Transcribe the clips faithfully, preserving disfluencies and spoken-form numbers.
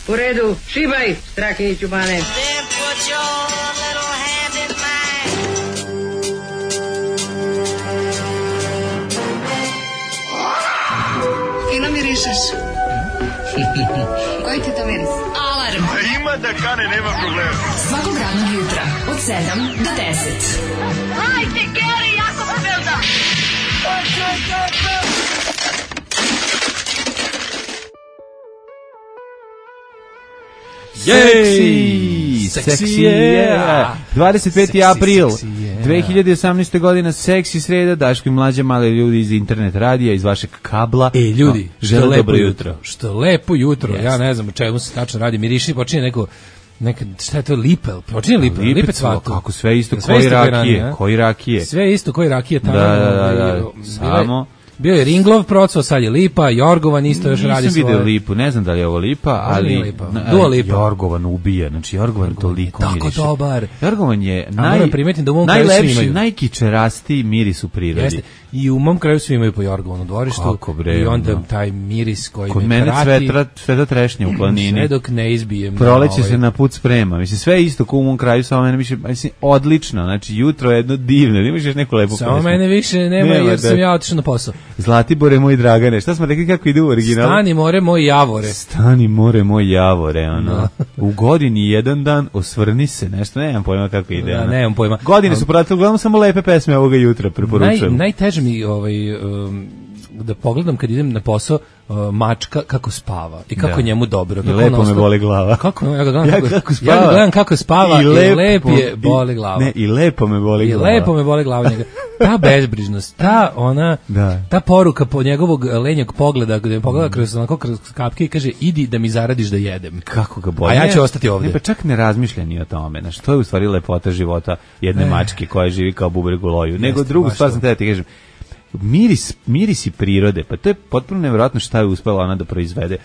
U redu, šibaj, strake i čubane. Then put your little hand in mine. Fino mirišeš. Koji ti to miris? Alarm. A ima da kane, nema problema. Svakog radnog jutra, od sedam do deset. Hajde, Geri, jako se velda. Seksi, seksi je. dvadeset peti april dve hiljade osamnaeste. godina, seksi sreda, Daško i Mlađa, mali ljudi iz internet radija, iz vašeg kabla. E, ljudi, no, što lepo dobro jutro. jutro. Što lepo jutro. Yes. Ja ne znam o čemu se tačno radi. Miriši, počinje neko neka, šta je to, lipe? Počinje lipe, lipe, lipe cvatu. Kako sve isto, sve koji isto rakije, rani, koji rakije. Sve isto koji rakije tamo. Da, da, da, da. Samo... Bio je Ringlov procvo, sad je Lipa, Jorgovan isto još radi svoje. Nisam vidio Lipu, ne znam da li je ovo Lipa, ali Lipa. Dua Lipa. Jorgovan ubija, znači Jorgovan, Jorgovan toliko tako miriše. Tako dobar. Jorgovan je naj, da u najlepši, najkičerastiji miris u prirodi. Jeste. I u mom kraju svi imaju po Jorgovanu dvorištu. Kako bre, i onda no. taj miris koji kod me mene prati. Cveta, cveta trešnje u planini. Sve dok ne izbijem. Proleće ovaj. se na put sprema. Mislim, sve isto ko u mom kraju, samo mene više, mislim, odlično. Znači, jutro je jedno divno. Imaš još neku lepu samo pesmu. Mene više nema, nema jer da. Sam ja otišao na posao. Zlatibore moj Dragane. Šta smo rekli kako ide u originalu? Stani more moj Javore. Stani more moj Javore, ono. No. U godini jedan dan osvrni se, nešto, nemam pojma kako ide. Da, nemam pojma. Godine su pratili, uglavnom samo lepe pesme ovoga jutra, preporučujem. Naj, najteže mi ovaj, um, da pogledam kad idem na posao uh, mačka kako spava i kako da. Njemu dobro. I lepo me boli glava. Kako, ja ga gledam, ja kako, kako spava. Ja ga gledam kako spava i, lepo, i lep je boli glava. Ne, i lepo me boli I glava. I lepo me boli glava njega. Ta bezbrižnost, ta ona, da. Ta poruka po njegovog lenjeg pogleda, gde me pogleda kroz, onako, kroz kapke i kaže, idi da mi zaradiš da jedem. Kako ga boli. A ja ću ostati ovdje. Ne, pa čak ne razmišlja ni o tome. Znaš, to je u stvari lepota života jedne e. mačke koja živi kao bubreg u loju. Nego jeste, drugu stvar sam te da ti kažem, miris, mirisi prirode, pa to je potpuno nevjerojatno šta je uspela ona da proizvede.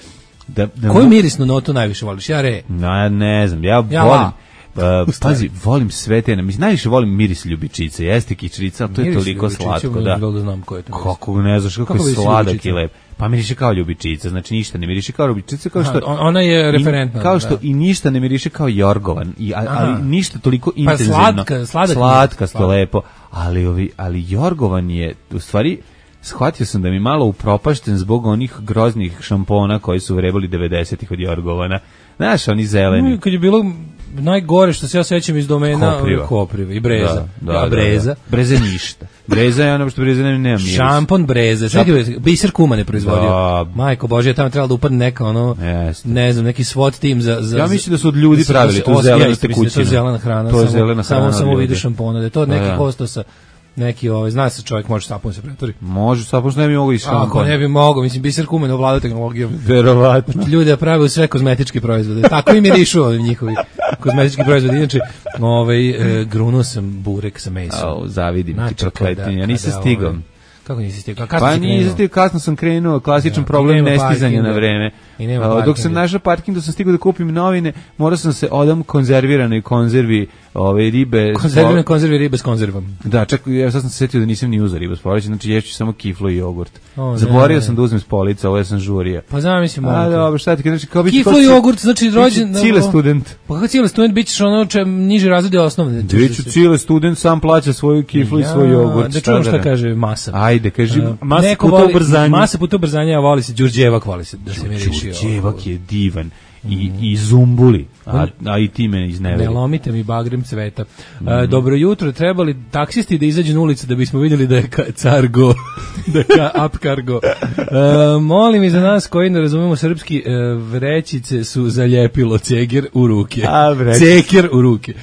Da, da koju mirisnu notu najviše voliš? Ja re. No, ne znam, ja, ja volim. Uh, pazi, volim sve te, mislim, najviše volim miris ljubičice, jeste kičrica, ali to je toliko slatko, da. Da znam ko je to. Kako ne znaš, kako, kako je sladak i lep. Pa miriše kao ljubičica, znači ništa ne miriše kao ljubičica, kao što... Aha, ona je referentna. I, kao što da. I ništa ne miriše kao Jorgovan, i, ali ništa toliko pa intenzivno. Slatka, sladak Slatkasto, sladak. Lepo, ali, ovi, ali Jorgovan je, u stvari... Shvatio sam da mi malo upropašten zbog onih groznih šampona koji su vrebali devedesetih od Jorgovana. Znaš, oni zeleni. No, kad je bilo najgore što se ja sećam iz domena Kopriva, Kopriva i Breza. Da, da, ja, Breza. Da, da. Breze ništa. Breza je ono što Breza nema miris. Šampon Breze. Čekaj, Biser Kuma ne proizvodio. Da. Majko Bože, tamo trebalo da upadne neka ono, jeste. Ne znam, neki SWAT tim za... za ja mislim da su od ljudi da pravili tu zelenu tekućinu. To je zelena hrana. To je samo, zelena hrana. Samo, samo u vidu šampona. Da je to neki da. kosto sa... Neki, ovaj, zna se čovjek može sapun se pretvori. Može sapun, što ne bi mogo i šampon. Ako ne bi mogo, mislim, Biser Kumen ovlada tehnologijom. Verovatno. Ljudi da prave sve kozmetički proizvode. Tako i mirišu ovim njihovi kozmetički proizvodi. Inače, ovaj, e, grunuo sam burek sa mesom. Au, zavidim znači, ti prokletinje, ja nisam stigao. Ovaj, kako nisi stigao? Pa nisam stigao, kasno sam krenuo, klasičan ja, problem nestizanja na vreme. Dok sam našao parking, dok sam stigao da kupim novine, morao sam se odam konzerviranoj konzervi ove ribe. Konzervirane konzervi ribe s konzervom. Da, čak ja sad sam se setio da nisam ni uzeo ribu s police, znači ješću samo kiflo i jogurt. O, zaboravio sam da uzmem s police, ovo ja sam žurio. Pa znam, mislim, a dobro, šta ti kažeš, kao biti kiflo i jogurt, znači rođen cile student. Pa kako cile student bićeš ono če niže razrede osnovne. Biću cile student, sam plaća svoju kiflu ja, i svoj jogurt. Da čujem šta kaže masa. Ajde, kaži uh, masa puta ubrzanja. Masa puta ubrzanja, a voli se Đurđevak, voli se da se mi reši. Đurđevak je divan. I, i zumbuli, a, a i ti me izneveri. Ne lomite mi bagrem cveta. Mm. A, dobro jutro, trebali taksisti da izađu na ulicu da bismo vidjeli da je ka, cargo, da je ka, up cargo. A, molim i za nas koji ne razumemo srpski, vrećice su zaljepilo ceger u ruke. A, ceger u ruke.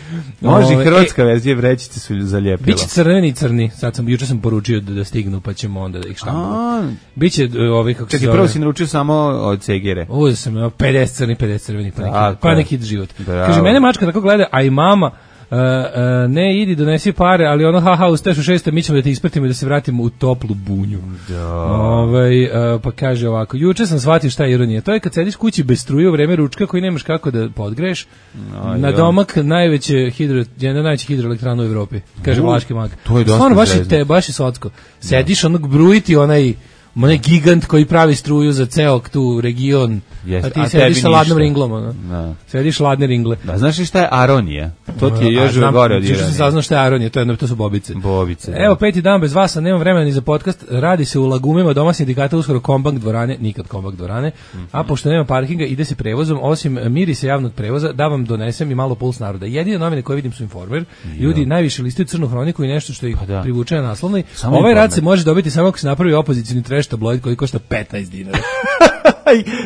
Može i hrvatska e, verzija, vrećice su zaljepilo. Biće crveni i crni, sad sam, juče sam poručio da, da stignu, pa ćemo onda da ih štampamo. Biće ovih, kako se zove. Čekaj, prvo si naručio samo od cegere. Uzeo sam pedeset crni, pedeset crvenih, pa neki, A, pa neki život. Bravo. Kaže, mene mačka tako gleda, a i mama, uh, uh, ne idi, donesi pare, ali ono, haha, ustaješ u šeste, mi ćemo da te ispratimo i da se vratimo u toplu bunju. Da. Ovaj, uh, pa kaže ovako, juče sam shvatio šta je ironija. To je kad sediš kući bez struje u vreme ručka koji nemaš kako da podgreješ, no, na domak najveće hidro, jedna najveća hidroelektrana u Evropi, kaže Vlaški mag. To je dosta Stvarno, baš je te, baš je slatko. Sediš, onog brujiti onaj onaj gigant koji pravi struju za ceo tu region. Jest, a ti a sediš tebi sa ladnom ništa. ringlom, ono. Da. Sediš ladne ringle. Da, znaš li šta je aronija? To ti je A, još znam, gore od juče sam ironije. saznao šta je aronija, to, je, to su bobice. Bobice. Da. Evo, peti dan bez vas, a nemam vremena ni za podcast. Radi se u Lagumima, doma sindikata, uskoro Kombank dvorane, nikad Kombank dvorane. Mm-hmm. A pošto nema parkinga, ide se prevozom, osim mirisa javnog prevoza, da vam donesem i malo puls naroda. Jedine novine koje vidim su Informer. Ljudi najviše listaju Crnu hroniku i nešto što ih Pa da. privuče na naslovnoj. Samo Ovaj rad Informer. se može dobiti samo ako se napravi opozicioni trash tabloid koji košta petnaest dinara.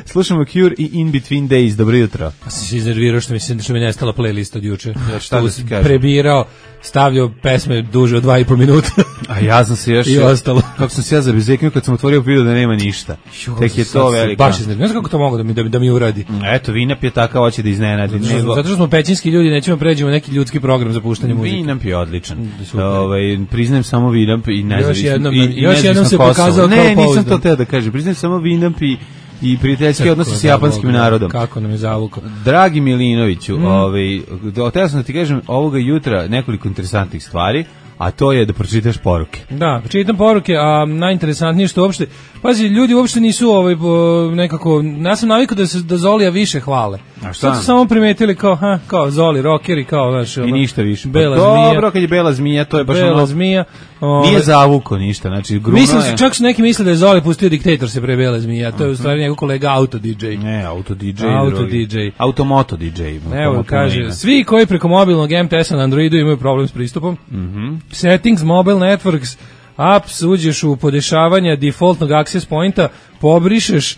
Slušamo Cure i In Between Days. Dobro jutro. Pa sam se iznervirao što mi se što mi je nestala playlist od juče. Ja šta da ti kažem? prebirao, stavljao pesme duže od dva i po minuta. A ja sam se još... I ostalo. Kako sam se ja zabezeknio kad sam otvorio video da nema ništa. Tek je Sad to se velika. Baš iznervirao. Znaš kako to mogu da mi, da, mi- da mi uradi? Eto, Vinap je takav, hoće da iznenadi. Zato što, Nego- zato što smo pećinski ljudi, nećemo pređemo neki ljudski program za puštanje muzike. Vinamp je odličan. super. Ovaj priznajem samo Vinamp i nezavisno. jednom i, nam- i još nezavisno jednom se Kosovo. pokazao Ne, kao nisam pouzdan. to teo da kažem. Priznajem samo Vinamp i i prijateljski Kako odnosi s da, japanskim Bog, narodom. Kako nam je zavukao. Dragi Milinoviću, Mm. ovaj, htio sam da ti kažem ovoga jutra nekoliko interesantnih stvari, a to je da pročitaš poruke. Da, čitam poruke, a najinteresantnije što uopšte, pazi, ljudi uopšte nisu ovaj, bo, nekako, ja sam navikao da se da Zolija više hvale. A šta? Sad su samo primetili kao, ha, kao Zoli, rockeri, kao, znaš, I ono, ništa više. Bela Pa zmija. dobro, kad je Bela zmija, to je baš Bela ono... zmija. ovaj, Nije zavuko ništa, znači gruno Mislim, je... čak su neki misle da je Zoli pustio Diktator se pre Bela zmija, to je u stvari njegov kolega Auto D J. Ne, auto D J. Auto drugi. D J. Automoto D J. Evo, Automoto kaže, Marina. svi koji preko mobilnog M T S-a na Androidu imaju problem s pristupom. Mhm. Settings, mobile networks, apps, uđeš u podešavanja defaultnog access pointa, pobrišeš e,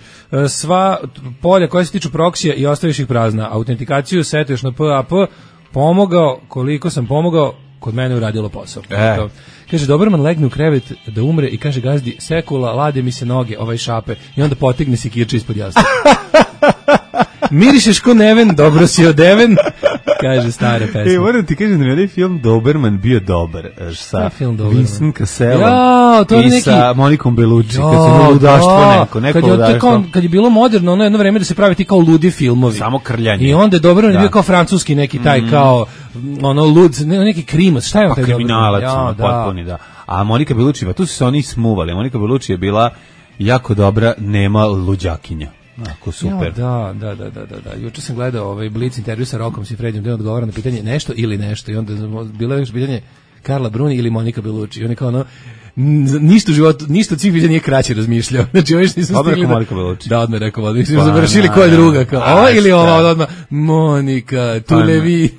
sva polja koja se tiču proksija i ostaviš ih prazna. Autentikaciju setuješ na P A P, pomogao, koliko sam pomogao, kod mene uradilo posao. E. To. Kaže, Doberman legne u krevet da umre i kaže gazdi, sekula, lade mi se noge, ovaj šape, i onda potegne se kirče ispod jasna. Mirišeš ko neven, dobro si odeven, kaže stara pesma. E, moram ti kažem da mi je onaj film Doberman bio dobar. e, Sa je film Doberman? Vincent Casselom Jao, to je i neki- sa Monikom Bellucci. Kad se Ja, bilo ludaštvo da. neko, neko kad je, ludaštvo. kao, kad je bilo moderno, ono jedno vreme da se pravi ti kao ludi filmovi. Samo krljanje. I onda je Doberman Da. bio kao francuski neki taj kao mm, ono lud, ne, neki krimac, šta je on Pa taj kriminalac, Doberman? ono, potpuni, da. A Monika Bellucci, pa tu su se oni smuvali. Monika Bellucci je bila jako dobra, nema luđakinja. Ako super. Ja, da, da, da, da, da. Juče sam gledao ovaj Blic intervju sa Rokom Sifredijem, gde on odgovara na pitanje nešto ili nešto i onda bilo je još pitanje Karla Bruni ili Monika Bellucci. I on je kao ono n- ništa u životu, ništa od svih pitanja nije kraće razmišljao. Znači, ovo još nisam Odmah stigli rekao da... Monika Bellucci. Da, odmah rekao, odmah. Pa, Pa, završili na, koja je na. druga, kao A, ova ili šta? ova, odmah Monika, tu Pa, le na. vi.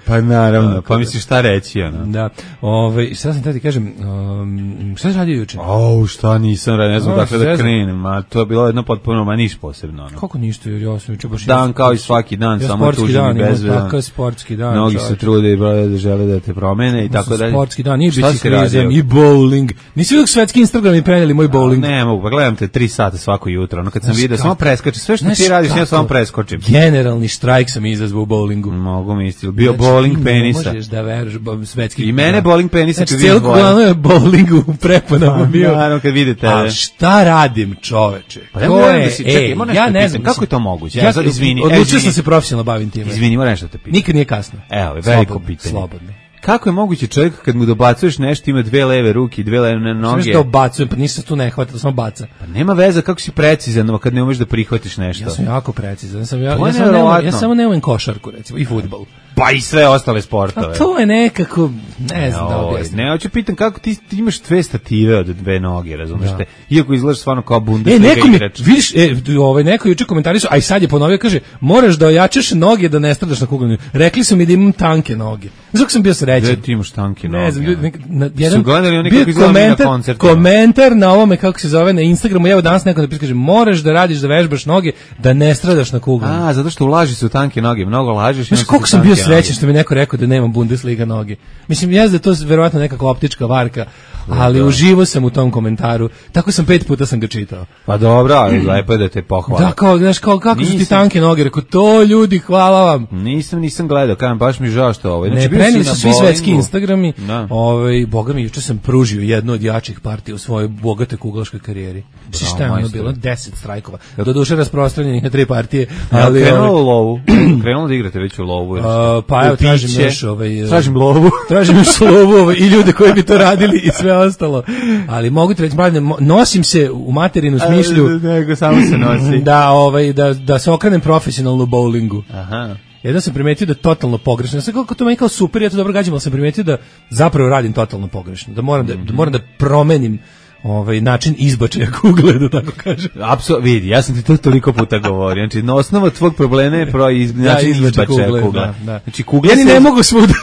Pa naravno, pa misliš šta reći, ono. Da, ovaj, šta sam tada ti kažem, um, šta si radio juče? Au, šta nisam radio, ne znam A, dakle da zezam. krenem, a to je bilo jedno potpuno, ma niš posebno, ono. Kako ništa, jer ja sam juče baš... Dan kao i svaki dan, ja samo sportski tužan dan, i imam bezvedan. takav sportski dan. Mnogi se čoveče. trude i broje da žele da te promene i tako dalje. Sportski dan, i Šta si biciklizam, radio? i bowling. Nisi vidio svetski Instagram i preneli moj bowling? Ne mogu, pa gledam te tri sata svako jutro, ono kad sam Znaš vidio, kako? samo preskačem, sve što Znaš ti radiš, ja kako? samo preskočim. Generalni štrajk sam izazvao u bowlingu. Mogu mi isti, bio Znači, bowling ti penisa. Ne možeš da veruješ, bo- svetski. I mene bowling penisa Znači, kad cijelo vidim glavno je bowlingu u preponama bio. Naravno kad vidite. A šta radim, čoveče? Pa ja To moram je, da si- čekaj, ej, moram nešto ja da ne pitam, znam. kako je to moguće? Ja sad izvini, e, Odlučio izvini. sam se profesionalno bavim time. Izvini, moram nešto te pitam. Nikad nije kasno. Evo, veliko Slobodno, pitanje. Slobodno. Kako je moguće čovjek kad mu dobacuješ nešto ima dve leve ruke i dve leve Sve noge? što obacujem, pa ništa tu ne hvata, samo baca. Pa nema veze kako si precizan kad ne umeš da prihvatiš nešto. Ja sam jako precizan. Ja sam ja, To je ja samo ne umem- nevjerovatno. ja samo ne umem košarku recimo i fudbal. Pa i sve ostale A sportove. to je nekako, ne znam da Oj, objasnim. ne, hoću pitam kako ti, ti imaš dve stative od dve noge, razumeš Da. te? Iako izgledaš stvarno kao E, Bundesliga neko mi, igrač. vidiš, e, ovaj, neko juče komentarisao, a i sad je ponovio, kaže, moraš da ojačaš noge da ne stradaš na kugljenju. Rekli su mi da imam tanke noge. Znaš kako sam bio srećan? Gde ti imaš tanke noge? Ne znam, ljudi, nek- na, Su jedan, gledali oni bio kako izgledamo mi na komentar, koncertima? komentar na ovome, kako se zove, na Instagramu, evo danas neko napisao, kaže, moraš da radiš, da vežbaš noge, da ne stradaš na kugljenju. A, zato što ulaži se u tanke noge, mnogo lažeš. i Znaš onda su koliko ti sam bio tanke srećan noge. što mi neko rekao da nemam Bundesliga noge. Mislim, ja znam da je to verovatno nekakva optička varka, ali uživo sam u tom komentaru. Tako sam pet puta sam ga čitao. Pa dobro, ali lepo je da te pohvala. Da, kao, znaš, kao, kako su ti Nisam. tanke noge? Rekao, to ljudi, hvala vam. Nisam, nisam gledao, kažem, baš mi žao što ovo. Ne, bio prenili si su na svi bowlingu. svetski Instagrami. Da. Ovaj, boga mi, juče sam pružio jednu od jačih partija u svojoj bogatoj kuglaškoj karijeri. Znači šta je ono majstore. bilo? Deset strajkova. Doduše rasprostranjenih na tri partije. Ali Ali, krenulo ovaj, u lovu. krenulo da igrate već u lovu? Uh, pa evo, tražim piće. još ovaj, Tražim lovu. tražim još lovu ovaj, i ljude koji bi to radili i sve ostalo. Ali mogu ti reći, mladen, mo- nosim se u materinu smišlju Nego samo se nosi. da, ovaj, da, da se okrenem profesionalno u bowlingu. Aha. Jedno sam primetio da je totalno pogrešno. Ja sam kako to meni kao super, ja to dobro gađam, ali sam primetio da zapravo radim totalno pogrešno. Da moram da, da, moram da promenim ovaj način izbačaja kugle, da tako kažem. Apsolutno, vidi, ja sam ti to toliko puta govorio. Znači, na osnova tvog problema je pro iz, način izbačaja kugle. kugle. Da, da. Znači, kugle ja ni se... ne mogu svuda.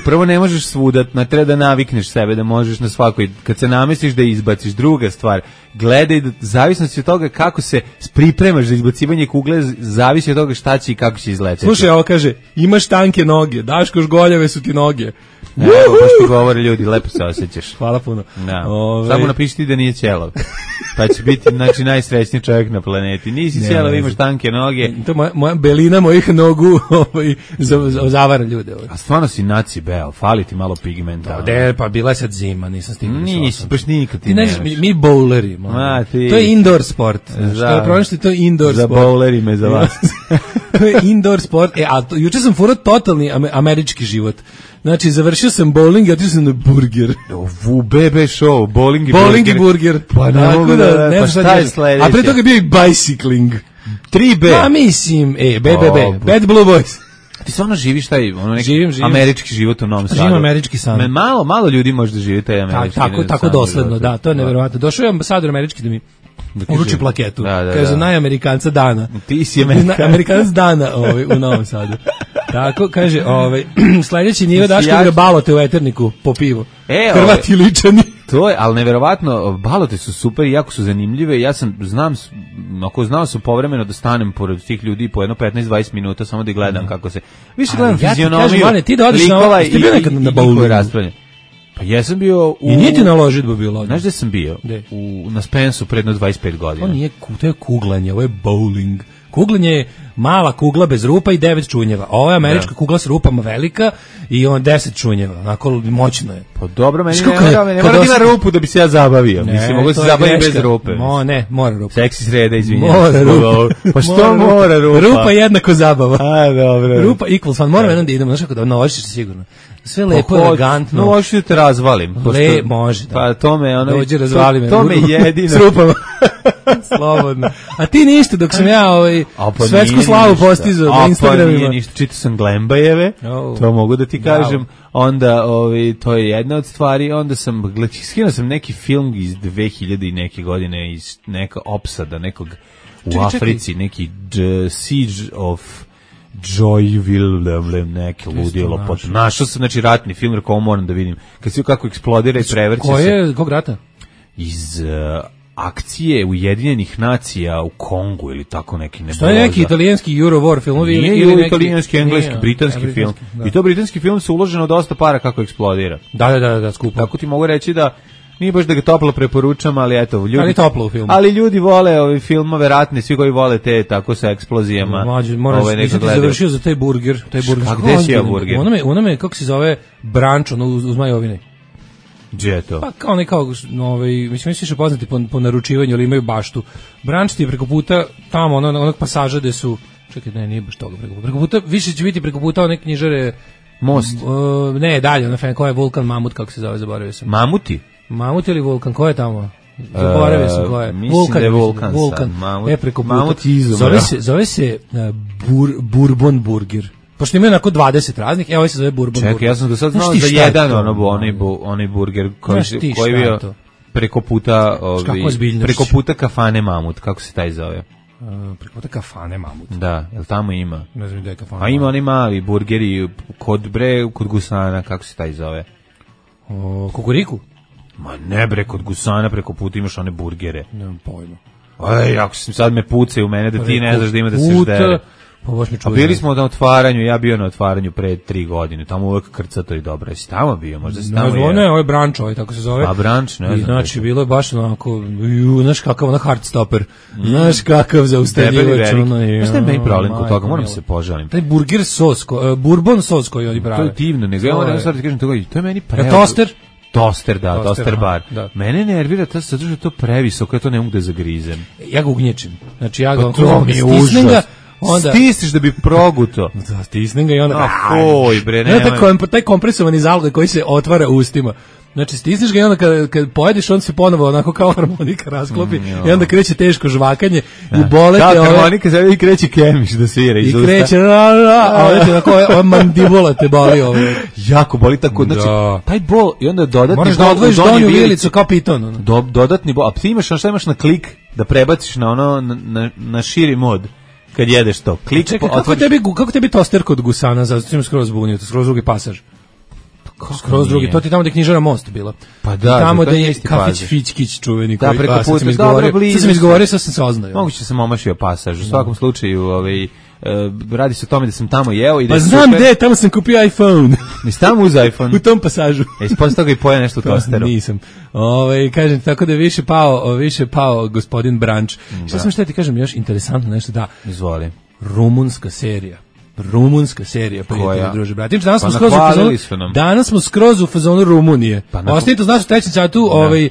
Prvo ne možeš svuda, na treba da navikneš sebe, da možeš na svakoj, kad se namestiš da izbaciš. Druga stvar, gledaj, da, zavisnosti od toga kako se pripremaš za izbacivanje kugle, zavisi od toga šta će i kako će izleteti. Slušaj, ovo kaže, imaš tanke noge, Daško žgoljave su ti noge. Evo, baš ti govore ljudi, lepo se osjećaš. Hvala puno. Da. Ove... Samo napiši ti da nije ćelav. Pa će biti, znači, najsrećniji čovjek na planeti. Nisi Ne, ćelav, ne imaš tanke noge. To je moja, moja belina mojih nogu ovaj, za, za, zavara ljude. Ovaj. A stvarno si naci beo, fali ti malo pigmenta. Da, de, pa bila je sad zima, nisam stigao. Nisi, baš nikad ti, Ti ne znaš, mi, mi bowleri. Ma, ti... To je indoor sport. Znači, Za- to je problem što je to indoor Za sport. bowleri me za vas. To je indoor sport. E, a to, juče sam furao totalni ame- američki život. Znači, završio sam bowling i otišao sam na burger. U B B show, bowling i Bowling burger. i burger. Pa ne Tako mogu da, ne pa znam šta je šta sledeće? A pre toga je bio i bicycling. tri B. Pa mislim, e, B B B, O, Bad Blue Boys. Ti stvarno živiš taj ono neki Živim, živim. američki život u Novom Sadu. Živim američki san. Me, malo, malo ljudi može da živi taj Ta, američki tako, tako san dosledno, život. da, to je neverovatno. Došao je ambasador američki da mi Da uruči kaže- plaketu. Da, da, Kaže, da. najamerikanca dana. Ti si Amerikanac. Amerikanac dana ovaj, u Novom Sadu. Tako, kaže, ovaj, sledeći nivo Ti si Daško jak- ga balote u Eterniku po pivu. E, Hrvati ličani. To je, ali neverovatno, balote su super i jako su zanimljive. Ja sam, znam, s- ako znao sam povremeno da stanem pored tih ljudi po jedno petnaest dvadeset minuta samo da ih gledam kako se... Više Ali gledam ja ti fizionomiju, kažem, Mane, ti da odiš na- likova jeste bio nekad na bowlingu? raspravljanje. Pa jesam bio u... I nije ti na ložitbu bilo. Znaš gde sam bio? Gde? U, na Spensu predno dvadeset pet godina. To nije, ku- to je kuglanje, ovo je bowling. Kuglanje je mala kugla bez rupa i devet čunjeva. Ovo je američka Da. kugla s rupama velika i on deset čunjeva. Onako moćno je. Pa dobro, meni Znaš ne kako je- mora, ne kad mora da ima osjeti- rupu da bi se ja zabavio. Mislim, mogu da se to je zabavim greška. bez rupe. Mo, ne, mora rupa. Seksi sreda, izvinjam. Mora se. rupa. Pa što mora rupa? Rupa jednako zabava. A, dobro. Rupa equals fun. Moram jednom da idemo, znaš kako da naložiš se sigurno. Sve lepo, Pa, elegantno. No, hoću da te razvalim. pošto- Le, može, da. Pa to me, ono... Dođi, razvali me. To, to me jedino... S rupama. Slobodno. A ti ništa, dok sam ja ovaj, A, pa svetsku nije slavu ništa. postizao A, na Pa nije Instagramima. ništa, čitao sam Glembajeve, Oh. to mogu da ti kažem. Bravo. Onda, ovaj, to je jedna od stvari, onda sam, gled- skinuo sam neki film iz dve hiljade i neke godine, iz neka opsada, nekog u Čekaj, čekaj. Africi, neki J- Siege of Joyville, neke ludilo. našao. Našao. našao sam, znači, ratni film, rekao, ovo moram da vidim. Kad se kako eksplodira i prevrće Ko se je, kog rata? iz uh, akcije Ujedinjenih nacija u Kongu ili tako neki ne. To je neki italijanski Euro War filmovi ili, Nije ili ili neki... italijanski, engleski, Nije, britanski a, film. da. I to britanski film se uloženo dosta para kako eksplodira. Da, da, da, da, skupo. Tako ti mogu reći da nije baš da ga toplo preporučam, ali eto, ljudi... Ali toplo u filmu. Ali ljudi vole ove filmove ratne, svi koji vole te tako sa eksplozijama. Mlađe, moraš, ovaj, neka nisam ti gledaju. završio za taj burger. Taj burger. Kako, Kako gde si ja ozbiljno? burger? U onome, u onome, kako se zove, branč, ono, uz, uz Majovine. Gdje je to? Pa kao ne kao, ovaj, mislim, mi su više poznati po, po naručivanju, ali imaju baštu. Branč ti je preko puta, tamo, ono, onog pasaža gde su, čekaj, ne, nije baš toga preko puta. Preko puta, više će biti preko puta one knjižare, Most. uh, ne, dalje, ono, ko je Vulkan Mamut, kako se zove, zaboravio sam. Mamuti? Mamut ili Vulkan, ko je tamo? Zaboravio sam ko je. E, mislim da je Vulkan sad. Vulkan. Mamut- E, preko puta. Mamut izumro. Zove se, zove se uh, bur, Bourbon Burger. Pošto imaju onako dvadeset raznih, evo ovaj se zove Bourbon Burger. Čekaj, ja sam do sad Znaš znao ti za šta je jedan to? ono, bu- onaj, bu, onaj burger koji, Znaš ti koji šta je bio to? preko puta ovi, kakva ozbiljnošć. preko puta kafane Mamut, kako se taj zove? Uh, preko puta kafane Mamut. Da, jel tamo ima? Ne znam gde je kafana. A ima onaj mali burgeri kod bre, kod Gusana, kako se taj zove? O, kukuriku? Ma ne bre, kod Gusana preko puta imaš one burgere. Nemam pojma. Aj, ako sam sad me pucaju u mene da ti ne Preko znaš da ima da se puta, ždere. Pa baš mi A čuje. bili smo na otvaranju, ja bio na otvaranju pre tri godine, tamo uvek krcato i dobro. Jesi tamo bio, možda si Ne tamo znam, jeo? ne, ovo je branč, ovaj, tako se zove. Pa branč, ne I znam. znači, bilo je baš onako, ju, znaš kakav, ona hardstopper, znaš kakav zaustavljivač, Debeli ono veliki. je. Znaš šta je meni problem kod majko toga, moram mila. se požalim. Taj burger sos, ko, uh, bourbon sos koji oni prave. To je divno, nego ja To moram je- sad ti kažem toga, to je meni pre... toster? Toster, da, Toster, toster aha, bar. da. Mene nervira to zato što je to previsoko, ja to ne mogu da zagrizem. Ja ga ugnječim. Znači, ja ga Pa onako to mi je stisnem užas. ga, onda stisneš da bi proguto. Da, stisnem ga i onda... Oj, bre, ne. Taj, kom, taj kompresovani zalogaj koji se otvara u ustima. Znači, stisneš ga i onda kad, kad pojedeš, on se ponovo onako kao harmonika rasklopi mm, i onda kreće teško žvakanje da. I bolete... Kao ove... harmonika sad i kreće kemiš da svira iz I usta. kreće, ra, ra, a ovdje onako, ova mandibula te boli ove. Jako boli tako, znači, da. Taj bol i onda dodatni moraš bol... Moraš da odvojiš donju vilicu kao piton. Ono. Do, dodatni bol, a ti imaš, šta imaš na klik da prebaciš na ono, na, na, na širi mod. Kad jedeš to, klik... Čekaj, po, kako, tebi, kako tebi toster kod gusana, zato ćemo skroz zbunio, to skroz drugi pasaž. Skroz drugi, to ti tamo da je knjižara Most bila. Pa da, tamo da je kafić Fićkić čuveni da, koji preko pa, sad sam izgovorio, sad sam izgovorio, sad sam se oznao. Moguće sam omašio pasaž, u svakom slučaju, ovaj, Uh, radi se o tome da sam tamo jeo i da pa znam gde, tamo sam kupio iPhone. Nisi tamo uz iPhone? U tom pasažu. E, ispostavio toga i pojeo nešto u tosteru. Nisam. Ove, kažem, tako da je više pao, više pao gospodin Branč. Da. Šta sam šta ti kažem još interesantno nešto, da. Izvoli. Rumunska serija. Rumunska serija, prijatelji, druže, brati. Danas pa smo skroz u fazonu, danas smo skroz u fazonu Rumunije. Pa ostanite uz nas u trećem satu, ovaj,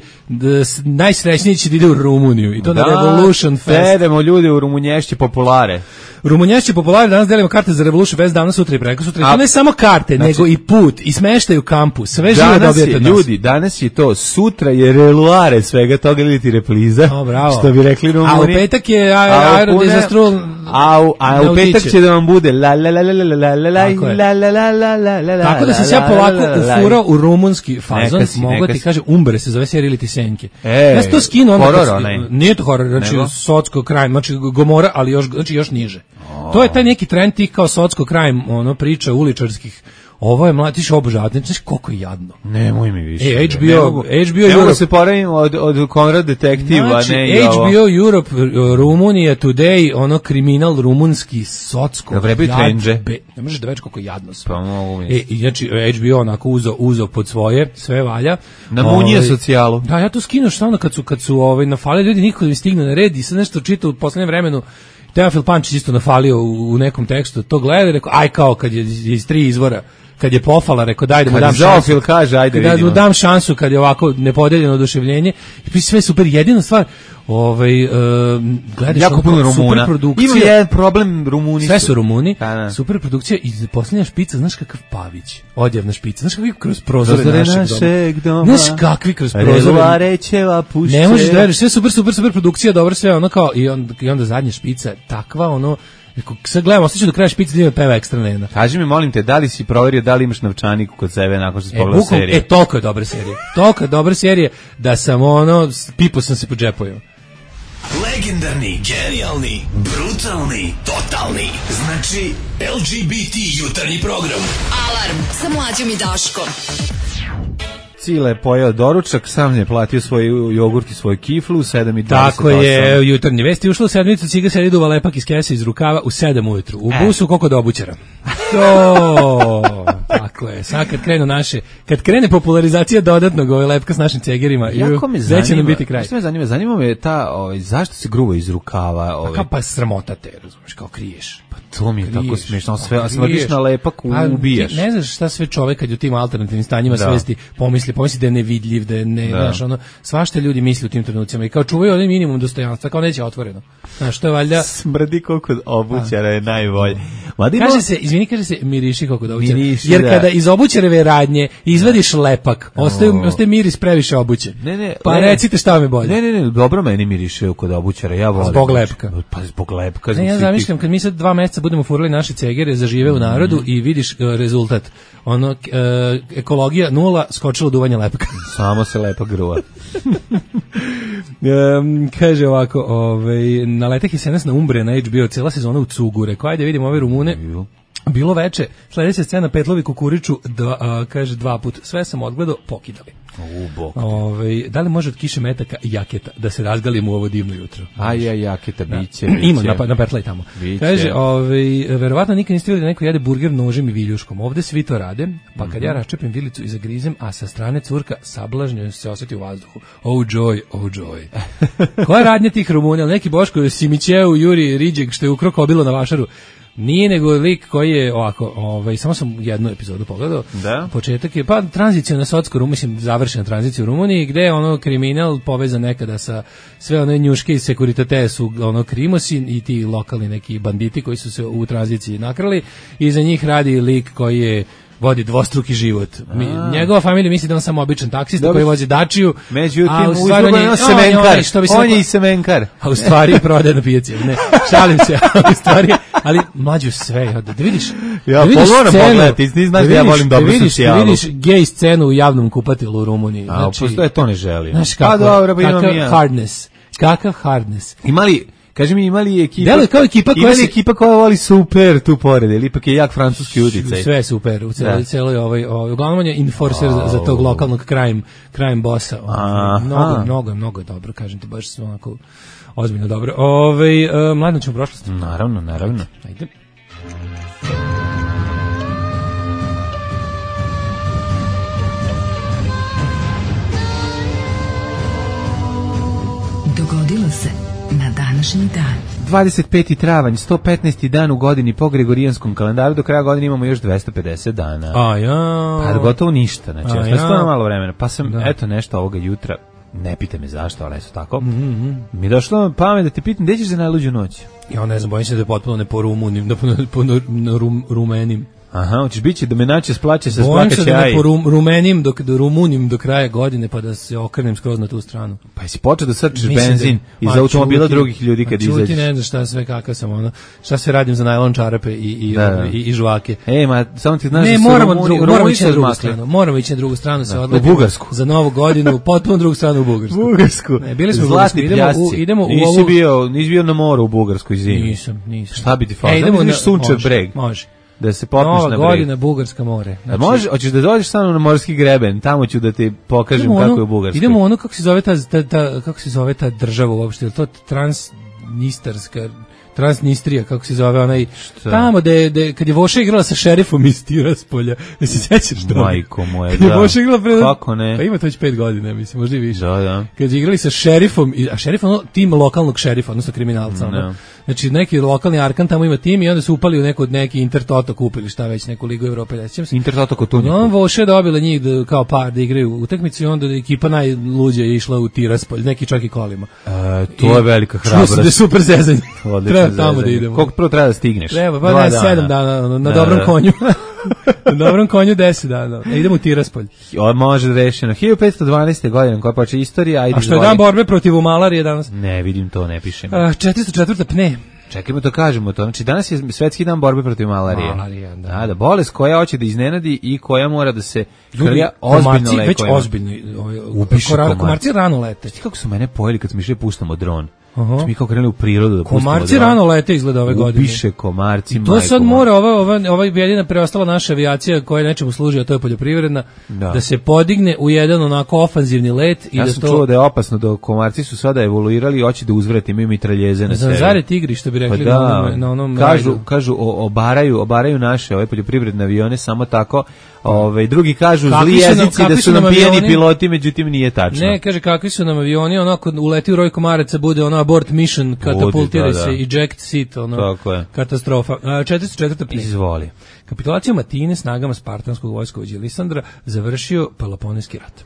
najsrećniji će da ide u Rumuniju. I to da, na Revolution Fest. Sedemo ljudi u Rumunješće populare. Rumunješće populare, danas delimo karte za Revolution Fest, danas, sutra i preko sutra. To ne samo karte, znači, nego i put, i smeštaj u kampu. Sve živo dobijete od nas. Ljudi, danas je to, sutra je reluare svega toga ili ti repliza. O, bravo. Što bi rekli Rumuni. A u petak je aerodizastru. A, a u petak će da vam bude la la la la la la la la la la la la la la. Tako da se ja polako ufurao u rumunski fazon, mogu ti kaže Umbre se zove serija ili ti Senke. Ja sam to skinuo onda. Nije to horor, znači socko crime, znači Gomora, ali još znači još niže. To je taj neki trend tih kao socko crime, ono priča uličarskih. Ovo je mladić obožavati, znaš koliko je jadno. Nemoj mi više. E, H B O, mogu, H B O Europe. se poravimo od, od Konrad detektiva, znači, ne i ovo. H B O Europe, Rumunija Today, ono kriminal rumunski, socko. Da vrebaju trenđe. Ne možeš da već koliko jadno sve. Pa mogu mi. E, znači, H B O onako uzo, uzo pod svoje, sve valja. Na munije ovaj, socijalu. Da, ja to skinu što ono kad su, kad su ovaj, nafali ljudi, niko mi stigne na red i sad nešto čita u poslednjem vremenu. Teofil Pančić isto nafalio u, u nekom tekstu, to gleda i rekao, aj kao kad je iz tri izvora, kad je pofala, rekao daj da mu dam šansu. Kaže, ajde da vidimo. mu dam šansu kad je ovako nepodeljeno oduševljenje. I sve super, jedina stvar, ovaj, uh, gledaš jako puno Rumuna. Ima jedan problem Rumuni. Sve su Rumuni. Da, super produkcija i posljednja špica, znaš kakav Pavić, odjevna špica, znaš kakvi kroz prozore našeg, našeg doma. doma. Znaš kakvi kroz prozore. Rećeva pušće. Ne možeš da veriš, sve super, super, super produkcija, dobro sve, ono kao, i onda, i onda zadnja špica, takva, ono, sad gledamo, ostaću do kraja špice da ima peva ekstra nena. Kaži mi, molim te, da li si proverio da li imaš novčanik kod sebe nakon što si pogledao e, seriju? E, toliko je dobra serija. Toliko je dobra serija da sam ono, pipo sam se po džepovima. Legendarni, genijalni, brutalni, totalni. Znači, L G B T jutarnji program. Alarm sa Mlađom i Daškom. Cile je pojeo doručak, sam je platio svoj jogurt i svoju kiflu u sedam i dvadeset osam. Tako je, jutarnji vesti ušlo u sedmicu, ciga se duva lepak iz kese iz rukava u sedam ujutru. U busu koliko do obućara. To, tako je. Sad kad krenu naše, kad krene popularizacija dodatnog ove lepka s našim cegerima, gde će nam biti kraj? Što me zanima? Zanima me ta, ovaj, zašto se gruva iz rukava? Ovaj? Pa, pa sramota te, razumiješ, kao kriješ. To mi je kriješ, tako smiješno, sve, smrdiš na lepak, ubijaš. Ne znaš šta sve čovek kad je u tim alternativnim stanjima da. svesti pomisli, pomisli da je nevidljiv, da je ne, da. znaš, ono, svašta ljudi misli u tim trenucima i kao čuvaju onaj minimum dostojanstva, kao neće otvoreno. Znaš, to je valjda... Smrdi koliko obućara je najbolje. Madimo... Kaže se, izvini, kaže se miriši koliko da obućara. Miriši, jer da. kada iz obućareve radnje izvadiš lepak, ostaje, ostaje miris previše obuće. Ne, ne, pa ne, recite šta vam je bolje. Ne, ne, ne, dobro meni miriše kod obućara, ja volim. Zbog lepka. Pa zbog lepka. Ne, ja zamišljam, kad mi sad dva meseca budemo furali naše cegere, zažive u narodu mm. i vidiš uh, rezultat. Ono, uh, ekologija nula, skočilo duvanje lepka. Samo se lepak gruva. um, kaže ovako, ovaj, na letak je senas na Umbre na H B O, cijela sezona u cugu. Rekao, ajde vidimo ove Rumune. Bilo veče, sledeća scena Petlovi kukuriču, dva, a, kaže dva put. Sve sam odgledao, pokidali. Ove, da li može od kiše metaka i jaketa da se razgalimo u ovo divno jutro? A ja, jaketa, da. biće, biće. Ima, na, na Petlaj tamo. Biće. Kaže, ove, verovatno nikad niste vidjeli da neko jede burger nožem i viljuškom. Ovde svi to rade, pa kad mm-hmm. ja raščepim vilicu i zagrizem, a sa strane curka sablažnjeno se osjeti u vazduhu. Oh joy, oh joy. Koja radnja tih Rumuna? Neki Boško Simićeu, Juri Riđeg, što je ukrao kobilo na vašaru. Nije nego lik koji je ovako, ovaj, samo sam jednu epizodu pogledao. Da. Početak je, pa tranzicija na Socko, mislim, završena tranzicija u Rumuniji, gde je ono kriminal povezan nekada sa sve one njuške iz Sekuritate su ono krimosi i ti lokalni neki banditi koji su se u tranziciji nakrali i za njih radi lik koji je vodi dvostruki život. Mi, njegova familija misli da on samo običan taksista Dobro. koji vozi dačiju. Međutim, a u u stvari on je, on semenkar. on, što bi se On je reklo- i semenkar. a u stvari prodaje na pijaci. Ne, šalim se, ali u stvari, ali mlađu sve, ja, da vidiš. Ja, da vidiš pa moram scenu, pogledati, ti znaš da ja vidiš- volim dobru da vidiš, socijalu. Da vidiš gej scenu u javnom kupatilu u Rumuniji. A, Znači, postoje, to ne želim. znaš Pa kako, dobro, pa imam kakav i ja. hardness, kakav hardness. Imali, kaži mi, imali ekipa... Deluje kao ekipa koja imali se- ekipa koja voli super tu pored, ili ipak je jak francuski uticaj. Sve je super, u celoj, Da. celoj ovaj, ovaj, uglavnom on je enforcer za, za tog lokalnog crime, crime bossa. Aha. Mnogo, mnogo, je, mnogo je dobro, kažem ti, baš su onako ozbiljno dobro. Ove, uh, mladno ćemo u prošlost. Naravno, naravno. Ajde. Dogodilo se na današnji dan. dvadeset peti travanj, sto petnaesti dan u godini po Gregorijanskom kalendaru, do kraja godine imamo još dvesta pedeset dana. A ja. Pa gotovo ništa, znači, A ja. ja. stvarno malo vremena. Pa sam, Da. eto nešto ovoga jutra, ne pite me zašto, ali eto tako, Mhm. mi je došlo na pamet da te pitam, gde ćeš za najluđu noć? Ja ne znam, bojim se da je potpuno ne po rumunim, da po, po na rum, rumenim. Aha, hoćeš biće da me naće splaće sa Bojim se splakaće da ne aj. po rum, rumenim, dok, do rumunim do kraja godine, pa da se okrenem skroz na tu stranu. Pa jesi počeo da srčeš Mislim benzin da- iz Ma, automobila čuti- drugih ljudi ma, kad čuti, izađeš? ne znam šta sve, kakav sam, ono, šta sve radim za najlon čarape i, i, Da, da. i, i žvake. E, ma, samo ti znaš Ne, da su moramo, Rumuni- drugu, Rumuni moramo ići su na drugu odmakli. stranu. Moramo ići na drugu stranu, se Da, odletimo u Bugarsku. za novu godinu, potpuno drugu stranu u Bugarsku. Bugarsku. Ne, bili smo u Zlatni Bugarskoj, idemo u- pljasci. idemo u Nisi ovu- bio, nisi bio na moru u Bugarskoj zimi. Nisam, nisam. Šta bi ti falilo? E, idemo Da na vidiš Sunčev može, breg. Može. Da se popneš Nova na breg. godina, Bugarska more. A može, hoćeš da dođeš sa mnom na morski greben, tamo ću da ti pokažem idemo kako ono- je u Bugarskoj. Idemo u ono kako se zove ta, ta, ta kako se zove ta država uopšte, je li to Transnistarska, Transnistrija, kako se zove onaj tamo da da kad je Voša igrala sa šerifom iz Tiraspolja. Da se sećaš toga? Majko moja, Kad je da. Voša igrala pre Kako ne? Pa ima to već pet godina, mislim, možda i više. Da, da. Kad su igrali sa šerifom, i- a šerif je ono tim lokalnog šerifa, odnosno kriminalca. ono. Da. Znači neki lokalni arkan tamo ima tim i onda su upali u neku neki Intertoto kupili šta već, neku ligu Evrope, ne sjećam se. Intertoto On Kotunjiku. Voše dobila njih da, kao par da igraju utakmicu i onda da ekipa najluđa je išla u Tiraspolj, neki čak i kolima. E, to je velika Čuo sam da je hrabrost. super zezanje. Odlično Treba tamo da zezanje. idemo. Koliko prvo treba da stigneš? Treba, pa Dva ne, sedam dana, ono, na Da, dobrom da. konju. Na dobrom konju deset dana. E, idemo u Tiraspolj. O, može da rešeno. hiljadu petsto dvanaeste. godine, koja počne istorija, ajde A što je izvoli. dan borbe protiv malarije danas? Ne, vidim to, ne pišem. A, četiristo četvrta pne. Čekajmo to kažemo to. Znači, danas je svetski dan borbe protiv malarije. Malarija, da. Da, da, bolest koja hoće da iznenadi i koja mora da se Ljudi, krlja ozbiljno komarci već lekovima. ozbiljno. Ovaj, Upiši kora- komarci. komarci rano lete. Znaš kako su mene pojeli kad smo išli puštamo dron? Aha. Znači mi kao krenuli u prirodu da pustimo Komarci dron. rano lete izgleda ove godine. Upiše komarci, To majko sad moja. mora ova ova ova jedina preostala naša avijacija koja nečemu služi, a to je poljoprivredna, Da. da, se podigne u jedan onako ofanzivni let i Ja da sam to čuo da je opasno da komarci su sada evoluirali i hoće da uzvrate, imaju mitraljeze na sebi. zanzare tigri, što bi Pa rekli da, na onom, na onom kažu, rajdu. kažu o, obaraju, obaraju naše ove poljoprivredne avione samo tako. Ove, drugi kažu Kakvi zli su nam- jezici da kakvi su su nam nam pijeni avioni? piloti, međutim nije tačno. Ne, kaže kakvi su nam avioni, onako uleti u roj komaraca, bude ono abort mission, katapultira da, da. se, eject seat, ono, Tako je. katastrofa. A, četiristo četvrta pne. Izvoli. Kapitulacijom Atine snagama spartanskog vojskovođa Lisandra završio Peloponejski rat.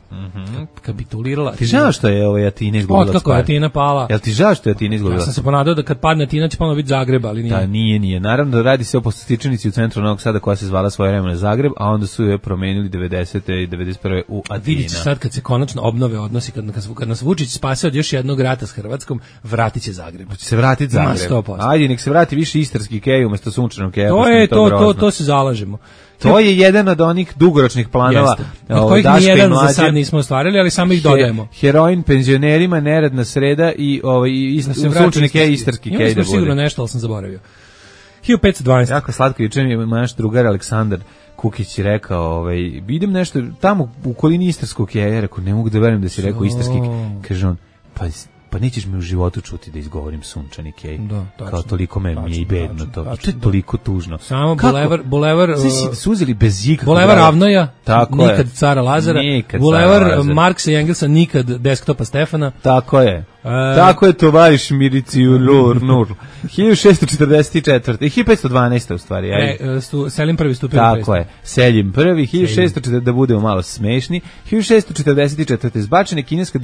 Kapitulirala. Ti žao što je ovaj Atina izgubila Otkako je Spartu? Atina pala? Jel ti žao što je Atina Ja izgubila? sam se ponadao da kad padne Atina će ponovo biti Zagreb, ali nije. Da, nije, nije. Naravno da radi se o postostičnici u centru Novog Sada koja se zvala svoje vremena Zagreb, a onda su je promenili devedesete i devedeset prve u Atina. Vidite sad kad se konačno obnove odnosi, kad, kad, kad nas Vučić spase od još jednog rata s Hrvatskom, vratit će Zagreb. Će se vratiti Ma, Zagreb. sto posto. Ajde, nek se vrati više istarski kej umesto sunčanog keja. To pošto mi je, to, to, grozno. to se zalažemo. To je jedan od onih dugoročnih planova. Jeste. Od ovaj, kojih Daška i nijedan za Mlađe. sad nismo ostvarili, ali samo ih dodajemo. He- Heroin penzionerima, neradna sreda i ovaj i ist, Da se vrati sunčani kej, istarski. istarski Imali kej smo da sigurno bude. nešto, ali sam zaboravio. hiljadu petsto dvanaeste. Jako slatko, juče mi je naš drugar Aleksandar Kukić rekao, ovaj, idem nešto tamo u okolini istarskog keja, ja rekao, ne mogu da verujem da si rekao istarski kej. Kaže on, pa pa nećeš mi u životu čuti da izgovorim sunčani kej. Da, tačno. Kao toliko me mi je i Tačno, bedno tačno, to. tačno, To je da. toliko tužno. Samo Kako? bulevar, bulevar, Znači, si- su uzeli bez ikakvog bulevar razloga. Ravnoja, Tako je. nikad cara Lazara, Nikad bulevar cara Lazara. Marksa i Engelsa, nikad desktopa Stefana, Tako je. Tako je tovariš Mirici Nur Nur. hiljadu šessto četrdeset četvrte i hiljadu petsto dvanaeste u stvari. E, stu, Selim prvi stupio. Tako je. Selim prvi, hiljadu šessto četrdeset da budemo malo smešni. hiljadu šessto četrdeset četvrte zbačena kineska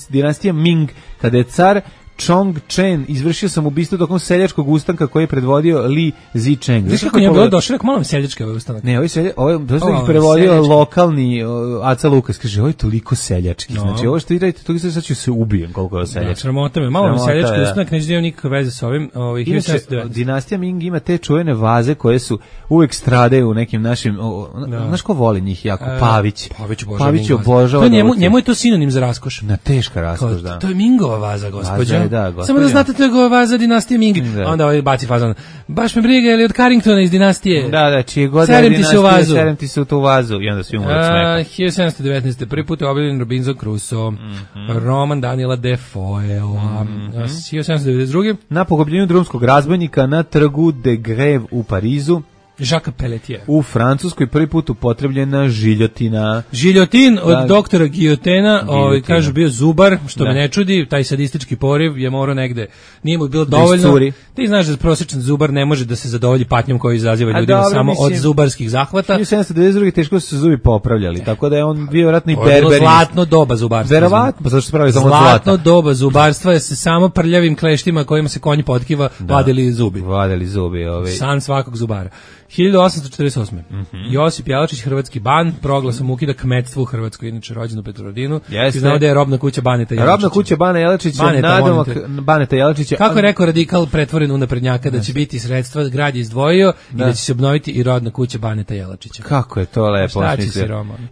dinastija Ming, kada je car Chong Chen izvršio sam ubistvo tokom seljačkog ustanka koji je predvodio Li Zicheng. Znaš kako je bilo došlo, kako malo seljački ovaj ustanak? Ne, ovaj selja, ovaj dosta ih prevodio seljački. Lokalni uh, Aca Lukas, kaže, ovo je toliko seljački. No. Znači, ovo što vidite, to sad ću se ubijem koliko je seljački. Da, sramota me, malo mi seljački ustanak, neće da imam nikakve veze s ovim. Ovaj, Inače, dinastija Ming ima te čuvene vaze koje su uvek stradaju u nekim našim, o, da. Znaš ko voli njih jako? Pavić. Pavić obožava. Pavić obožava. Njemu, njemu je to sinonim za raskoš. Na teška raskoš, da. To je Mingova vaza, gospođa. Da, samo da znate, to je vaza dinastije Ming. Da. Onda ovaj baci fazon. Baš me briga, je li od Carringtona iz dinastije? Da, da, čije god je dinastije, serem ti se u tu vazu. I onda svi umre od smeha. hiljadu sedamsto devetnaeste. Prvi put je objavljen Robinson Crusoe, mm -hmm. roman Daniela Defoea. Mm -hmm. hiljadu sedamsto devedeset druge. Na pogubljenju drumskog razbojnika na trgu de Greve u Parizu. Jacques Pelletier. U Francuskoj prvi put upotrebljena žiljotina. Žiljotin od da, doktora Giljotena, ovaj kažu bio zubar, što da. me ne čudi, taj sadistički poriv je morao negde. Nije mu bilo dovoljno. Ti znaš da prosječan zubar ne može da se zadovolji patnjom koju izaziva ljudima dobro, samo mislim, od zubarskih zahvata. hiljadu sedamsto devedeset druge teško su se zubi popravljali, e. tako da je on bio vjerojatno i berber. Zlatno doba zubarstva. Verovatno, pa zašto se pravi samo zlatno zlata. doba zubarstva je se samo prljavim kleštima kojima se konji potkiva da. vadili zubi. Vadili zubi, ovaj. San svakog zubara. hiljadu osamsto četrdeset osme. Mm -hmm. Josip Jelačić, hrvatski ban, proglasom ukida kmetstvo u Hrvatskoj, inače rođen u Petrovaradinu. Ti znao da je robna kuća Baneta Jelačića. Robna kuća Bana Jelačića, nadomak Baneta Jelačića. Kako je rekao radikal pretvoren u naprednjaka, da će biti sredstva, grad je izdvojio da. i da će se obnoviti i rodna kuća Baneta Jelačića. Kako je to lepo.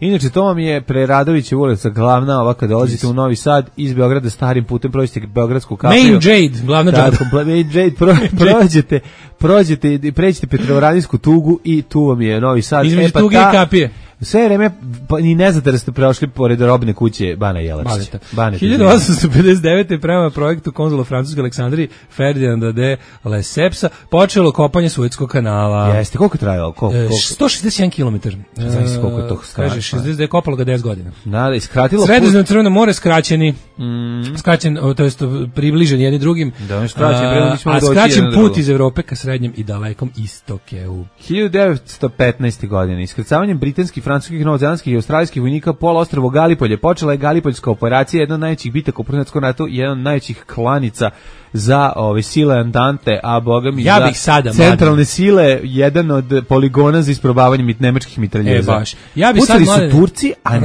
Inače, to vam je Preradovićeva ulica, glavna, ova kada dolazite u Novi Sad, iz Beograda starim putem, prođete Beogradsku kapiju. Main Jade, glavna džaba. Main Jade, prođete, prođete i pređete Petrovaradinsku tugu i tu vam je Novi Sad. Između e, pa tuge ta, i kapije. Sve vreme, pa, ni ne znate da ste prošli pored robne kuće Bana Jelačića. hiljadu osamsto pedeset devete. prema projektu konzula Francuske Aleksandriji Ferdinanda de Lessepsa počelo kopanje Suetskog kanala. Jeste, koliko je trajalo? Koliko, koliko? sto šezdeset jedan kilometar. Znači koliko je to strašno. Kaže, šezdeset je kopalo ga deset godina. Da, da, iskratilo. Sredozemno Crveno more skraćeni, mm. skraćen, to jest približen jedni drugim. Da, on skraćen, a, a skraćen put iz Evrope ka srednjem i dalekom istoku. hiljadu devetsto petnaeste. godine iskrcavanjem britanskih, francuskih, novozelandskih i australijskih vojnika pola ostrvo Galipolje počela je Galipoljska operacija, jedna od najvećih bitaka u Prvom svjetskom ratu i jedna od najvećih klanica za ove sile Antante, a boga mi ja za bih sada, centralne mladen. sile, jedan od poligona za isprobavanje mit, nemačkih mitraljeza. E, baš. Ja bih sad, sad su Turci, a,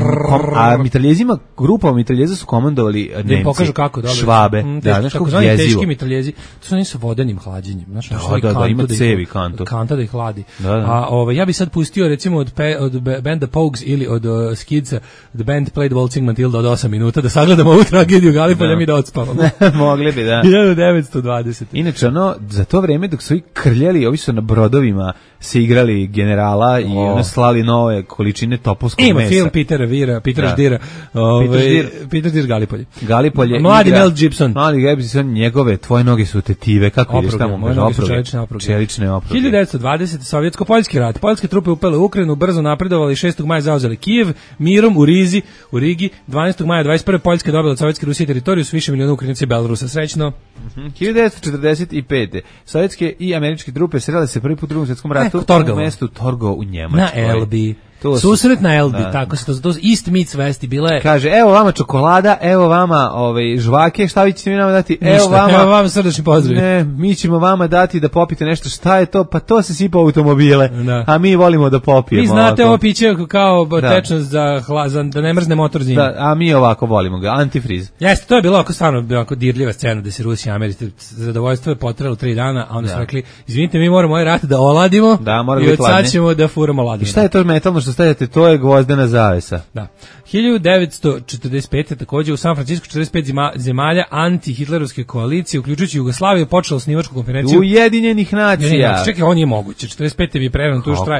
a mitraljezima, grupa mitraljeza su komandovali Nemci. Pokažu kako, dobro. Švabe. Mm, da, znaš kako jezivo. Teški mitraljezi, to su oni sa vodenim hlađenjem. Znaš, da, da, da, da, ima cevi kantu. Kanta da ih hladi. Da, da. A ove, ja bih sad pustio recimo od, pe, od benda Pogues ili od uh, Skidsa, The Band Played Waltzing Matilda od osam minuta, da sagledamo ovu tragediju Galipolja mi da odspavamo. Mogli bi, da. hiljadu devetsto dvadeset. Inače, ono, za to vreme dok su i krljali, ovi su na brodovima se igrali generala oh. i ono slali nove količine topovskog Ima mesa. Ima film Petera Vira, Peter da. Ždira, ove, Peter Ždir, Peter Ždir Galipolje. Galipolje. Mladi Mel Gibson. Mladi Mel Gibson, njegove, tvoje noge su tetive, kako ideš tamo? Moje noge su čelične opruge. Čelične opruge. hiljadu devetsto dvadesete. Sovjetsko-poljski rat. Poljske trupe upele u Ukrajinu, brzo napredovali, šestog maja zauzeli Kijev, mirom u Rizi, u Rigi, dvanaestog maja dvadeset prve. Poljska dobila od Sovjetske Rusije teritoriju s više miliona Ukrajinaca i Belorusa. Srećno. Mm-hmm. hiljadu devetsto četrdeset pete. Sovjetske i američke trupe srele se prvi put u Drugom svjetskom ratu u mestu Torgau u Njemačkoj. Na Elbi. Susret na Elbi, da. Tako se to, to East Meets West bila je. Kaže, evo vama čokolada, evo vama ovaj, žvake, šta vi ćete mi nama dati? Ništa, evo vama, evo vama srdačni pozdrav. Ne, mi ćemo vama dati da popite nešto, šta je to? Pa to se sipa automobile, da. A mi volimo da popijemo. Vi znate ovako. Ovo piće kao tečnost za, za, da ne mrzne motor zimi. Da, a mi ovako volimo ga, antifriz. Jeste, to je bilo ovako stvarno ovako dirljiva scena da se Rusi i Americi zadovoljstvo je potrajalo tri dana, a onda su rekli, izvinite, mi moramo ovaj rat da oladimo da, i od sad ćemo da furamo ladinu. I šta je to metalno što stavljate? To je gvozdena zavesa. Da. hiljadu devetsto četrdeset pete. takođe u San Francisco četrdeset pet zemalja anti-hitlerovske koalicije, uključujući Jugoslaviju, počela osnivačku konferenciju Ujedinjenih nacija. Čekaj, on je moguće. četrdeset pete bi prevran tu štraj.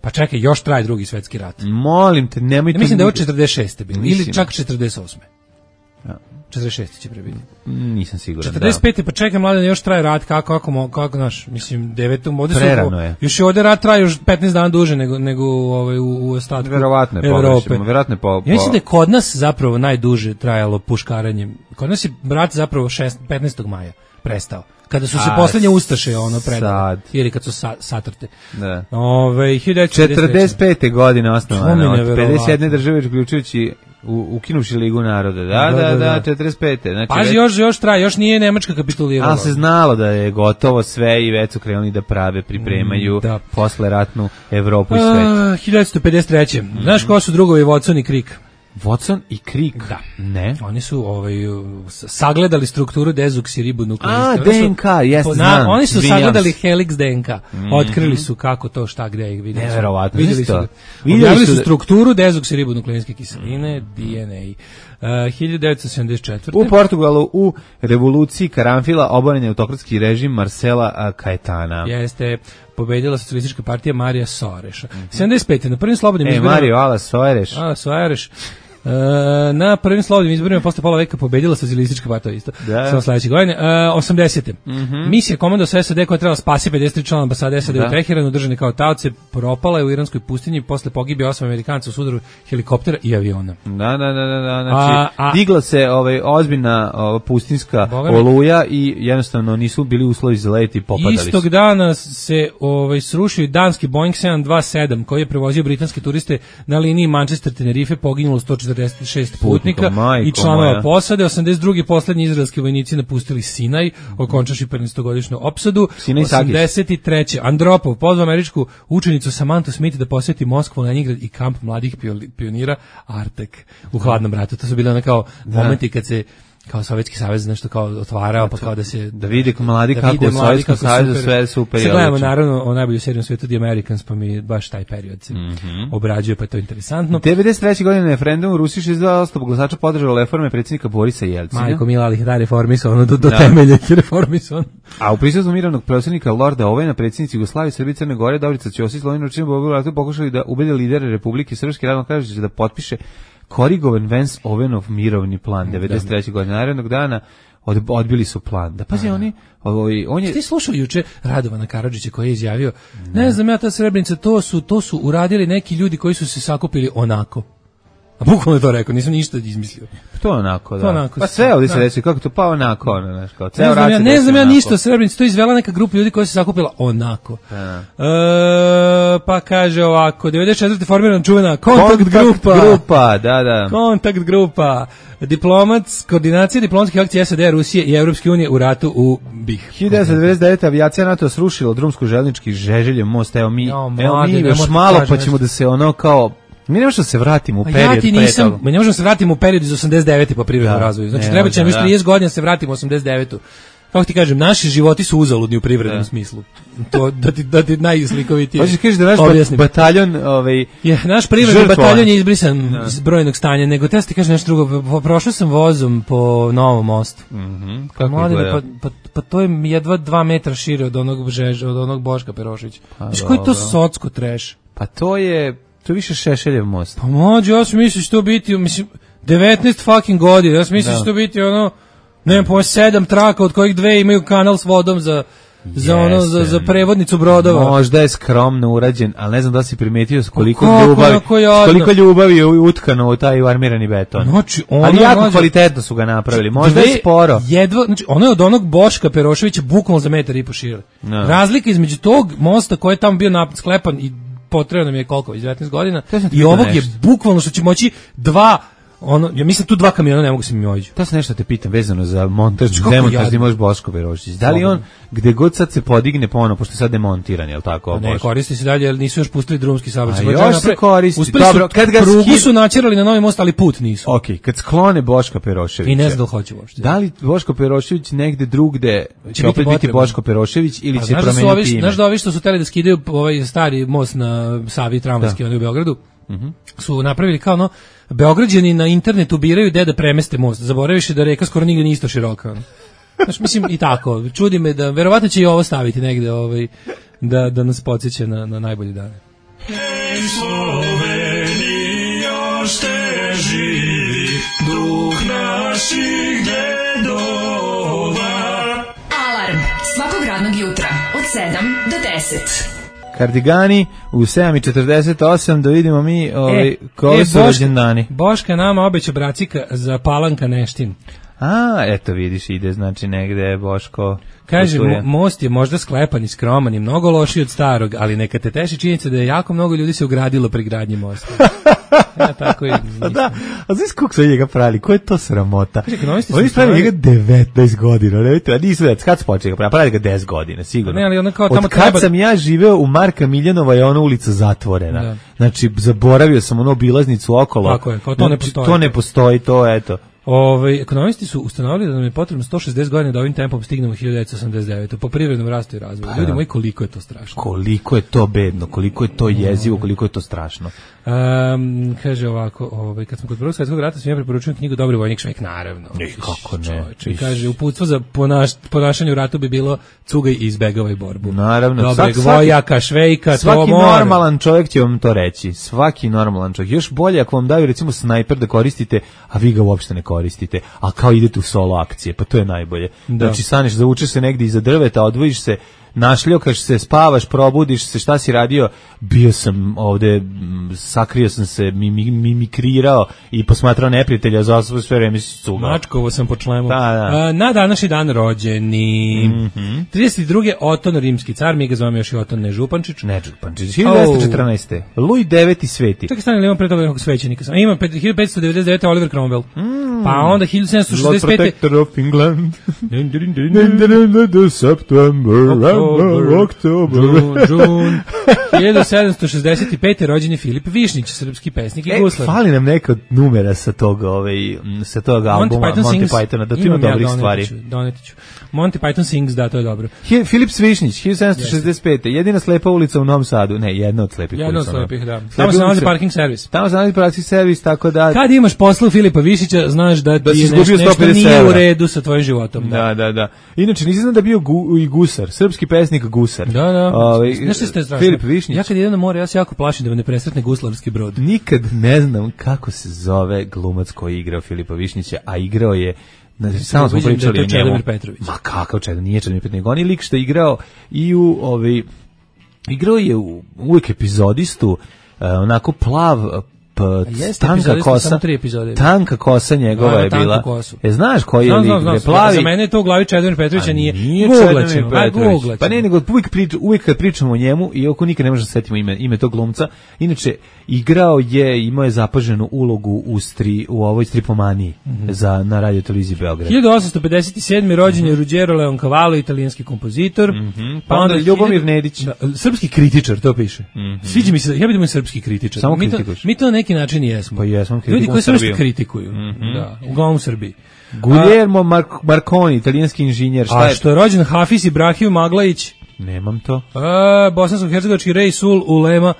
Pa čekaj, još traje drugi svetski rat. Molim te, nemojte. Ja mislim da je od četrdeset šeste bilo ili čak četrdeset osme. Ja. četrdeset šeste će prebiti. Nisam siguran. četrdeset pete pa čekaj mladen, još traje rat, kako kako mo, kako naš, mislim devetom ovde Prerano je. Još je ovde rat traje još petnaest dana duže nego nego ovaj u, u ostatku verovatno je Evrope. Verovatno je po, po... Ja mislim da je kod nas zapravo najduže trajalo puškaranje. Kod nas je rat zapravo petnaestog maja prestao. Kada su se A, poslednje ustaše ono predale. sad. Ili kad su sa, satrte. Da. Ove, četrdeset pete godine osnovana, od neverovatno. pedeset jedne države uključujući u, ukinuši Ligu naroda. Da, da, da, da, četrdeset pete. Znači, Pazi, već... još, još traje, još nije Nemačka kapitulirala. Ali se znalo da je gotovo sve i već su krenuli da prave, pripremaju da. posle ratnu Evropu i svet. Uh, hiljadu devetsto pedeset treće Mm-hmm. Znaš ko su drugovi Watson i Crick? Watson i Crick? Da. Ne. Oni su ovaj, sagledali strukturu dezoksiribonukleina. A, D N K, jeste, znam. Oni su Williams. sagledali helix D N K. Mm-hmm. Otkrili su kako to, šta, gde ih vidjeli. Neverovatno. Vidjeli su, Vidjeli objavili su su da... strukturu dezoksiribonukleinske kiseline, D N A. Uh, hiljadu devetsto sedamdeset četvrte U Portugalu u revoluciji karanfila oboren je autokratski režim Marcela Caetana. Jeste pobedila socijalistička partija Marija Soareša. Mm-hmm. sedamdeset pete na prvim slobodnim e, izborima... Mario Ala Soares. A, Soares. Uh, na prvim slobodnim izborima posle pola veka pobedila socijalistička partija isto. Da. Samo sledeće godine. Uh, osamdesete Mm-hmm. Misija komando sa S A D koja trebala spasi pedeset tri člana ambasade S A D da. u Teheranu, držani kao taoce, propala je u iranskoj pustinji posle pogibije osam Amerikanca u sudaru helikoptera i aviona. Da, da, da, da, da. Znači, a, a, digla se ovaj, ozbiljna ova, pustinska Bogami. oluja i jednostavno nisu bili uslovi za let i popadali Istog su. dana se ovaj, srušio i danski Boeing sedam dvadeset sedam koji je prevozio britanske turiste na liniji Manchester-Tenerife, poginulo sto četrdeset šest putnika i članova moja. posade. osamdeset druge poslednji izraelski vojnici napustili Sinaj, okončaši petnaestogodišnju opsadu. osamdeset treće Andropov pozvao američku učenicu Samantu Smith da posjeti Moskvu, Leningrad i kamp mladih pionira Artek u hladnom ratu. To su bile one kao da. momenti kad se kao Sovjetski savez nešto kao otvarao, pa kao da se da vide mladi da kako u Sovjetskom savezu sve super. Sad gledamo naravno o najbolju seriju na svijetu The Americans, pa mi baš taj period se mm-hmm. obrađuje, pa je to interesantno. devedeset treće godine na referendumu u Rusiji šezdeset dva posto glasača podržalo reforme predsjednika Borisa Jelcina. Majko Mila, ali da reformisano do, do da. temelja reformisano. A u prisustvu mirovnog predsjednika Lorda Ovena, predsjednici Jugoslavije, Srbije, Crne Gore, Dobrica Ćosić, Slovenijo, Čim, Bogoratu pokušali da ubede lidere Republike Srpske, radno kažući da potpiše korigovan Vance Ovenov mirovni plan devedeset treće godine narednog dana. Od, odbili su plan. Da pazi, oni, ovaj, on je... Ti slušali juče Radovana Karadžića koji je izjavio, ne. ne znam ja, ta Srebrenica, to su, to su uradili neki ljudi koji su se sakupili onako. A bukvalno je to rekao, nisam ništa izmislio. To je onako, da. To onako, pa sve ovdje se reći, kako to, pa onako, ono, znaš, kao, ceo ne znam ja, ne znam ja onako. ništa o Srebrenici, to je izvela neka grupa ljudi koja se sakupila onako. Da. E, pa kaže ovako, devedeset četvrte formirana čuvena kontakt, kontakt grupa. grupa, da, da. Kontakt grupa. Diplomat, koordinacija diplomatskih akcija S A D, Rusije i Evropske unije u ratu u B i H. hiljadu devetsto devedeset devete avijacija NATO srušila drumsko željeznički Žeželjev most, evo mi, jo, evo mi još malo pa ćemo da se ono kao mi ne možemo se vratimo u period. Ja ti nisam, mi ne možemo se vratimo u period iz osamdeset devete po privrednom razvoju. Znači treba će nam još trideset godina se vratimo u osamdeset devetu Kako ti kažem, naši životi su uzaludni u privrednom da. smislu. To da ti da ti najslikovitije. Hoćeš kažeš da naš objasnim. bataljon, ovaj je naš privredni žrtvovan. bataljon je izbrisan da. iz brojnog stanja, nego te ti kažeš nešto drugo. Prošao sam vozom po Novom mostu. Mhm. Mm Kako Mladine, pa, pa, pa to je jedva dva metra šire od onog Žeža, od onog Boška Perošića. Znaš koji to socko treš? Pa to je to je više Šešeljev most. Pa mlađe, ja sam mislio što biti, mislim devetnaest fucking godina. Ja sam mislio što biti ono ne po sedam traka od kojih dve imaju kanal s vodom za za Jeste. ono za, za prevodnicu brodova. Možda je skromno urađen, ali ne znam da si primetio s koliko kako, ljubavi, koliko ljubavi je utkano u taj armirani beton. Znači, ono ali jako mlađe, kvalitetno su ga napravili. Možda je sporo. Jedva, znači ono je od onog Boška Peroševića bukvalno za metar i po šire. No. Razlika između tog mosta koji je tamo bio napad sklepan i potrebno nam je koliko, iz devetnaest godina i ovog nešto. Je bukvalno što će moći dva ono, ja mislim tu dva kamiona ne mogu se mi ođu. To se nešto te pitam vezano za montaž, demontažni može Boško Perošić. Da li on gde god sad se podigne ponovo, pošto je sad demontiran, je li tako? Pa ne, koristi se dalje, jer nisu još pustili drumski saobraćaj. Još se koristi. Uspeli Dobro, kad ga prugu skid... su načerali na novi most, ali put nisu. Ok, kad sklone Boška Peroševića. I ne znam da hoće uopšte. Da li Boško Perošević negde drugde će, će opet biti Boško Perošević ili će promeniti ime? Znaš da ovi što su teli da skidaju ovaj stari most na Savi tramvajski u Beogradu? Mhm. Su napravili kao ono Beograđani na internetu biraju gde da premeste most. Zaboraviš da reka skoro nigde nije isto široka. Znači, mislim i tako. Čudi me da verovatno će i ovo staviti negde ovaj, da, da nas podsjeća na, na najbolji dane. Hey, Slovenija, ošte živi duh naših dedova. Alarm svakog radnog jutra od sedam do deset. Kardigani u sedam i četrdeset osam, da vidimo mi ovaj, E, koji e, su Boška- rođendani. Boška nama obeća bracika za Palanka Neštin. A, eto vidiš, ide znači negde Boško. Kaže, putuje. mo- most je možda sklepan i skroman i mnogo lošiji od starog, ali neka te teši činjenica da je jako mnogo ljudi se ugradilo pri gradnji mosta. Ja tako i Pa mislim. da, a znaš kako su njega pravili? Ko je to sramota? Kaže, ekonomisti su Oni su pravili stvarali- njega devetnaest godina, ne vidite, a nisu već, kad su počeli ga pravili? Pravili ga deset godina, sigurno. Ne, ali ono kao tamo Od kad treba- sam ja živeo u Marka Miljanova je ona ulica zatvorena. Da. Znači, zaboravio sam ono obilaznicu okolo. Tako je, kao to ne Znači, postoji. To ne postoji, to eto. Ove, ekonomisti su ustanovili da nam je potrebno sto šezdeset godina da ovim tempom stignemo hiljadu devetsto osamdeset devete po privrednom rastu i razvoju. Ljudi moji, koliko je to strašno. Koliko je to bedno, koliko je to jezivo, koliko je to strašno. Um, kaže ovako, ovaj, kad smo kod Prvog svjetskog rata, sam ja preporučujem knjigu Dobri vojnik Švejk, naravno. Ej, kako ne. Čovječe, Iš. kaže, uputstvo za ponaš, ponašanje u ratu bi bilo cugaj i izbegavaj borbu. Naravno. Dobreg Svak- svaki- vojaka, Švejka, to Svaki mora. normalan čovjek će vam to reći. Svaki normalan čovjek. Još bolje ako vam daju recimo snajper da koristite, a vi ga uopšte ne koristite, a kao idete u solo akcije, pa to je najbolje. Da. Znači staneš, zavučeš se negdje iza drveta, odvojiš se, našljokaš se, spavaš, probudiš se, šta si radio? Bio sam ovde, m, sakrio sam se, mimi- mimikrirao i posmatrao neprijatelja, za sve sve vreme si cugao. Mačkovo sam po člemu. Da, da. A, na današnji dan rođeni. Mhm. trideset druge. Oton, rimski car, mi ga zovemo još i Oton Nežupančić. Ne, Đupančić. hiljadu devetsto četrnaeste. Luj deveti sveti. Čekaj, stani, imam pre toga nekog svećenika. A ima pet- hiljadu petsto devedeset devete. Oliver Cromwell. Pa onda hiljadu sedamsto Lord šezdeset pete. Protector of England. Dun, dun, dun, dun. The September, Oktober, October. June, June. hiljadu sedamsto šezdeset pete. rođen je Filip Višnić, srpski pesnik i E, guslar. fali nam neka od numera sa toga, ovaj, m, sa toga albuma Monty, Sings. Pythona, da tu ima Imam ja, dobrih doneti stvari. ću, doneti ću. Monty Python Sings, da, to je dobro. Hi- Filip Svišnić, hiljadu sedamsto šezdeset pete. Jedina slepa ulica u Novom Sadu. Ne, jedna od slepih Jedna od ulica. u Novom- slepih, da. Slepe Tamo se nalazi ulice. parking servis. Tamo se nalazi parking servis, tako da... Kad imaš posla u Filipa Višića, znaš da Da ti si je izgubio nešto, nešto sto pedeset nije u evra. redu sa tvojim životom. Da, Da, da, da. Inače, nisi znam da je bio gu, i gusar, srpski pesnik gusar. da. da. Ovaj, Znaš što ste strašno? Filip Višnić. Ja kad idem na more, ja se jako plašim da me ne presretne guslarski brod. Nikad ne znam kako se zove glumac koji je igrao Filipa Višnjića, a igrao je, znači, samo smo ubeđen da je pričali to o njemu. Čedomir Petrović. Ma kakav Čedomir, nije Čedomir Petrović, nego on je lik što je igrao i u, ovaj, igrao je u, uvijek epizodistu, eh, onako plav, p, jeste, tanka epizodista, kosa, samo tri epizode. tanka kosa njegova Da, da, je tanku bila. kosu. E, znaš koji je Znam, lik, znam, znam, bre, znam. plavi? Za mene je to u glavi Čedomir Petrovića A nije. nije Googlat Čedomir ćemo, aj, Petrović. googlat Pa ne, ćemo. nego uvijek, prič, uvijek kad pričamo o njemu, i oko nikad ne možemo da setimo ime, ime tog glumca, inače, igrao je, imao je zapaženu ulogu u, stri, u ovoj stripomaniji za, na radio televiziji Beograd. hiljadu osamsto pedeset sedme. rođen je Ruggero Leoncavallo, italijanski kompozitor. Pa onda Ljubomir hiljadu- Nedić. Da, srpski kritičar, to piše. Sviđa mi se, ja bih da budem srpski kritičar. Samo mi to, kritikuješ. mi to na neki način i jesmo. Pa jesmo, Ljudi kritikujemo koji samo što Srbiju. kritikuju. Da, uglavnom u Srbiji. Guillermo Mar- Marconi, italijanski inženjer, šta A je? što je rođen Hafiz Ibrahim Maglajić, Nemam to. a, bosansko-hercegovački Rej Sul Ulema,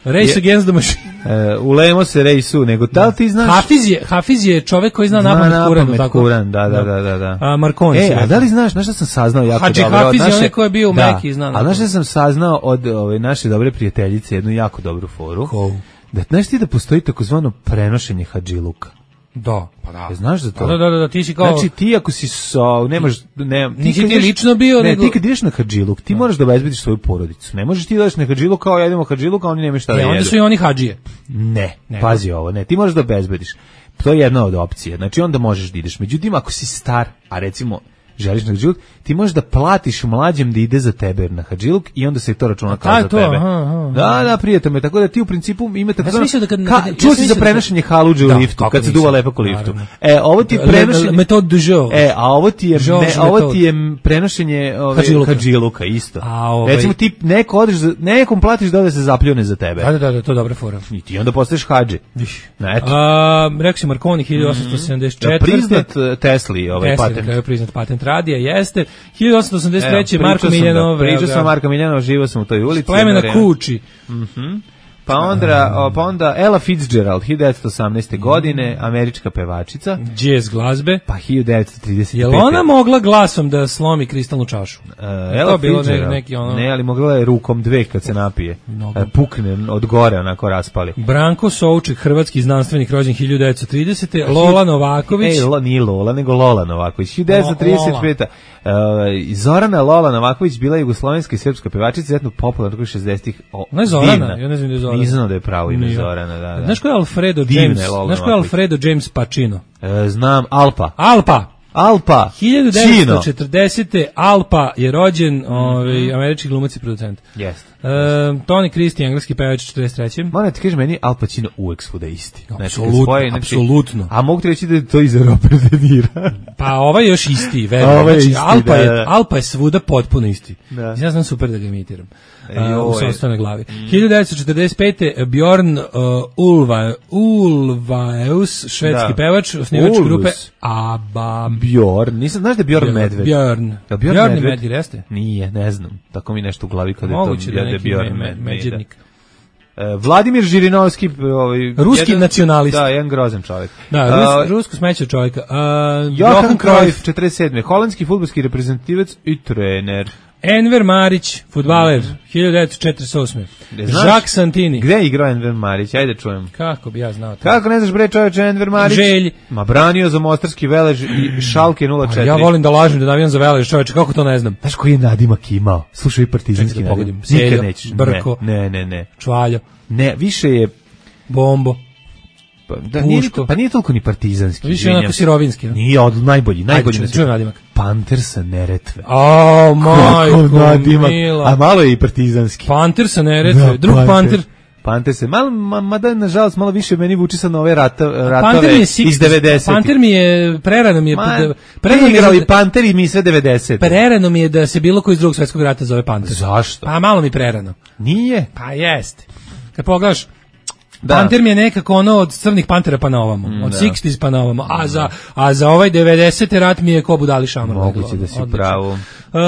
Race Je- Against the Machine. E, ulemo se rejsu, nego da li ti znaš? Hafiz je, Hafiz je čovek koji zna Zna napamet Kuran, napamet tako? Kuran, da, da, da, da, da. A Marconi se E, a rekao. da li znaš, znaš šta sam saznao jako Hadži dobro? od Hafiz je naše- onaj ko je bio u Da. Meki i zna A znaš napamet. šta sam saznao od ove naše dobre prijateljice, jednu jako dobru foru? Ko? Da, znaš ti da postoji takozvano prenošenje hadžiluka? Da, pa da. E, znaš za to? Da, da, da, da, ti si kao... Znači ti ako si so, ne možeš, ne, Nisi kad ti ideš- lično bio, ne, nego- ti kad ideš na hadžiluk, ti moraš da obezbediš svoju porodicu. Ne možeš ti da ideš na hadžiluk kao jedemo hadžiluk, a oni nemaju šta da E, jedu. onda su i oni hadžije. Ne, Nego? pazi ovo, ne, ti možeš da obezbediš. To je jedna od opcije. Znači onda možeš da ideš. Međutim, ako si star, a recimo želiš na hadžiluk, ti možeš da platiš mlađem da ide za tebe na hadžiluk i onda se to računa kao A, za to, tebe. aha, aha. Da, da, prijatelj me, tako da ti u principu imate Ja sam mislio da kad- ka, kad- ja čuo sam si mislio za da prenošenje haluđe u Da, liftu, kako kad se nisam. duva lepak u liftu. Naravno. E, ovo ti je Le- prenošenje... le- metod du jour. E, a ovo ti je, Georges ne, ovo metod. ti je prenošenje ove, Hadžiluka. hadžiluka, isto. A, ovaj- Recimo ti neko odeš, za- nekom platiš da ode se zapljune za tebe. Da, da, da, da, to je dobra fora. I ti onda postaješ hadži. Na, eto. A, rekao si Marconi, hiljadu osamsto sedamdeset Da, četvrte. priznat uh, Tesli ovaj Tesla, na patent. kraju priznat patent radija, jeste. hiljadu osamsto osamdeset treće. Evo, Marko pričao sam, Miljanov. da, Pričao sam Marko Miljanov, živo sam u toj ulici. Plemena jedno vreme. Kuči. Pa onda, o, pa onda Ella Fitzgerald, hiljadu devetsto osamnaeste. godine, američka pevačica. Jazz glazbe. Pa hiljadu devetsto trideset pete. Jel ona mogla glasom da slomi kristalnu čašu? Uh, Ella Fitzgerald, ne, neki ono... ne, ali mogla je rukom dve kad se napije. Uh, pukne od gore, onako raspali. Branko Souček, hrvatski znanstvenik, rođen hiljadu devetsto tridesete. Lola Novaković. Ej, lo, nije Lola, nego Lola Novaković. hiljadu devetsto trideset pete. Uh, Zorana Lola Novaković bila je jugoslovenska i srpska pevačica, izuzetno popularna u šezdesetih. Ne Zorana, ja ne znam da je Zorana. Nisam znao da je pravo ime Nije. Zorana, da, da. Znaš ko je Alfredo Divne James? Znaš ko je Alfredo James Pacino? E, znam, Alpa. Alpa! Alpa! hiljadu devetsto četrdesete. Alpa je rođen, ovaj, američki glumac i producent. Jeste. Uh, Tony Christie, engleski pevač četrdeset treće. Moram ti kažem, meni Al Pacino uvek svuda isti. Apsolutno, znači, znači, apsolutno. A mogu ti reći da je to iz Robert De Nira. Pa ovaj je još isti, verujem. Ovaj je znači, isti, Alpa, da, je, da. Alpa je svuda potpuno isti. Da. Ja znam super da ga imitiram. E, uh, u sastavnoj glavi. Mm. hiljadu devetsto četrdeset pete. Bjorn uh, Ulva, Ulvaeus, švedski da. pevač, osnivač grupe ABBA. Bjorn, nisam, znaš da je Bjorn Medved? Bjorn. Ja, Bjorn, Bjorn Medved, Medved jeste? Nije, ne znam. Tako mi nešto u glavi kada Moguće je to da je Bjorn me, Medvednik. Uh, Vladimir Žirinovski, ovaj, ruski jedan, nacionalist. Da, jedan grozan čovjek. Da, Rus, uh, rusko smeće čovjeka. Uh, Johan Cruyff, četrdeset sedme. Holandski fudbalski reprezentativac i trener. Enver Marić, fudbaler, mm. hiljadu devetsto četrdeset osme. Jacques Santini. Gde je igrao Enver Marić? Ajde čujem. Kako bi ja znao to? Kako ne znaš bre čoveče Enver Marić? Želj. Ma branio za Mostarski Velež i Šalke nula četiri. Ja volim da lažem da navijam za Velež, čoveče, kako to ne znam? Znaš koji je nadimak imao? Slušaj, partizanski da nadimak. Nikad nećeš. Brko. Ne, ne, ne. Čvaljo. Ne, više je... Bombo. Pa, da, nije, pa nije toliko ni partizanski. Više je onako sirovinski. No? Nije, od najbolji. najbolji Ajde, čujem nadimak. Panter sa Neretve. O, majko nadimak. mila. A malo je i partizanski. Panter sa Neretve, da, drug Panter. panter. Panter se, malo, ma, mada nažalost malo više meni vuči sa nove rata, ratove six, iz devedesetih. Panter mi je, prerano mi je... Ma, prerano mi je igrali Panter i mi sve devedeset. Prerano mi je da se bilo koji iz drugog svjetskog rata zove Panter. Zašto? Pa malo mi prerano. Nije? Pa jeste. Kad pogledaš, da. Panter mi je nekako ono od crnih pantera pa na ovamo, mm, od da. šezdesetih pa na ovamo, a za, a za ovaj devedesete rat mi je ko budali šamar. Moguće da si u pravu. Uh,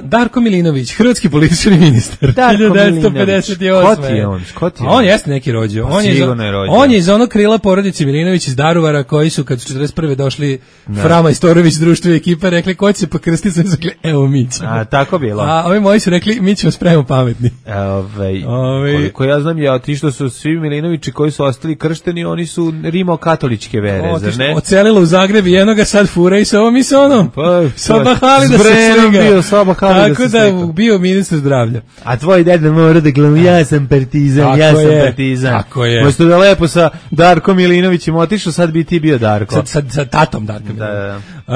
Darko Milinović, hrvatski politički ministar. Darko devetsto pedeset osme. Ko ti je on? Ko ti je on? On jeste neki rođo. Pa on, je iz, on je iz onog krila porodice Milinović iz Daruvara koji su kad su četrdeset prve došli da. Frama Istorović, društvo i ekipa, rekli ko će se pokrstiti, sam rekli evo mi ćemo. A tako bilo. A ovi moji su rekli mi ćemo spremno pametni. Ovaj Ove... koliko ja znam je otišlo su svi Milinovići koji su ostali kršteni, oni su rimokatoličke vere, o, zar ne? Ocelilo u Zagreb i jednoga sad fura i sa ovom i sa onom. Pa, Sabahali da se sliga. Bio Sabahali tako da, da bio ministar zdravlja. A tvoj deda mora da glumi, ja sam partizan, tako ja sam je, partizan. Tako je. Možda da lepo sa Darkom Milinovićem otišao, sad bi ti bio Darko. Sad, sad, sa tatom Darkom. Da, da. Uh,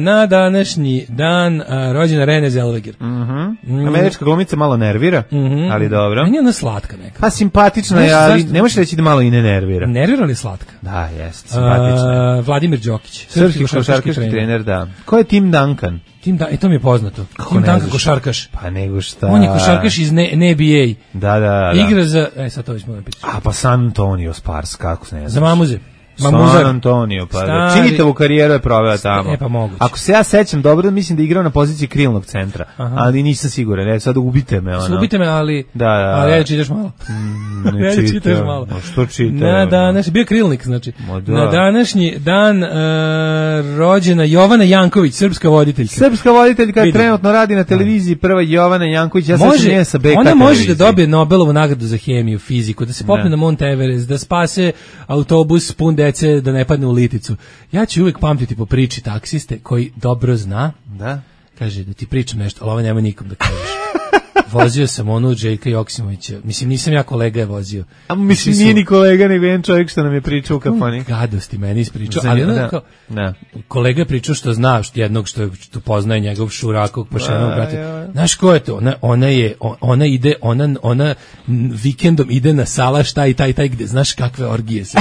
na današnji dan uh, rođena Renée Zellweger. Uh -huh. mm. Američka glumica malo nervira, uh -huh. ali dobro. Meni je ona slatka neka. Pa simpatična je, ali ne možeš reći da malo i ne nervira. Nervira li slatka? Da, jeste, simpatična. Uh, Vladimir Đokić, srpski košarkaški trener. trener, da. Ko je Tim Duncan? Tim da, e, to mi je poznato. Kako Tim Duncan košarkaš. Pa nego šta. On je košarkaš iz ne, N B A. Da, da, da. Igra za, e sad to već moram pitati. A pa San Antonio Spurs, kako se ne znaš. Za Mamuze. Mamuzar. San Antonio, pa da. Činitevu karijeru je proveo tamo. E pa moguće. Ako se ja sećam dobro, mislim da je igrao na poziciji krilnog centra, aha. ali nisam siguran. Ne, sad ubite me. Ono. Ubite me, ali, da, da. ali ja čitaš malo. Mm, ne ja čitaš. čitaš malo. No, što čitaš? Na današnji, bio krilnik, znači. Da. Na današnji dan uh, rođena Jovana Janković, srpska voditeljka. Srpska voditeljka je trenutno radi na televiziji, prva Jovana Janković. Ja može, se sa B K ona može televiziji. da dobije Nobelovu nagradu za hemiju, fiziku, da se popne na Mount Everest, da spase autobus pun dece, da ne padne u liticu. Ja ću uvijek pamtiti po priči taksiste koji dobro zna. Da. Kaže da ti pričam nešto, ali ovo nema nikom da kažeš. Vozio sam onu Željka Joksimovića. Mislim, nisam ja, kolega je vozio. A mislim, nije ni kolega, nego jedan čovjek što nam je pričao u kafani. Gadosti meni ispričao. Ali ono kao, da. Kolega je pričao što zna, što jednog što, što poznaje njegov šurakog pošenog brata. Znaš ko je to? Ona, ona je, ona ide, ona, ona vikendom ide na salaš taj, taj, taj, gde znaš kakve orgije se.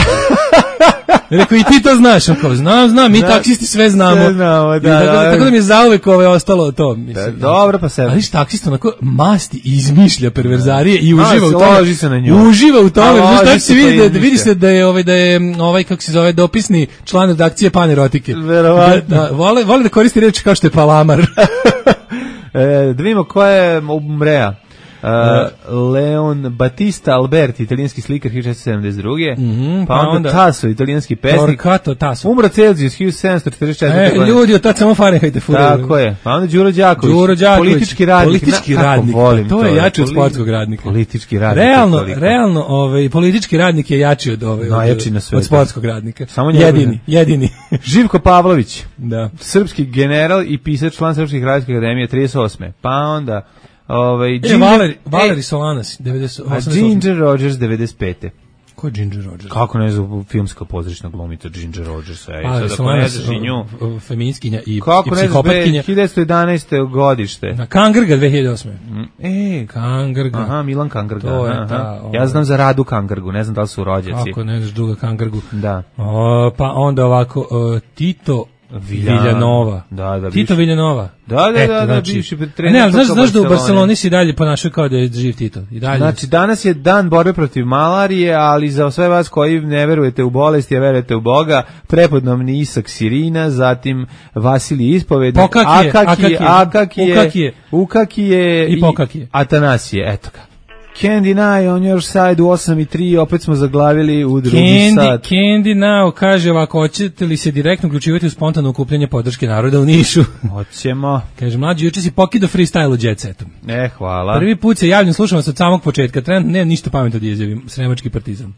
Rekao, i ti to znaš, on kao, znam, znam, mi da, taksisti sve znamo. Sve znamo, da, tako, da, tako da mi je zauvek ove ostalo to. Mislim, da, dobro, pa sebe. Ali viš, taksista onako masti izmišlja perverzarije i uživa a, u tome. Loži se na nju. Uživa u tome. A, znaš, se vidi, da, vidi se da je, ovaj, da je ovaj, kako se zove, dopisni član redakcije Panerotike. Verovatno. Da, da, vole, vole da koristi reči kao što je palamar. e, da vidimo ko je Umrea. Uh, Leon Battista Alberti, italijanski slikar hiljadu šessto sedamdeset druge. Mm-hmm, pa, pa onda, onda Tasso, italijanski pesnik. Torquato Tasso. Umro Celzijus hiljadu sedamsto četrdeset četvrte. E, ljudi, od tad samo Fahrenheit furaju. Tako je. Pa onda Đuro Đaković. Đuro Đaković. Politički radnik. Politički Na, radnik. Volim to, to je jači od sportskog radnika. Politički radnik. Realno, realno, ovaj politički radnik je jači od ovaj najjači na svetu. Od sportskog radnika. Samo jedini, jedini. Živko Pavlović. Da. Srpski general i pisac, član Srpskih radijskih akademije trideset osme. Pa onda ovaj e, Ginger, Valeri, Valeri Solanas devedeset osme. A Ginger Rogers devedeset pete. Ko je Ginger Rogers? Kako ne znam, filmska pozorišna glumica Ginger Rogers. Ej, pa, sad ako ne znaš i nju. Feminiskinja i, kako i psihopatkinja. hiljadu devetsto jedanaeste godište. Na Kangrga dve hiljade osme. E, Kangrga. Aha, Milan Kangrga. To je aha. ta, ovaj. Ja znam za Radu Kangrgu, ne znam da li su rođaci. Kako ne znaš druga Kangrgu. Da. O, pa onda ovako, uh, Tito Viljan. Villanova. Da, da, Tito Villanova. Da, da, Eto, da, da, znači, bivši trener. Ne, ali znaš, znaš da u Barceloni si dalje ponašao kao da je živ Tito. I dalje. Znači, danas je dan borbe protiv malarije, ali za sve vas koji ne verujete u bolesti, a verujete u Boga, prepodnevni Isak Sirina, zatim Vasilij Ispovednik, Pokakije, Akakije, Akakije, Ukakije, Ukakije i Pokakije. Atanasije, eto ga. Candy Now on your side u osam i tri, opet smo zaglavili u drugi Candy, sat. Candy Now kaže ovako, hoćete li se direktno uključivati u spontano okupljanje podrške naroda u Nišu? Hoćemo. Kaže, mlađi, juče si pokido freestyle u Jet Setu. E, hvala. Prvi put se javljam, slušam vas od samog početka, trenutno nemam ništa pametno da izjavim, Sremački partizan.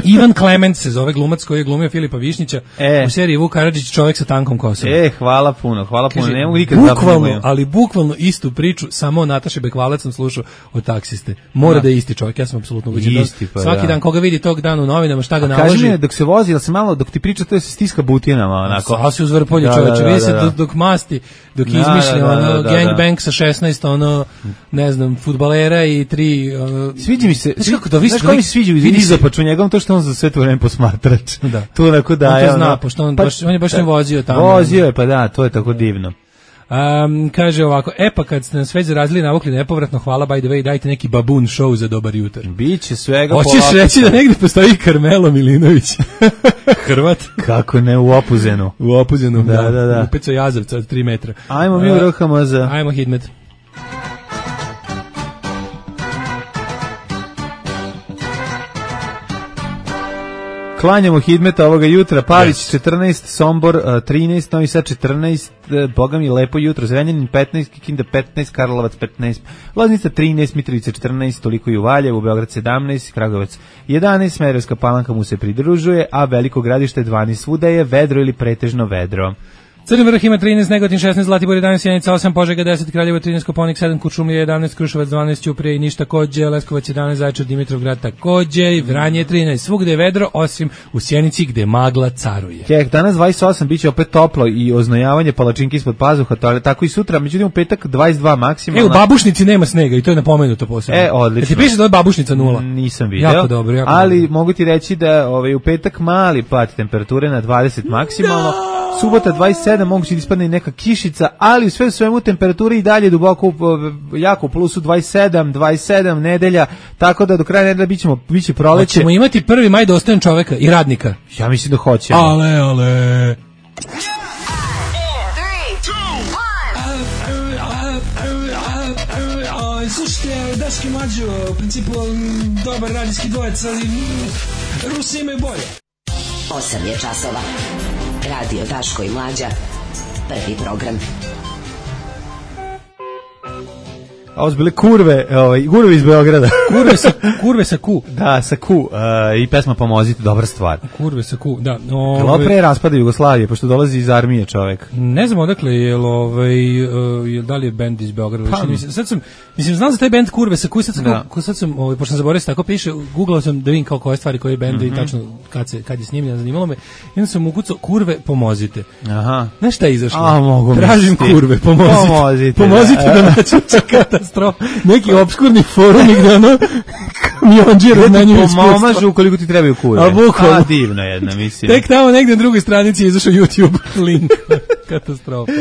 Ivan Klement se zove glumac koji je glumio Filipa Višnjića e. u seriji Vuk Karadžić, čovjek sa tankom kosom. E, hvala puno, hvala puno, kaže, ne mogu nikad bukvalno, ali bukvalno istu priču, samo Nataše Bekvalac sam slušao od taksiste. Mora da, da je isti čovjek, ja sam apsolutno ubeđen. Pa, svaki da. dan koga vidi tog dana u novinama, šta ga naloži. Kaži mi, dok se vozi, da se malo, dok ti priča, to je se stiska butinama, onako. A se uzvrpolje da, čovječe, da, vidi da, se da. dok, dok masti, dok da, izmišlja, da, da, ono, da, da, gangbang sa šesnaest, ono, ne znam, fudbalera i tri, ono... Sviđa mi se, znaš kako to, vi znaš kako mi se sviđa, vidi se paču njegom, to što on za sve to vreme posmatrač. Da. To onako da on je, to zna, ono, pošto on, pa, baš, on je baš ne vozio tamo. Vozio je, pa da, to je tako divno. Um, kaže ovako, e pa kad ste nas već zarazili navukli nepovratno, hvala by the way, dajte neki babun show za dobar jutar. Biće svega. Hoćeš polako reći da negdje postoji Karmelo Milinović? Hrvat? Kako ne, u Opuzenu. U Opuzenu, da, da, da. da. U Peco Jazovca od tri metra. Ajmo mi u R H M Z. Ajmo Hidmet. Klanjamo Hidmeta ovoga jutra, Pavić yes. četrnaest, Sombor trinaest, Novi Sad četrnaest, boga mi lepo jutro, Zrenjanin petnaest, Kikinda petnaest, Karlovac petnaest, Loznica trinaest, Mitrovica četrnaest, toliko i u Valjevu, Beograd sedamnaest, Kragujevac jedanaest, Smederevska Palanka mu se pridružuje, a Veliko Gradište dvanaest, svuda je vedro ili pretežno vedro. Crni vrh ima trinaest, Negotin šesnaest, Zlatibor jedanaest, Sjenica osam, Požega deset, Kraljevo trinaest, Koponik sedam, Kuršumlija jedanaest, Kruševac dvanaest, Ćuprija i Niš takođe, Leskovac jedanaest, Zaječar, Dimitrovgrad takođe, i Vranje trinaest, svugde je vedro, osim u Sjenici gde magla caruje. Kek, danas dvadeset osam, bit će opet toplo i oznojavanje palačinki ispod pazuha, to je tako i sutra, međutim u petak dvadeset dva maksimalno. E, u Babušnici nema snega i to je napomenuto posebno. E, odlično. E, ti piše da je Babušnica nula? Nisam video. Jako dobro, jako ali dobro. Mogu ti reći da ovaj, u petak mali pad temperature na dvadeset maksimalno, subota dvadeset sedam, moguće da ispadne i neka kišica, ali u sve u svemu temperature i dalje duboko jako u plusu dvadeset sedam, dvadeset sedam nedelja, tako da do kraja nedelja bićemo biće proleće. Hoćemo imati prvi maj dostojan čoveka i radnika. Ja mislim da hoćemo. Ale, ale. Slušajte, Daški Mađo, u principu dobar radijski dvojec, ali Rusi imaju bolje. osam je časova. Radio Daško i Mlađa. Prvi program. A ovo su bile kurve, ovaj, kurve iz Beograda. Kurve sa, kurve sa ku. Da, sa ku. Uh, I pesma Pomozite, dobra stvar. Kurve sa ku, da. Ove... Jel pre raspada Jugoslavije, pošto dolazi iz armije čovek? Ne znam odakle, jel, ovaj, uh, jel, da li je bend iz Beograda? Pa, mislim, sad sam, mislim, znam za taj bend Kurve sa ku, sad sam, da. ko, sad sam ovaj, pošto sam zaboravio tako piše, googlao sam da vidim kao koje stvari, koje bende mm-hmm. i tačno kad, se, kad je snimljeno, zanimalo me. I onda sam ukucao Kurve, pomozite. Aha. Znaš šta je izašlo? A, mogu Tražim misliti. Kurve, pomozite. Pomozite, pomozite da, da naći katastrofa. Neki obskurni forum gde ono kamionđi razmenjuju iskustva. Pomažu ukoliko ti trebaju kurve. A bukvalno. A, divno jedna, mislim. Tek tamo negde na drugoj stranici je izašao YouTube link. Katastrofa.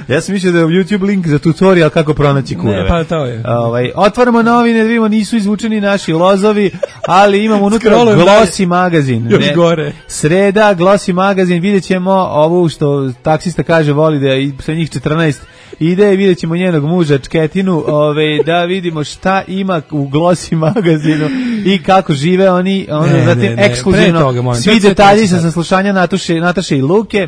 Ja sam mislio da je YouTube link za tutorial kako pronaći kurve. Ne, pa to je. Ovaj, otvaramo novine, da vidimo, nisu izvučeni naši lozovi, ali imamo unutra Glossy magazin. Još ne, gore. Sreda, Glossy magazin, vidjet ćemo ovu što taksista kaže, voli da je sa njih četrnaest ide i vidjet ćemo njenog muža Čketinu, ove, da vidimo šta ima u Glossy magazinu i kako žive oni, ono, Ne, zatim ne, ne, ekskluzivno pre toga, molim, svi to je sve detalji treći sa sat. saslušanja Nataše, Nataše i Luke.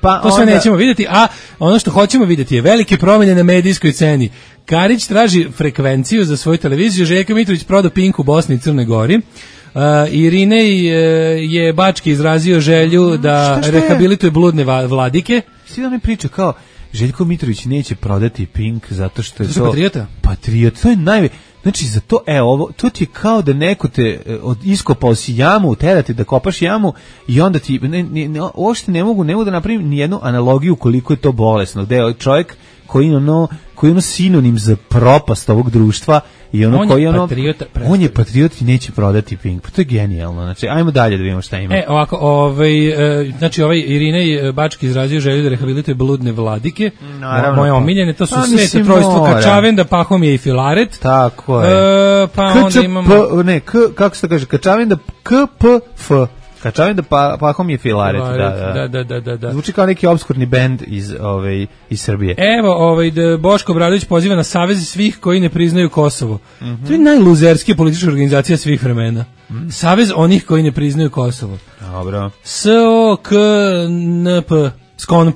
Pa To sve onda- nećemo vidjeti, a ono što hoćemo vidjeti je velike promjene na medijskoj ceni. Karić traži frekvenciju za svoju televiziju, Željko Mitrović prodao Pink u Bosni i Crnoj Gori. Uh, Irinej uh, je Bački izrazio želju da Šta, šta je? rehabilituje bludne va- vladike. Svi oni pričaju kao Željko Mitrović neće prodati Pink zato što je Zato što to je patriota? Patriot, to je najve. Znači za to, e, ovo, to ti je kao da neko te e, od iskopao si jamu, terati da kopaš jamu i onda ti, ne, ne, ne, uopšte ne mogu, ne mogu da napravim ni jednu analogiju koliko je to bolesno, gde je čovjek koji ono, koji je ono sinonim za propast ovog društva i ono On je koji je ono, patriota, on je patriot i neće prodati Pink, pa to je genijalno, znači ajmo dalje da vidimo šta ima. E, ovako, ovaj, e, znači ovaj Irinej e, Bački izrazio želju da rehabilituje bludne vladike. Naravno, Moje pa. omiljene, to su Pa, sve mislim, trojstvo mora. Kačavenda, Pahomije i Filaret. Tako je. E, pa onda K Č P, imamo... ne, k, kako se to kaže, Kačavenda, K P F. Kačavenda, pa, Pahom je Filaret, da, da. da, da, da, da, da. Zvuči kao neki obskurni bend iz, ovaj, iz Srbije. Evo, ovaj, da Boško Obradović poziva na savez svih koji ne priznaju Kosovo. To je najluzerskija politička organizacija svih vremena. Savez onih koji ne priznaju Kosovo. Dobro. S O K N P, Skonp.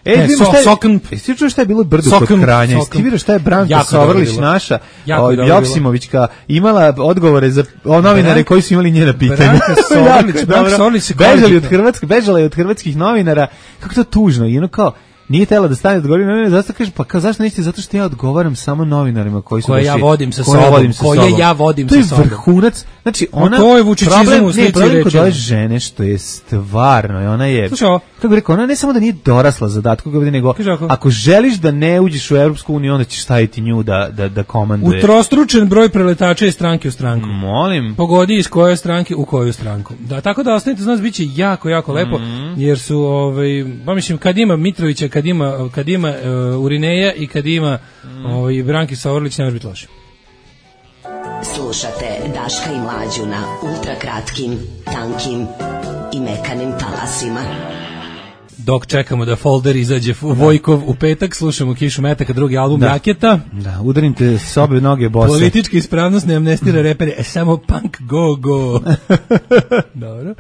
E, Ne, vidimo so- šta je, Soknp. jesi ti čuo šta je bilo brdo Soknp, kod Kranja? Jesi ti Soknp. vidio šta je Branka Jako je dobro Sovrlić bilo. naša, Jako o, je dobro Joksimovićka, imala odgovore za o novinare Branka- koji su imali njena pitanja. Branka Sovrlić, Jako je Branka dobro. Sovrlić se bežali od kvalitetno. Hrvatske, bežala je od hrvatskih novinara. Kako to tužno, i ono kao nije tela da stane da odgovori, ne, ne, zašto kaže, pa kao zašto niste, zato što ja odgovaram samo novinarima koji su Koje baš ja i- vodim sa koje ja sobom, vodim sa koje sobom. ja vodim to je sa sobom. vrhunac, znači Ma ona, to je vučićizam problem, u ne, slici problem kod rečeno. ove žene što je stvarno, i ona je, Slušaj ovo. kako bih rekao, ona ne samo da nije dorasla zadatku, nego Kaže ovako. ako želiš da ne uđeš u Europsku uniju, onda ćeš staviti nju da, da, da komanduje. Utrostručen broj preletača iz stranke u stranku. Molim. Pogodi iz koje stranke u koju stranku. Da, tako da ostanite za nas, bit će jako, jako lepo, jer su, ovaj, pa mislim, kad ima Mitrovića, kad ima, kad ima uh, Urineja i kad ima ovaj, Branki Savorlić, ne može biti loše. Slušate Daška i Mlađu na ultrakratkim, tankim i mekanim talasima. Dok čekamo da folder izađe Vojkov u petak, slušamo Kišu Metaka, drugi album Da. Raketa. Da, udarim te s obe noge bose. Politička ispravnost ne amnestira repere, e, samo punk go go. Dobro.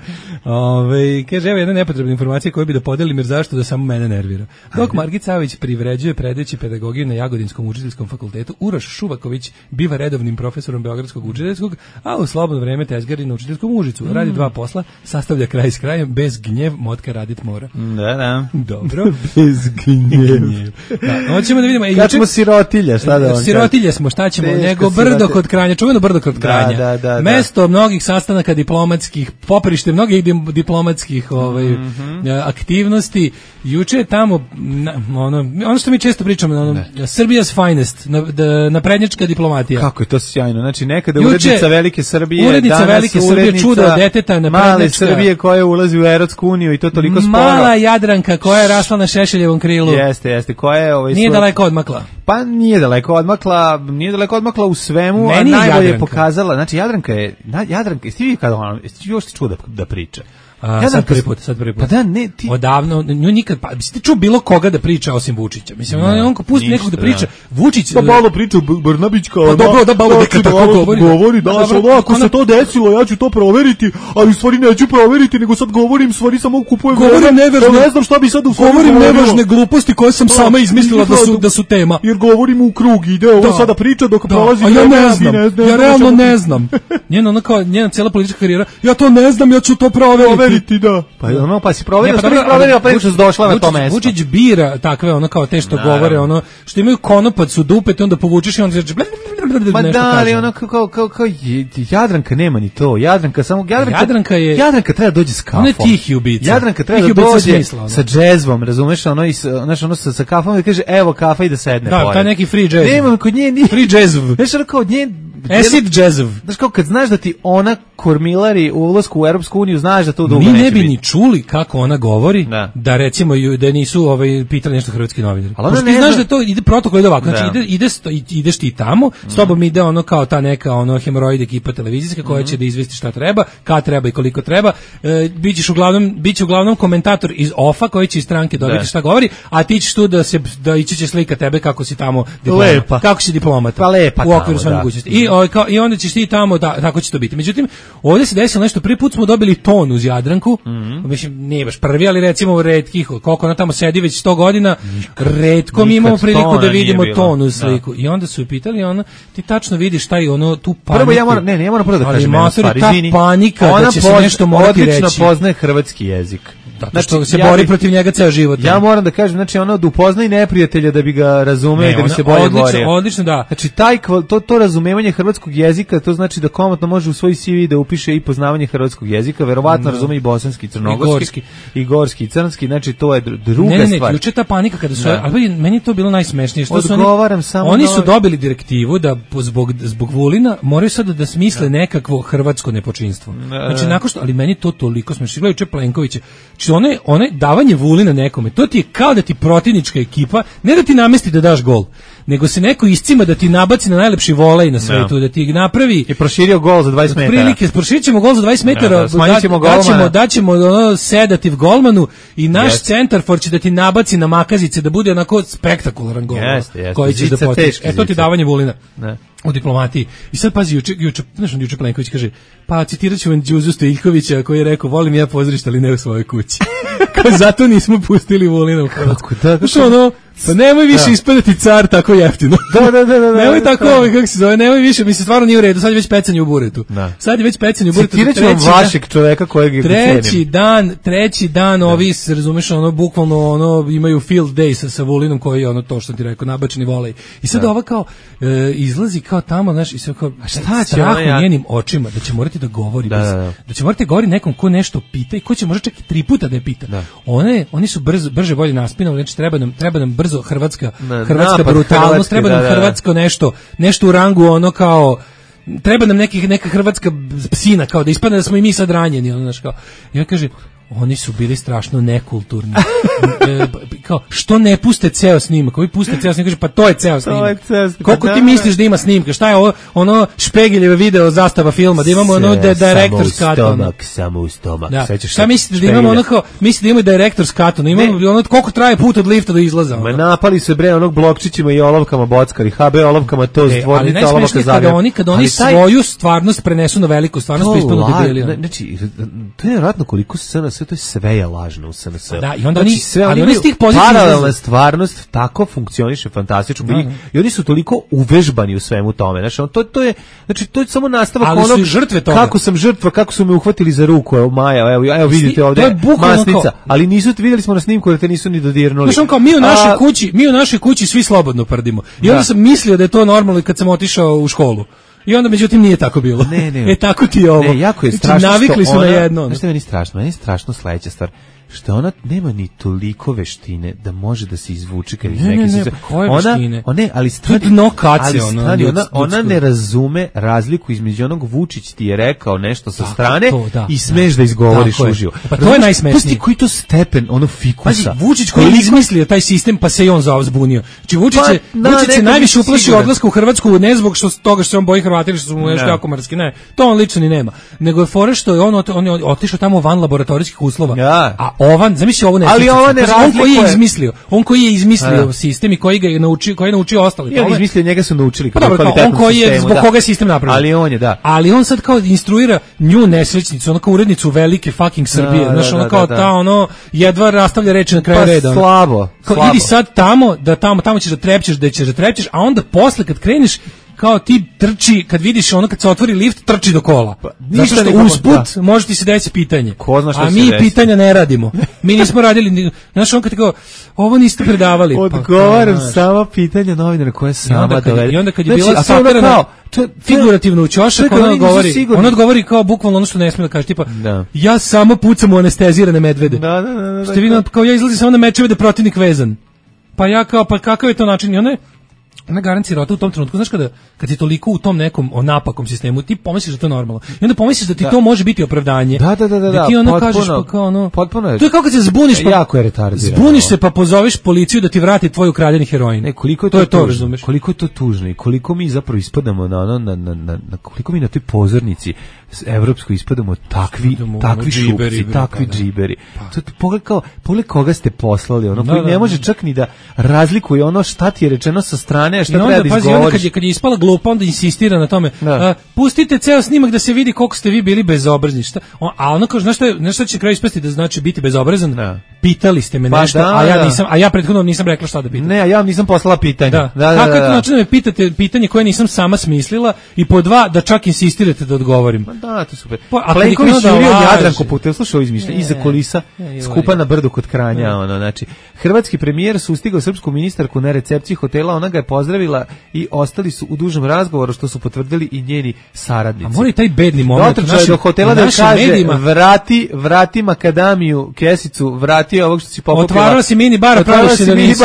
Ove, kaže, evo jedna nepotrebna informacija koju bi da podelim, jer zašto da samo mene nervira. Dok Margit Savić privređuje predajući pedagogiju na Jagodinskom učiteljskom fakultetu, Uroš Šuvaković biva redovnim profesorom Beogradskog učiteljskog, a u slobodno vreme tezgari na učiteljskom Užicu. Radi dva posla, sastavlja kraj s krajem, bez gnjev, motka radit mora. Da, da. Dobro. Bez gnjev. Da, hoćemo da vidimo. E, Kad juče- smo sirotilja, šta da vam kažem? Sirotilje smo, šta ćemo? Teško Nego sirotilje. brdo kod Kranja, čuveno brdo kod Da, Kranja. da, da, da. Mesto mnogih sastanaka diplomatskih, poporište mnogih dim- diplomatskih ovaj, Mhm. aktivnosti. Juče je tamo, na, ono, ono što mi često pričamo, ono, Srbija's finest, na, da, naprednjačka diplomatija. Kako je to sjajno. Znači, nekada Juče- urednica Velike Srbije, urednica danas Velike Srbije, urednica čudo od deteta, male naprednjačka. Srbije koja ulazi u Evropsku uniju i to toliko sporo. Mala Jadranka koja je rasla na Šešeljevom krilu. Jeste, jeste. Koja je ovaj Nije svoj- daleko odmakla. Pa nije daleko odmakla, nije daleko odmakla u svemu, Meni je a najbolje je Jadranka. pokazala. Znači, Jadranka je, na, Jadranka, jesi ti vidio kada ona, jesi ti još čuo da, da priča? A, sad prvi put, sad prvi put. Pa da, ne, ti... Odavno, nju nikad, pa, mislim, ti čuo bilo koga da priča osim Vučića. Mislim, on, on ko pusti ništa, nekog da priča, da. Vučić... Pa malo priča Brnabić kao... Pa dobro, da, malo neka tako govori. Govori, da, Dobro, ono, ako ona- se to desilo, ja ću to proveriti, ali u stvari neću proveriti, nego sad govorim, u stvari samo kupujem... Govorim vreme, nevažne- ne znam šta bi sad u stvari Govorim govorio. nevažne gluposti koje sam Da, sama izmislila da su, izmislila da su tema. Jer govorim u krug, ide ovo Da. sada priča dok Da, prolazi a ja vreme, ne mi znam, ne znam ja o realno čemu ne pričamo. znam. Njena, ona kao, njena cijela politička karijera, ja to ne znam, ja ću to proveriti. Proveriti, da. Pa ono, pa si proverio, Ne, šta dobro, nisi proverio, ali pa što si došla na to Vučić- mesto. Vučić bira takve, ono kao te što Naravno. govore, ono, što imaju konopac u dupe, te onda povučeš i onda kaže, Ma nešto da, ali kaže. ono kao, kao, kao, kao je- Jadranka nema ni to. Jadranka samo, Jadranka, Jadranka je- Jadranka treba da dođe s kafom. Ona je tihi ubica. Jadranka treba Tihi da ubica dođe smisla, ono. sa džezvom, razumeš, ono, i sa, znaš, ono sa, sa kafom i da kaže, evo kafa i da sedne Da, pored. taj neki free jazz. Nema kod nje ni... Free jazz. Znaš, ono kao od nje, Acid jazzov. Znaš kao kad znaš da ti ona kormilari u ulasku u Europsku uniju, znaš da to dugo mi neće ne bi biti. ni čuli kako ona govori, da, da recimo ju- da nisu ovaj pitali nešto hrvatski novinari. Ali ona Pošto ti ne znaš zna- da to ide protokol ide ovako, znači Da. ide, ide sto- ideš ti tamo, s tobom ide ono kao ta neka ono hemoroid ekipa televizijska koja će da izvesti šta treba, kad treba i koliko treba. E, bićeš uglavnom biće uglavnom komentator iz ofa koji će iz stranke dobiti Da. šta govori, a ti ćeš tu da se da ići će slika tebe kako si tamo diplomat. Lepa. Kako si diplomat. Pa lepa u okviru tamo, svoje da. mogućnosti. I ovaj kao i onda ćeš ti tamo da tako će to biti. Međutim, ovdje se desilo nešto, prvi put smo dobili ton uz Jadranku. Mhm. Mislim nije baš prvi, ali recimo retkih, koliko ona tamo sedi već sto godina, retko mi nikad imamo priliku tona da nije vidimo bilo. ton uz Da. sliku. I onda su je pitali, ono, ti tačno vidiš taj ono tu paniku. Prvo ja moram, ne, ne, ja moram prvo da Ali kažem jednu matori, stvar, ta izvini. panika da Ona će se poz- nešto morati odlično reći. poznaje hrvatski jezik. Zato što se ja bori bi- protiv njega ceo život. Ja moram da kažem, znači ono da upoznaje neprijatelja da bi ga razumeo Ne, i da bi ona se bolje odlično, borio. odlično, da. Znači taj kval- to to razumevanje hrvatskog jezika, to znači da komotno može u svoj C V da upiše i poznavanje hrvatskog jezika, verovatno razume i bosanski, crnogorski, i gorski, i crnski, znači to je dr- druga ne, ne, ne, stvar. juče ta panika kada su, Da. ali meni je to bilo najsmešnije što su oni, Odgovaram samo oni na su ovaj- dobili direktivu da po- zbog zbog Vulina moraju sada da smisle nekakvo hrvatsko nepočinstvo. Znači nakon što, ali meni to toliko smešno. Gledaj juče Plenkovića. Znači one one davanje Vulina nekome, to ti je kao da ti protivnička ekipa, ne da ti namesti da daš gol, nego se neko iscima da ti nabaci na najlepši volej na svetu, da ti napravi I proširio gol za dvadeset metara. prilike, proširit ćemo gol za dvadeset metara, da, smanjit ćemo da- daćemo, golmana. daćemo ono sedativ golmanu i naš Jeste. centarfor će da ti nabaci na makazice da bude onako spektakularan gol Jeste, jeste. koji ćeš da Zica, postigneš. teški E to ti zica. davanje Vulina. Ne. U diplomatiji. I sad pazi, juče, juče, znaš, on juče Plenković kaže, pa citirat ću vam Đuzu Stojiljkovića koji je rekao, volim ja pozorište, ali ne u svojoj kući. Kao zato nismo pustili Vulina u Hrvatsku. Kako da, kako- Znaš, ono, pa nemoj više Da. ispadati car tako jeftino. Da, da, da, da, da. Nemoj da, tako, da. ovaj, kako se zove, nemoj više, mislim, stvarno nije u redu, sad je već pecanje u buretu. Da. Sad je već pecanje u buretu. Citirat ću vam treći dan- vašeg čoveka kojeg je Treći cenim. dan, treći dan ovi, se razumeš, ono, bukvalno, ono, imaju field day sa, sa Vulinom koji je, ono, to što ti rekao, nabačeni volej. I sad ova kao, e, izlazi kao tamo, znaš, i sve kao, šta će strah ona ja- u njenim očima, da će morati da govori, Da, bez- da, da. da će morati da govori nekom ko nešto pita i ko će možda čak i tri puta da je pita. Da. One, oni su brzo, brže bolje naspinali, znači treba nam, treba nam brzo hrvatska, Da, hrvatska napad brutalnost, Hrvatske, treba nam da, da, da. hrvatsko nešto, nešto u rangu, ono kao, treba nam neki, neka hrvatska psina, kao da ispadne da smo i mi sad ranjeni, ono, znaš, kao, i on kaže, oni su bili strašno nekulturni. E, kao, što ne puste ceo snimak? Ovi puste ceo snimak, kaže, pa to je ceo snimak. je ceo snimak, Koliko da, ti da. misliš da ima snimka? Šta je ovo, ono špegeljeve video zastava filma, da imamo ono da director's cut. ono. Stomak, samo u stomak. Da. Sećaš Šta se mislite da imamo špegulja? ono kao, mislite da imamo director's cut, ono, imamo Ne. ono koliko traje put od lifta do izlaza. Ma ono. napali su bre onog blokčićima i olovkama bockari, H B olovkama to E, ali stvornica olovaka najsmešnije je kada Zagreb. oni, kada oni Ali taj- svoju stvarnost prenesu na veliku stvarnost, pa ispadnu la- debeli. ono. ne, Znači, to je vjerojatno koliko S N S, to je sve je lažno u S N S. Da, i onda znači, oni- sve, ali oni imaju s tih pozicija paralelna izlaze. stvarnost tako funkcioniše fantastično. Da, I, da. I oni su toliko uvežbani u svemu tome. Znači, on, to, to je, znači, to je samo nastavak Ali su onog i žrtve toga. kako sam žrtva, kako su me uhvatili za ruku, evo Maja, evo, evo vidite to ovde je bukvalno masnica, kao- ali nisu, videli smo na snimku da te nisu ni dodirnuli. Znaš, on kao, mi u našoj A, kući, mi u našoj kući svi slobodno prdimo. I onda Da. sam mislio da je to normalno i kad sam otišao u školu. I onda, međutim, nije tako bilo. Ne, ne. E, tako ti je ovo. Ne, jako je Znači, strašno navikli što su ona, na jedno. ono. Znaš što je meni strašno? Meni je strašno sledeća stvar. Što ona nema ni toliko veštine da može da se izvuče kad iz Ne, neke ne, ne, sice- pa koje ona, veštine? ona, ne, ali To stani, je dno kace, ali ono, stani, ljud- ona, ona ljudsko. ne razume razliku između onog Vučić ti je rekao nešto sa Tako, strane to, da, i smeš da, da. izgovoriš Tako je. uživo. Pa to je Razumeš? najsmešnije. Pusti koji to stepen, ono Pazi, fikusa. Vučić koji je izmislio taj sistem, pa se i on zbunio. Znači Vučić Pa, je, da, Vučić se nekad najviše nisam uplašio siguran. odlaska u Hrvatsku, ne zbog što toga što se on boji Hrvata ili što su mu nešto Da. jako mrski, ne. To on lično ni nema. Nego je fora što je on, ot- on je otišao tamo van laboratorijskih uslova. Ja. A ovan, zamisli ovo ne. Ali ovo ne on koji je razlikuje. izmislio, on koji je izmislio Da. sistem i koji ga je naučio, koji je naučio ostali. I on tome. izmislio, njega su naučili Pa kako dobro, kao on kvalitetnom koji je, sistemu, zbog da. koga je sistem napravljen. Ali on je, da. Ali on sad kao instruira nju nesrećnicu, ono kao urednicu velike fucking Srbije. Da, Znaš, da, ono da, kao da. ta, ono, jedva rastavlja reči na kraju Pa reda. ono. slabo, Kao, slabo. idi sad tamo, da tamo, tamo ćeš da trepćeš, da ćeš da trepćeš, a onda posle kad kreneš, kao ti trči, kad vidiš ono kad se otvori lift, trči do kola. Pa, Zato ništa što nikako, usput može ti se desiti pitanje. Ko zna šta a će mi se desiti. pitanja ne radimo. Mi nismo radili, ni- znaš on kad ti kao, ovo niste predavali. Pa, Odgovaram znaš. sama pitanja novinara koje I sama onda, kad, dovede. I onda kad je Znači, bila a sad ono saperana kao, to je- to je- figurativno u ćošak, Čekaj, ona oni nisu odgovori, sigurni. ona odgovori kao bukvalno ono što ne smije da kaže, tipa, Da. ja samo pucam u anestezirane medvede. Da, da, da, da, Ste vi, kao ja izlazim samo na mečeve da je protivnik vezan. Pa ja kao, pa kakav je to način? I ona je, ona garancija rota u tom trenutku, znaš kada kad si toliko u tom nekom onapakom sistemu, ti pomisliš da to je normalno. I onda pomisliš da ti da. to može biti opravdanje. Da, da, da, da. Da ti ono potpuno, kažeš pa kao ono. Potpuno je. To je kao kad se zbuniš pa jako je retardirano. Zbuniš se pa pozoveš policiju da ti vrati tvoj ukradeni heroin. Ne, koliko je to, to, je to razumeš? Koliko je to tužno i koliko mi zapravo ispadamo na ono na, na, na, na koliko mi na toj pozornici evropsko ispadamo takvi ispadamo, takvi šupci, takvi džiberi. To pogled kao pogled koga ste poslali, ono koji ne može čak ni da razlikuje ono šta ti je rečeno sa strane, a šta treba da izgovoriš. Kad je, kad je ispala glupa, onda insistira na tome. A, pustite ceo snimak da se vidi koliko ste vi bili bezobrazni. Šta? A ono kaže, znaš šta, znaš šta će kraj ispasti da znači biti bezobrazan? Da. Pitali ste me pa nešto, da, a ja nisam, a ja prethodno nisam rekla šta da pitam. Ne, a ja vam nisam poslala pitanje. Da. Da, da, Kako je to znači da me pitate pitanje koje nisam sama smislila i po dva da čak insistirate da odgovorim? Ma da, to super. Pa, Plenković jurio Jadranku Putel, slušaj ovo izmišljanje, iza kulisa, skupa na brdu kod Kranja, ono, znači, hrvatski premijer sustigao srpsku ministarku na recepciji hotela, ona ga je pozdravila i ostali su u dužem razgovoru, što su potvrdili i njeni saradnici. A mora i taj bedni moment u našim, do hotela da kaže, medijima. vrati, vrati makadamiju, kesicu, vrati ovog što si popopila. Otvarala si mini bar, praviš se da nisi.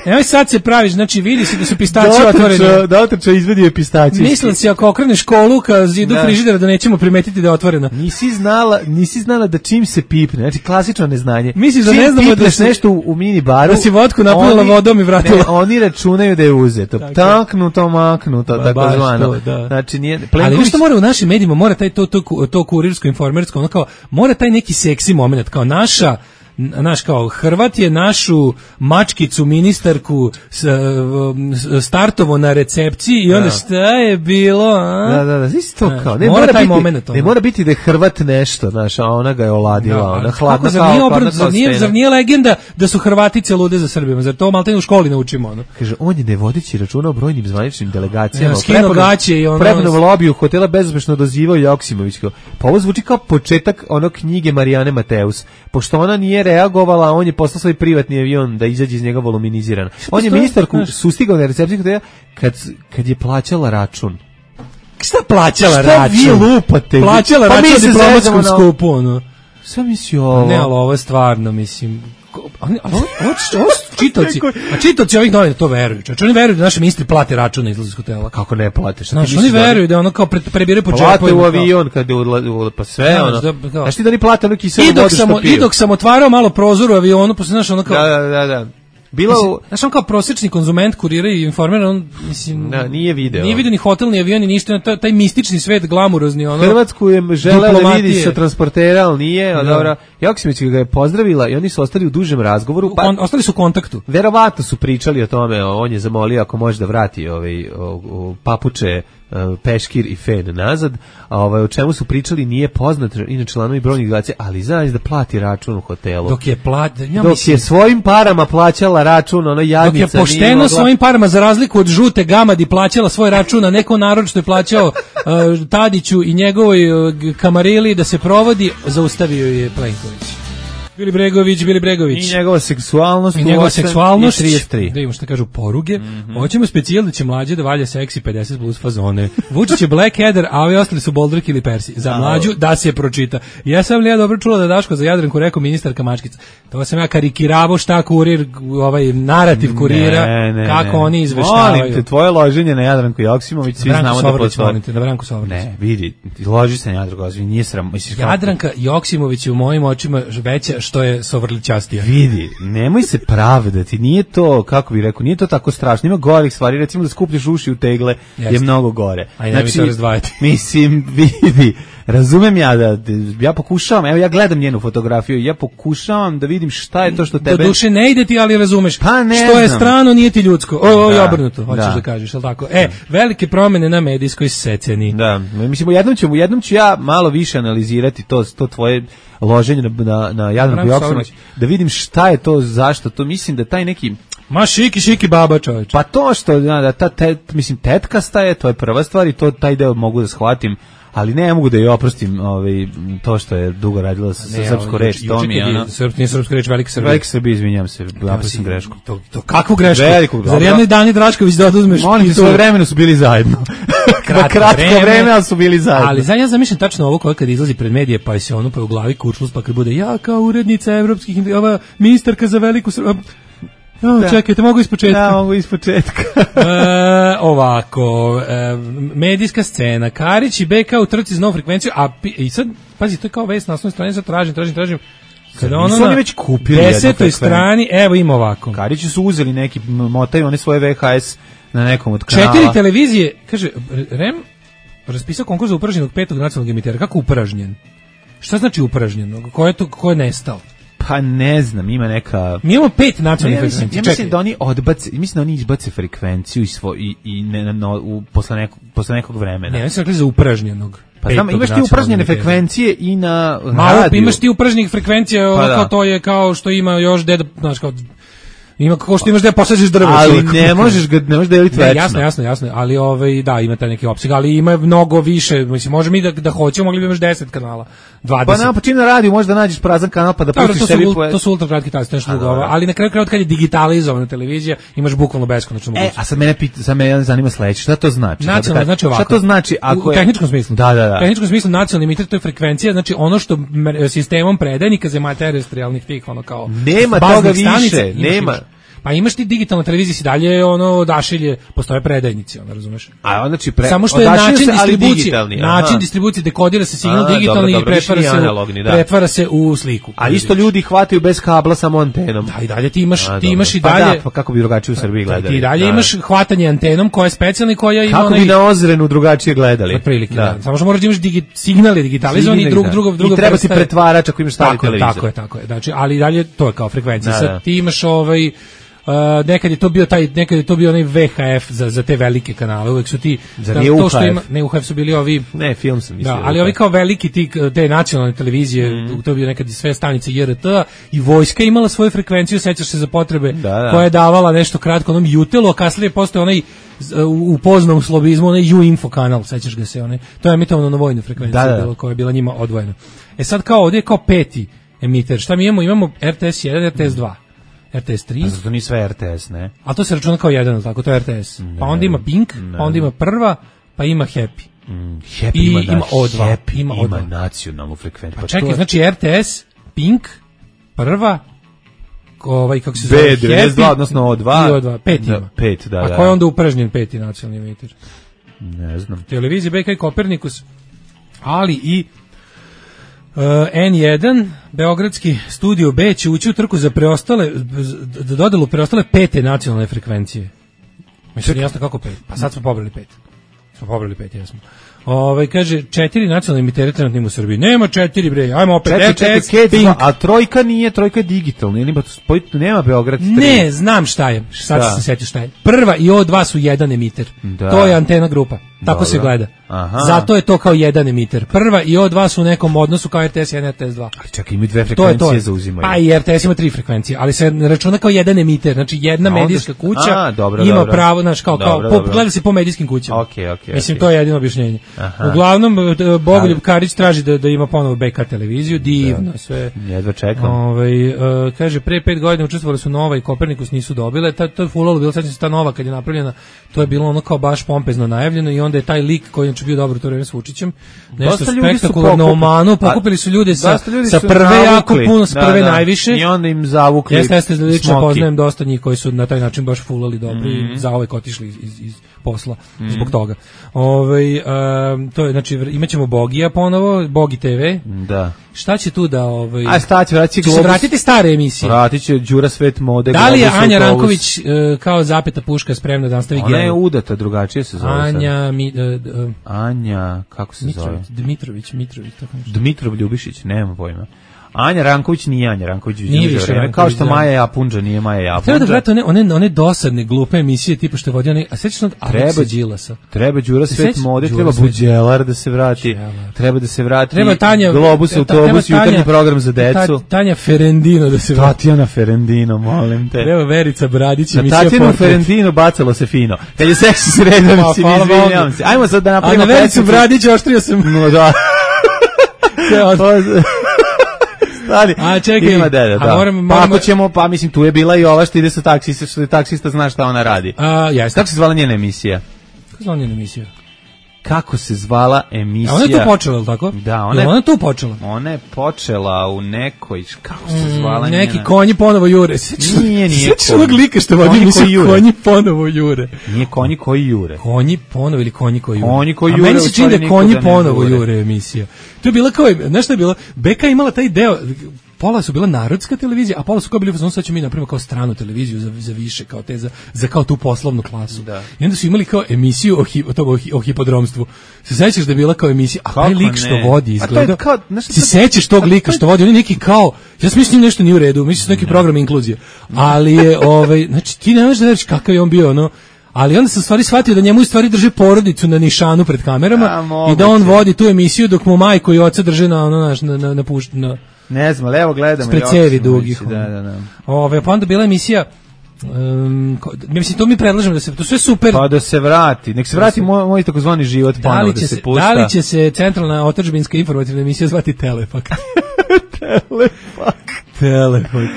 Evo sad se praviš, znači vidi se da su pistacije otvorene. Da otrča izvedio pistacije. Mislim si ako okreneš kolu ka zidu da. frižidera da nećemo primetiti da je otvorena. Nisi znala, nisi znala da čim se pipne, znači klasično neznanje. Misliš da ne znamo da se nešto u, u mini baru. Da si vodku napunila vodom i vratila. Ne, oni računaju da je uzeto. Taknuto, maknuto, ba, tako zvano. Da. Znači nije Plenković. Ali što mora u našim medijima, mora taj to to to kurirsko informersko, ono kao mora taj neki seksi momenat kao naša naš kao Hrvat je našu mačkicu ministarku startovo na recepciji i onda šta je bilo, a? Da, da, da, isto kao, ne mora, mora taj biti, moment, ne mora biti da je Hrvat nešto, znaš, a ona ga je oladila, da, ona hladna kao, nije obrat, zar, nije, zar nije legenda da su Hrvatice lude za Srbima, zar to maltene u školi naučimo, ono? Kaže, on je ne vodeći računa o brojnim zvaničnim delegacijama, ja, skino gaće i ono... Prepunom lobiju hotela bezuspešno dozivao Joksimović, pa ovo zvuči kao početak ono knjige Marijane Mateus, pošto ona nije reagovala, on je poslao svoj privatni avion da izađe iz njega voluminiziran. On je ministarku sustigao na recepciji hotela kad, kad je plaćala račun. Šta plaćala Šta račun? Šta vi lupate? Plaćala pa račun na diplomatskom skupu, ono. Šta misli ovo? Ne, ali ovo je stvarno, mislim... Ali ovo čitaoci, a čitaoci ovih novina to veruju. Znači oni veruju da naši ministri plate račun na izlazu iz hotela. Kako ne plate? Šta znači, oni veruju da ono kao prebire po džepu. Plate u avion kad je pa sve ono. Znaš ti da ni plate ono kiselu vodu što piju. I dok sam otvarao malo prozor u avionu, posle znaš ono kao... Da, da, da, da. Bila mislim, u... Znaš, on kao prosječni konzument kurira i informera, on, mislim... Da, nije video. Nije video ni hotel, ni avion, ni ništa, taj, taj mistični svet, glamurozni, ono... Hrvatsku je želela da vidi sa transportera, ali nije, a dobro... Joksimović ga je pozdravila i oni su ostali u dužem razgovoru. Pa, on, ostali su u kontaktu. Verovatno su pričali o tome, on je zamolio ako može da vrati ovaj, o, o, papuče, peškir i fen nazad, a ovaj, o čemu su pričali nije poznat, inače članovi brojnih delegacija, ali znaš da plati račun u hotelu. Dok je, plat, ja dok mislim, je svojim parama plaćala račun, ono jadnica. Dok je pošteno mogla... svojim parama, za razliku od žute gamadi, plaćala svoj račun, a neko narod što je plaćao uh, Tadiću i njegovoj uh, kamarili da se provodi, zaustavio je Plenković. Bili Bregović, Bili Bregović. I njegova seksualnost. I njegova seksualnost. I trideset tri. Da imamo što kažu poruge. Mm -hmm. Hoćemo specijal da će mlađe da valja seksi pedeset plus fazone. Vučić je Blackadder, a ovi ostali su Boldrik ili Persi. Za mlađu da se pročita. Ja sam li ja dobro čula da Daško za Jadranku rekao ministarka mačkica. To sam ja karikiravao šta kurir, ovaj narativ kurira, ne, ne, kako ne. Oni izveštavaju. Molim te, tvoje loženje na Jadranku Joksimović, svi znamo da postoji. Na Branku Sovrlić. Ne, vidi, loži se na Jadranku Joksimović, nije sram. Jadranka Joksimović je u mojim očima veća što je Sovrlićastija. Vidi, nemoj se pravdati, nije to, kako bih rekao, nije to tako strašno, ima gorih stvari, recimo da skupljaš uši u tegle. Jeste. Je mnogo gore. Aj, znači, ne mi to razdvajati. Mislim, vidi, razumem ja da, ja pokušavam, evo ja gledam njenu fotografiju, ja pokušavam da vidim šta je to što tebe... Do duše ne ide ti, ali razumeš, pa ne što znam. je strano, nije ti ljudsko. O, o da, obrnuto, hoćeš da, da kažeš, ali tako? E, velike promene na medijskoj sceni. Da, mislim, u jednom ću, u jednom ću ja malo više analizirati to, to tvoje loženje na, na, na Jadranku Joksimović, da vidim šta je to, zašto, to mislim da taj neki... Ma šiki, šiki baba, čovječ. Pa to što, da, ta, tet, mislim, tetkasta je, to je prva stvar i to, taj deo mogu da shvatim, ali ne mogu da joj oprostim ovaj, to što je dugo radila sa, sa srpsku reč. To mi je, ono... Srp, nije srpska reč, velika Srbija. Velika Srbija, izvinjam se, napisam grešku. To, to kakvu grešku? Veliku, zar jedno Dani Drašković da oduzmeš? Oni ti svoje vremeno su bili zajedno. Kratko, kratko vreme, vreme, ali su bili zajedno. Ali za ja zamišljam tačno ovo koje kad izlazi pred medije, pa se ono pa u glavi kuršlus, pa kad bude ja kao urednica evropskih, ova ministarka za veliku Srbiju. O, čekajte, mogu ispočetka. Da, mogu ispočetka. e, ovako, e, medijska scena. Karić i B K u trci za novu frekvenciju, a pi, i sad, pazi, to je kao vest na osnovnoj strani, sad tražim, tražim, tražim. Kada ono Nisu oni na već kupili desetoj strani, evo ima ovako. Karići su uzeli neki, motaju one svoje V H S na nekom od kanala. Četiri televizije, kaže, REM raspisao konkurs za upražnjenog petog nacionalnog emitera. Kako upražnjen? Šta znači upražnjen? Ko je to, ko je nestao? Pa ne znam, ima neka... Mi imamo pet nacionalnih ja frekvencija. Ja mislim da oni odbace, mislim da oni izbace frekvenciju i, svo, i, i ne, no, u, posle, nekog, posle nekog vremena. Ne, oni su rekli za upražnjenog. Pa znam, imaš ti upražnjene frekvencije i na Malo, radiju. imaš ti upražnjenih frekvencija, pa kao to je kao što ima još deda, znaš kao... Ima kako što imaš da posađeš drvo, ali ne možeš ga ne možeš deliti večno. Jasno, jasno, jasno, ali ovaj da ima taj neki opseg, ali ima mnogo više, mislim može mi da da hoćemo, mogli bi imaš deset kanala, dvadeset. Pa na počinu na radiju možda nađeš prazan kanal pa da Dobro, pustiš to sebi su, po... to su ultra kratki taci, nešto drugo, ali na kraju krajeva kad je digitalizovana televizija, imaš bukvalno beskonačno mogućnost. E, a sad mene pita, sad me zanima sledeće, šta to znači? Nacionalno znači ovako. Šta to znači ako u, u tehničkom smislu? Da, da, da. U tehničkom smislu nacionalni emiter to je frekvencija, znači ono što sistemom predajnika za terestrijalnih tih ono kao nema toga više, stanica, imaš, nema. Imaš. Pa imaš ti digitalna televizija si dalje ono odašilje, postoje predajnici, ono razumeš? A onda znači pre... Samo što je način se, distribucije, način distribucije dekodira se signal a, digitalni dobro, dobro, i pretvara se, analogni, da. pretvara se u sliku. A isto ljudi hvataju bez kabla samo antenom. Da, i dalje ti imaš, a, ti imaš i pa dalje. Da, pa kako bi drugačije u Srbiji gledali? Ti dalje da. imaš hvatanje antenom koja je specijalna i koja ima kako onaj... bi na Ozrenu drugačije gledali? Otprilike, da. da. Samo što moraš da imaš digi... signal je digitalizovan i drug, da. drugo, drugo i treba ti pretvarač ako imaš stari televizor. Tako je, tako je. Znači, ali dalje to je kao frekvencija. Sad ti imaš ovaj Uh, nekad je to bio taj nekad je to bio onaj V H F za za te velike kanale, uvek su ti da, to što ima ne U H F su bili ovi ne film sam mislio da, ali ovi kao veliki ti te nacionalne televizije mm. to je bio nekad i sve stanice J R T i vojska imala svoju frekvenciju, sećaš se za potrebe da, da. koja je davala nešto kratko onom Jutelu, a kasnije postojao onaj u poznom slobizmu onaj U-Info kanal, sećaš ga se onaj, to je emitovano na vojnu frekvenciju da, da. Bilo, koja je bila njima odvojena. E sad kao ovdje je kao peti emiter, šta mi imamo? Imamo R T S jedan, R T S dva. R T S tri. Pa zato nije sve R T S, ne? A to se računa kao jedan, tako, to je R T S. Ne, pa onda ima Pink, ne. Pa onda ima Prva, pa ima Happy. Mm, happy I ima, ima O dva. Happy ima, ima nacionalnu frekvenciju. Pa, pa čekaj, je... znači R T S, Pink, Prva, ovaj, kako se zove, B devedeset dva, odnosno O dva. I O dva, pet ima. Da, pet, da, A da. ko je onda upražnjen peti nacionalni emitter? Ne znam. Televizija B K i Kopernikus, ali i Uh, N jedan, Beogradski studio B će ući u trku za preostale, za dodelu preostale pete nacionalne frekvencije. Mislim, jasno kako pet. Pa sad smo pobrali pet. Smo pobrali pet, jesmo. Ove, kaže, četiri nacionalne emitere trenutno u Srbiji. Nema četiri, bre, ajmo opet. Četiri, četiri, a trojka nije, trojka je digitalna. Nema, nema Beograd tri. Ne, znam šta je. Sad šta? Se sjetio šta je. Prva i O dva su jedan emiter. Da. To je antena grupa. Tako dobro se gleda. Aha. Zato je to kao jedan emiter. Prva i O dva su u nekom odnosu kao R T S jedan, R T S dva. Ali čekaj, imaju dve frekvencije to je to. Zauzimaju. A i R T S ima tri frekvencije, ali se računa kao jedan emiter. Znači jedna onda medijska kuća a, dobro, ima dobro. pravo, znači kao, dobro, kao po, gleda se po medijskim kućama. Okay, okay, Mislim, okay. to je jedino objašnjenje. Aha. Uglavnom, Bogoljub Karić traži da, da ima ponovo B K televiziju, divno, sve. Jedva čekam. Ovaj uh, kaže, pre pet godina učestvovali su Nova i Kopernikus, nisu dobile. Ta, to je fulalo, bilo sad ta Nova kad je napravljena, to je bilo ono kao baš pompezno najavljeno i onda je taj lik koji je bio dobro to vreme s Vučićem, nešto spektakularno u Omanu, pokupili su ljude sa, sa prve navukli, jako puno, sa prve da, da. najviše. I onda im zavukli jeste, jeste, lično poznajem dosta njih koji su na taj način baš fulali dobro mm-hmm. i zaovek otišli iz, iz, iz posla mm-hmm. zbog toga. Ovaj um, to je znači imaćemo Bogija ponovo, Bogi T V. Da. Šta će tu da ovaj a šta će vraći Globus? Se vratiti stare emisije. Vratit će Đura Svet mode. Da li je Anja Ranković uh, kao zapeta puška spremna da nastavi Ona je udata, drugačije se zove. Anja mi, uh, uh, Anja, kako se Mitrović, zove? Dmitrović, Mitrović, tako nešto. Dmitrov Ljubišić, nemam pojma. Anja Ranković nije Anja Ranković, nije više vreme, kao što Maja Japunđa nije Maja Japunđa. Treba da vrati one, one, one dosadne, glupe emisije, tipa što je vodio one, a sećaš od Aleksa Đilasa? Treba Đura Svet mode, treba Buđelar da se vrati, Đelar. Treba da se vrati treba Tanja, Globus, autobus, jutarnji program za decu. Tanja Ferendino da se vrati. Tatjana Ferendino, molim te. Treba Verica Bradić, emisija Tatjanu Portret. Ferendino bacalo se fino. Kad je seksi sredan, si mi izvinjavam se. Ajmo sad da napravimo. A na Vericu Bradić oštrio sam. No da. Ali, a čekaj, ima dede, da. A moram, moram, pa ako ćemo, pa mislim, tu je bila i ova što ide sa taksista, što je taksista zna šta ona radi. A, jeste. Kako se zvala njena emisija? Kako se zvala njena emisija? kako se zvala emisija. A ona je tu počela, ili tako? Da, ona je, ona je tu počela. Ona je počela u nekoj, kako se zvala mm, Neki njena? konji ponovo jure. Nije, nije Sjećaš onog lika što vodi emisiju konji ponovo jure. Nije konji koji jure. Konji ponovo ili konji koji jure. Konji koji A jure. meni se čini da je konji ponovo jure emisija. To je bila kao, znaš šta je bilo? Beka je imala taj deo, pola su bila narodska televizija, a pola su kao bili fazon, sad ćemo mi napravimo kao stranu televiziju za, za više, kao te, za, za kao tu poslovnu klasu. Da. I onda su imali kao emisiju o, hi, o, toga, o, hi, o hipodromstvu. Se sećaš da je bila kao emisija, a taj lik što vodi izgleda, se sećaš tog lika što vodi, on je neki kao, ja sam mislim nešto nije u redu, mislim su neki program inkluzije, ali je, ovaj, znači ti ne možeš da veriš kakav je on bio, ono, ali onda sam stvari shvatio da njemu u stvari drže porodicu na nišanu pred kamerama a, i da on vodi tu emisiju dok mu majko i oca drže na ono naš na na na, pušt, na ne znam, levo gledamo i cevi dugih. Da, da, da. Ove pa onda bila emisija Um, mislim, to mi predlažemo da se, to sve super. Pa da se vrati, nek se vrati moj, moj takozvani život ponovo da, da se pušta. Da li će se centralna otadžbinska informativna emisija zvati Telefak? Telefak. Telefak.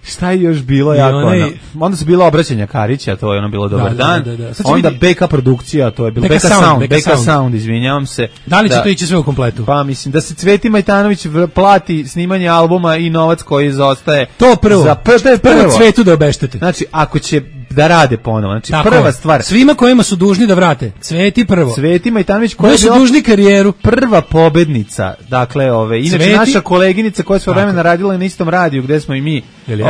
Šta je još bilo jako onaj... ono? Onda su bila obraćanja Karića, to je ono bilo dobar da, dan. Da, da, da. Onda vidi... B K produkcija, to je bilo B K Sound, Sound, B K Sound. Sound, izvinjavam se. Da li će da, to ići sve u kompletu? Pa mislim da se Cveti Majtanović plati snimanje albuma i novac koji zaostaje. To prvo. Za prvo, to je prvo. Prvo Cvetu da obeštete. Znači, ako će da rade ponovo. Znači, tako prva je. stvar. Svima kojima su dužni da vrate. Cveti prvo. Cveti Majtanović koja su dužni karijeru. Prva pobednica. Dakle, ove, inače Cveti... naša koleginica koja je vremena radila na istom radiju gde smo i mi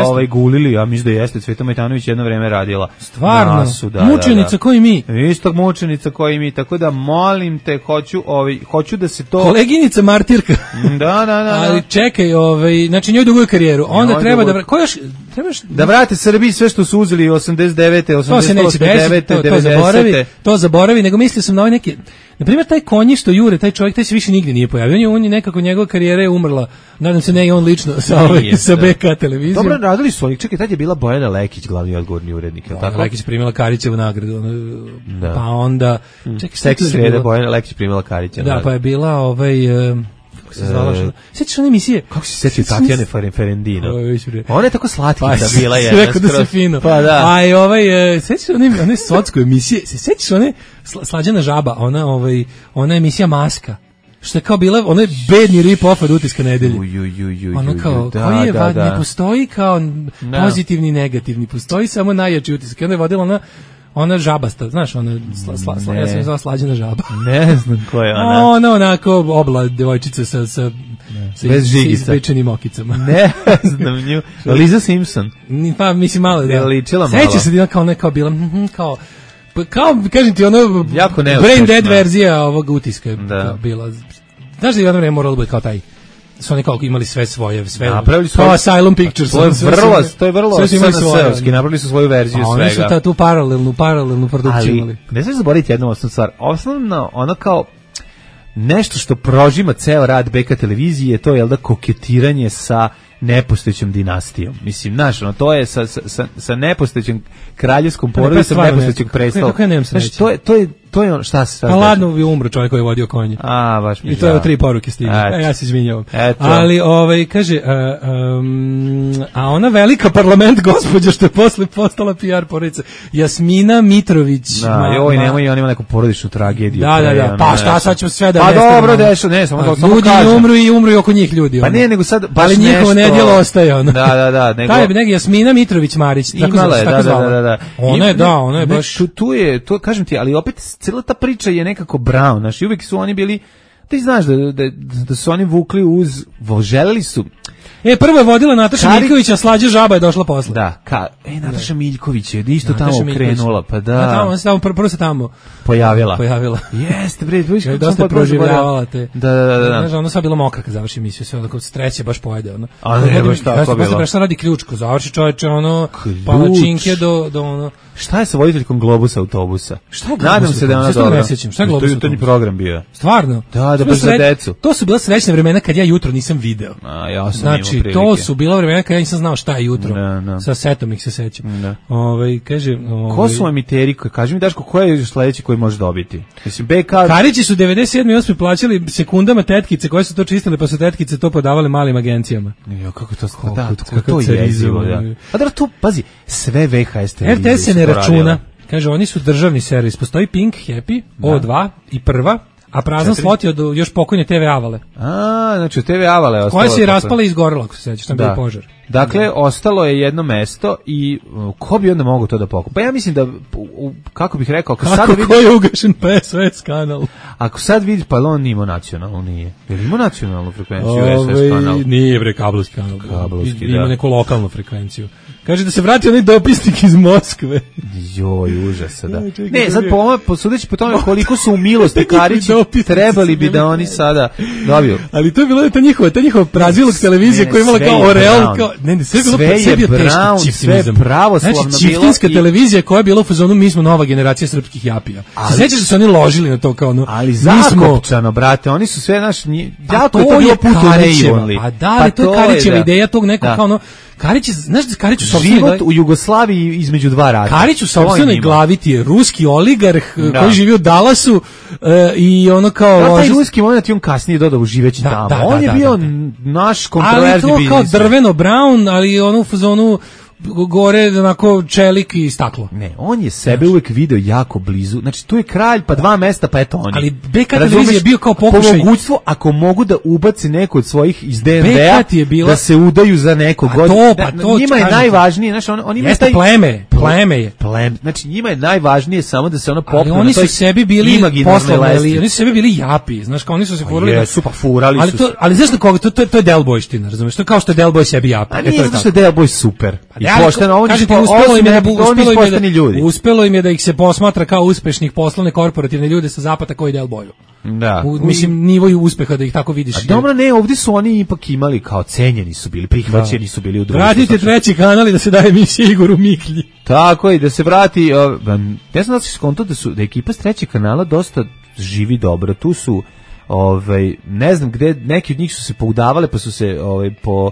ovaj gulili, a mislim da jeste Cveta Majtanović jedno vreme radila. Stvarno. Nasu, da, mučenica da, da. Koji mi. Istog mučenica koji mi. Tako da molim te, hoću, ovaj hoću da se to koleginica martirka. Da, da, da. Ali čekaj, ovaj, znači njoj duguje karijeru. Onda njoj treba duguju... da ko još trebaš da vrate Srbiji sve što su uzeli osamdeset devete, osamdeset osam, devete, to, to devedesete. zaboravi, to zaboravi, nego mislio sam na ovaj neki, na primjer taj konji što jure, taj čovjek, taj se više nigdje nije pojavio. On je, on je nekako, njegova karijera je umrla. Nadam se ne i on lično sa, ovaj, sa B K televizijom. Dobro, radili su oni. Čekaj, tad je bila Bojana Lekić, glavni odgovorni urednik. Bojana tako? Lekić primila Karićevu nagradu. Ono, da. Pa onda... Čekaj, seksi srede, Bojana Lekić primila Karićevu nagradu. Da, pa je bila ovaj... Um, se zvala što. Sećaš one emisije? Kako se sećaju Tatjane Ferendino? Ona je tako slatka pa, bila je. Rekao da se fino. Pa da. A i ovaj sećaš one one socsko emisije? Se sećaš one Slađana žaba, ona ovaj ona emisija Maska. Što je kao bila, ono je bedni rip-off od Utiska nedelje. Ono kao, da, koji je da, vad, da. Ne postoji kao no. pozitivni i negativni, postoji samo najjači utisak. Onda je vodila ona ona žabasta, znaš, ona sla, sla, sla, ja sam je zvala Slađana žaba. Ne znam ko je ona. Ona onako obla devojčica sa, sa, sa bez žigica. Ispečenim okicama. Ne znam nju. Liza Simpson. Pa mislim malo da. Je ličila malo. Seća se da kao neka bila, kao, kao, kažem ti, ono, jako brain dead verzija ovog Utiska da. Bila. Znaš da je jedno vreme moralo biti kao taj, su oni kao imali sve svoje, sve, napravili su kao Asylum Pictures. To je vrlo, to je vrlo S N S-ovski, napravili su svoju verziju a svega. Oni su ta tu paralelnu, paralelnu produkciju imali. Ne smiješ zaboraviti jednu osnovnu stvar. Osnovno, ono kao nešto što prožima ceo rad B K televizije, to je, jel da, koketiranje sa nepostojećom dinastijom. Mislim, znaš, ono, to je sa, sa, sa nepostojećom kraljevskom porodicom nepostojećeg predstava. Kako ja nemam sreće? Znači, to je, to je, to je ono, šta se sad... Pa ladno je umro čovjek koji je vodio konje. A, baš mi I to je tri poruke stigne. A ja se izvinjavam. Ali, ovaj, kaže, a, um, a ona velika parlament gospođa što je posle postala P R porodica, Jasmina Mitrović. Da, ma, joj, nemoj, on ima neku porodičnu tragediju. Da, da, da, pa šta sad ćemo sve da... Pa dobro, dešu, ne, samo da samo kažem. Ljudi umru i umru i oko njih ljudi. Pa ne, nego sad baš ali njihovo nedjelo ostaje ono. Da, da, da, nego. Taj je neka Jasmina Mitrović Marić, tako imala je, da, da, da, da. Ona je, da, ona je baš tu, tu je, to kažem ti, ali opet cela ta priča je nekako brown, znači uvijek su oni bili, ti znaš da da da su oni vukli uz, želeli su. E, prvo je vodila Nataša Kari... Miljković, a Slađa žaba je došla posle. Da, ka, e, Nataša Miljković je isto Nataša tamo krenula, pa da. Da, tamo, tamo prvo se tamo pojavila. Pojavila. Jeste, bre, vidiš kako dosta proživljavala te. Da, da, da, da. Znaš, ono sad bilo mokra kad završi emisiju, sve onako streće baš pojede, ono. A ne, baš tako bilo. Posle radi ključko, završi čoveče, ono, palačinke do, do ono. Šta je sa voditeljkom Globusa autobusa? Šta je Nadam se da je ona dobra. Ne sećam, šta je Globus? To je jutarnji program bio. Stvarno? Da, da, baš za decu. To su bila srećna vremena kad ja jutro nisam video. A, ja sam znači, to su bila vremena kad ja nisam znao šta je jutro. Ne, ne. Sa setom ih se sećam. Ovaj, kaže, ovaj, ko su emiteri? Kaži mi, Daško, ko je sledeći koji može dobiti? Mislim, B K... Karići su devedeset sedme i osme plaćali sekundama tetkice koje su to čistile, pa su tetkice to podavale malim agencijama. Jo, kako to skoro, da, kako to je jezivo, da. A da tu, pazi, sve V H S televizije R T S se ne računa. Kaže, oni su državni servis. Postoji Pink, Happy, O dva i Prva, a prazan slot je od još pokojne te ve Avale. A, znači te ve Avale je ostalo. Koja se je raspala i izgorela, ako se sećaš, tam bio požar. Dakle, da. Ostalo je jedno mesto i uh, ko bi onda mogao to da pokupi? Pa ja mislim da, u, kako bih rekao, ako kako sad vidiš... Kako je ugašen P S O S kanal? Ako sad vidiš, pa on ima nacionalnu, nije. Jer ima nacionalnu frekvenciju S O S kanal? Nije, bre, kablovski kanal. Kablovski, ima da. neku lokalnu frekvenciju. Kaže da se vrati onaj dopisnik iz Moskve. Joj, užasa, da. Ne, sad po, po sudeći po tome koliko su u milosti Karići, trebali bi da oni sada dobiju. Ali to je bilo ta njihova, ta njihova prazilog televizija koja je imala kao Orel, kao, ne, ne, sve je bilo sve je bio brown, teški sve je pravoslavno bilo. Znači, čiftinska televizija koja je bila u fazonu, mi smo nova generacija srpskih japija. Se sećaš da su oni ložili na to kao ono, ali zakopčano, brate, oni su sve naš, jako je to bilo puto naivonli. A da, ali to je Karićeva ideja tog nekog kao ono, Karić, znaš da Karić u sopstvenoj život u Jugoslaviji između dva rata. Karić u sopstvenoj glavi ti je ruski oligarh da. Koji živi u Dallasu uh, i ono kao... Da, taj ruski moment je on kasnije dodao živeći da, tamo. Da, on da, je da, bio da, da. naš kontroverzni biznis. Ali to kao drveno brown, ali ono u fazonu gore onako čelik i staklo. Ne, on je sebe uvek video jako blizu. Znači tu je kralj, pa dva mesta, pa eto oni. Ali B K televizija je bio kao pokušaj. Po mogućstvu, ako mogu da ubaci neko od svojih iz D N D-a, bila... da se udaju za nekog god. To, pa to, njima je najvažnije, znači on, on ima jeste taj... pleme, pleme je. Pleme. Znači njima je najvažnije samo da se ono popne. Ali oni su sebi bili poslovni, oni su sebi bili japi, znaš kao oni su se furali. Jesu, pa furali ali to, ali znaš na koga, to, to, to je Del Boyština, razumeš? To je kao što je Del Boy sebi japi. A nije zato što je Del Boy super. I pošteno, on je uspelo im je da uspelo im je da ljudi. Uspelo im je da ih se posmatra kao uspešnih poslovne korporativne ljude sa zapada koji Del Boyu. Da. U, mislim nivoju uspeha da ih tako vidiš. A dobro, ne, ovdje su oni ipak imali kao cenjeni su bili, prihvaćeni su bili u društvu. Vratite treći kanal i da se daje emisija Igoru Miklji. Tako i da se vrati, uh, ne znam da se skonto da su da ekipa s trećeg kanala dosta živi dobro. Tu su ovaj ne znam gde neki od njih su se poudavale pa su se ovaj po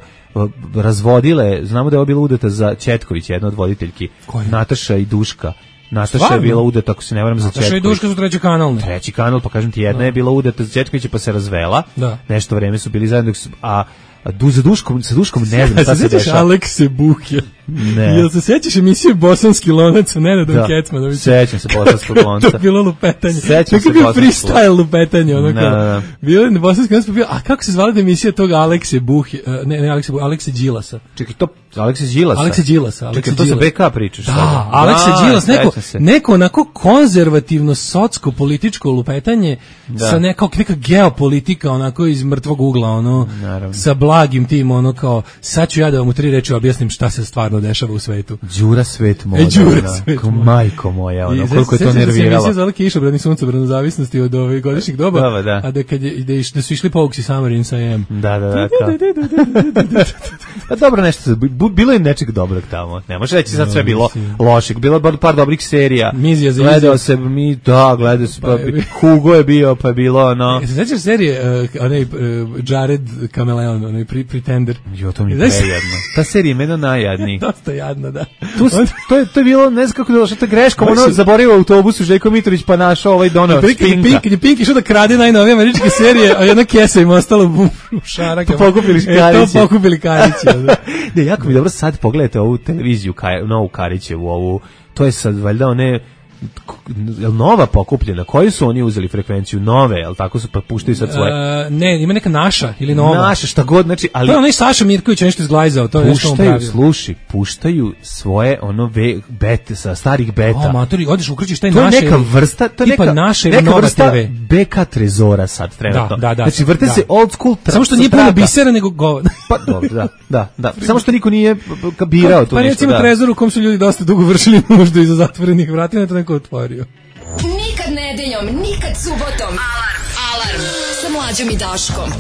razvodile. Znamo da je ovo bila udata za Četković, jedna od voditeljki, Nataša i Duška. Nataša Stvarno? je bila udata, ako se ne varam, za Četković. Nataša i Duška su treći kanal, ne? Treći kanal, pa kažem ti, jedna da. je bila udata za Četkovića, pa se razvela. Da. Nešto vreme su bili zajedno, a Du za Duškom, sa Duškom ne znam šta se dešava. Alekse Buhja. Ne. Jel se sećaš emisije Bosanski lonac, Nenadom da. Kecmanović? Sećam se Bosanskog lonca. To je bilo lupetanje. Sećam se Bosanskog lonca. Freestyle lupetanje, ono kao. Da. Bilo je Bosanski lonac, pa bio, a kako se zvala emisija tog Alekse Buhja, ne, ne Alekse Buhja, Alekse Đilasa. Čekaj, to Alekse Đilasa? Alekse Đilasa. Alekse Čekaj, to sa B K pričaš. Da, Alekse Đilas, neko, neko onako konzervativno, socko, političko lupetanje, da. sa nekao, neka geopolitika, onako iz mrtvog ugla, ono, naravno. Sa blagim tim, ono kao, sad ću ja da vam u tri reči objasnim šta se stvarno dešava u svetu. Đura svet moda. E, Đura svet moda. Majko moja, ono, koliko je to nerviralo. Se emisija zvala Kišobrani suncobranu zavisnosti od ovih godišnjih doba, Doba, da. a da, kad je, da, iš, da su išli Pouksi Summer in Siam. Da, da, da. A dobro nešto, bilo je nečeg dobrog tamo. Ne može reći sad sve bilo lošeg. Bilo je par dobrih serija. Mizija za Gledao se, mi, da, gledao se, pa, Hugo je bio, pa je bilo, ono. Se sećaš serije, uh, onaj uh, Jared Kameleon, onaj Pretender? Jo, to mi je prejadno. Ta serija je meno najjadniji. Dosta jadna, da. Tu, to, je, to je bilo, ne znam kako je došlo, to je greškom, ono zaboravio autobusu Željko Mitrović pa našao ovaj donao Spinka. Kad je Pink išao da krade najnovije američke serije, a jedna kesa im ostala u šarakama. To pokupili Karići. E, to pokupili Karići. Ne, jako mi dobro, sad pogledajte ovu televiziju, novu Karićevu, ovu, to je sad valjda one... Jel nova pokupljena? Koju su oni uzeli frekvenciju? Nove, jel tako su pa puštaju sad svoje? Uh, ne, ima neka naša ili nova. Naša, šta god, znači, ali to je onaj Saša Mirković nešto izglajzao, to je nešto on pravi. Sluši, puštaju svoje ono ve, bete sa starih beta. O, matori, odeš ukrčiš taj to naše. To je neka vrsta, to je neka naše neka nova vrsta te ve. B K trezora sad trenutno. Da, da, da, znači vrte da. se old school. Tra, samo što nije puno bisera nego govor. Pa dobro, da, da, da. Samo što niko nije birao tu pa, ništa. Pa recimo trezor u kom su ljudi dosta dugo vršili nuždu iza zatvorenih vrata, na to neko otvorio. Nikad nedeljom, nikad subotom. Alarm, alarm, sa Mlađom i Daškom.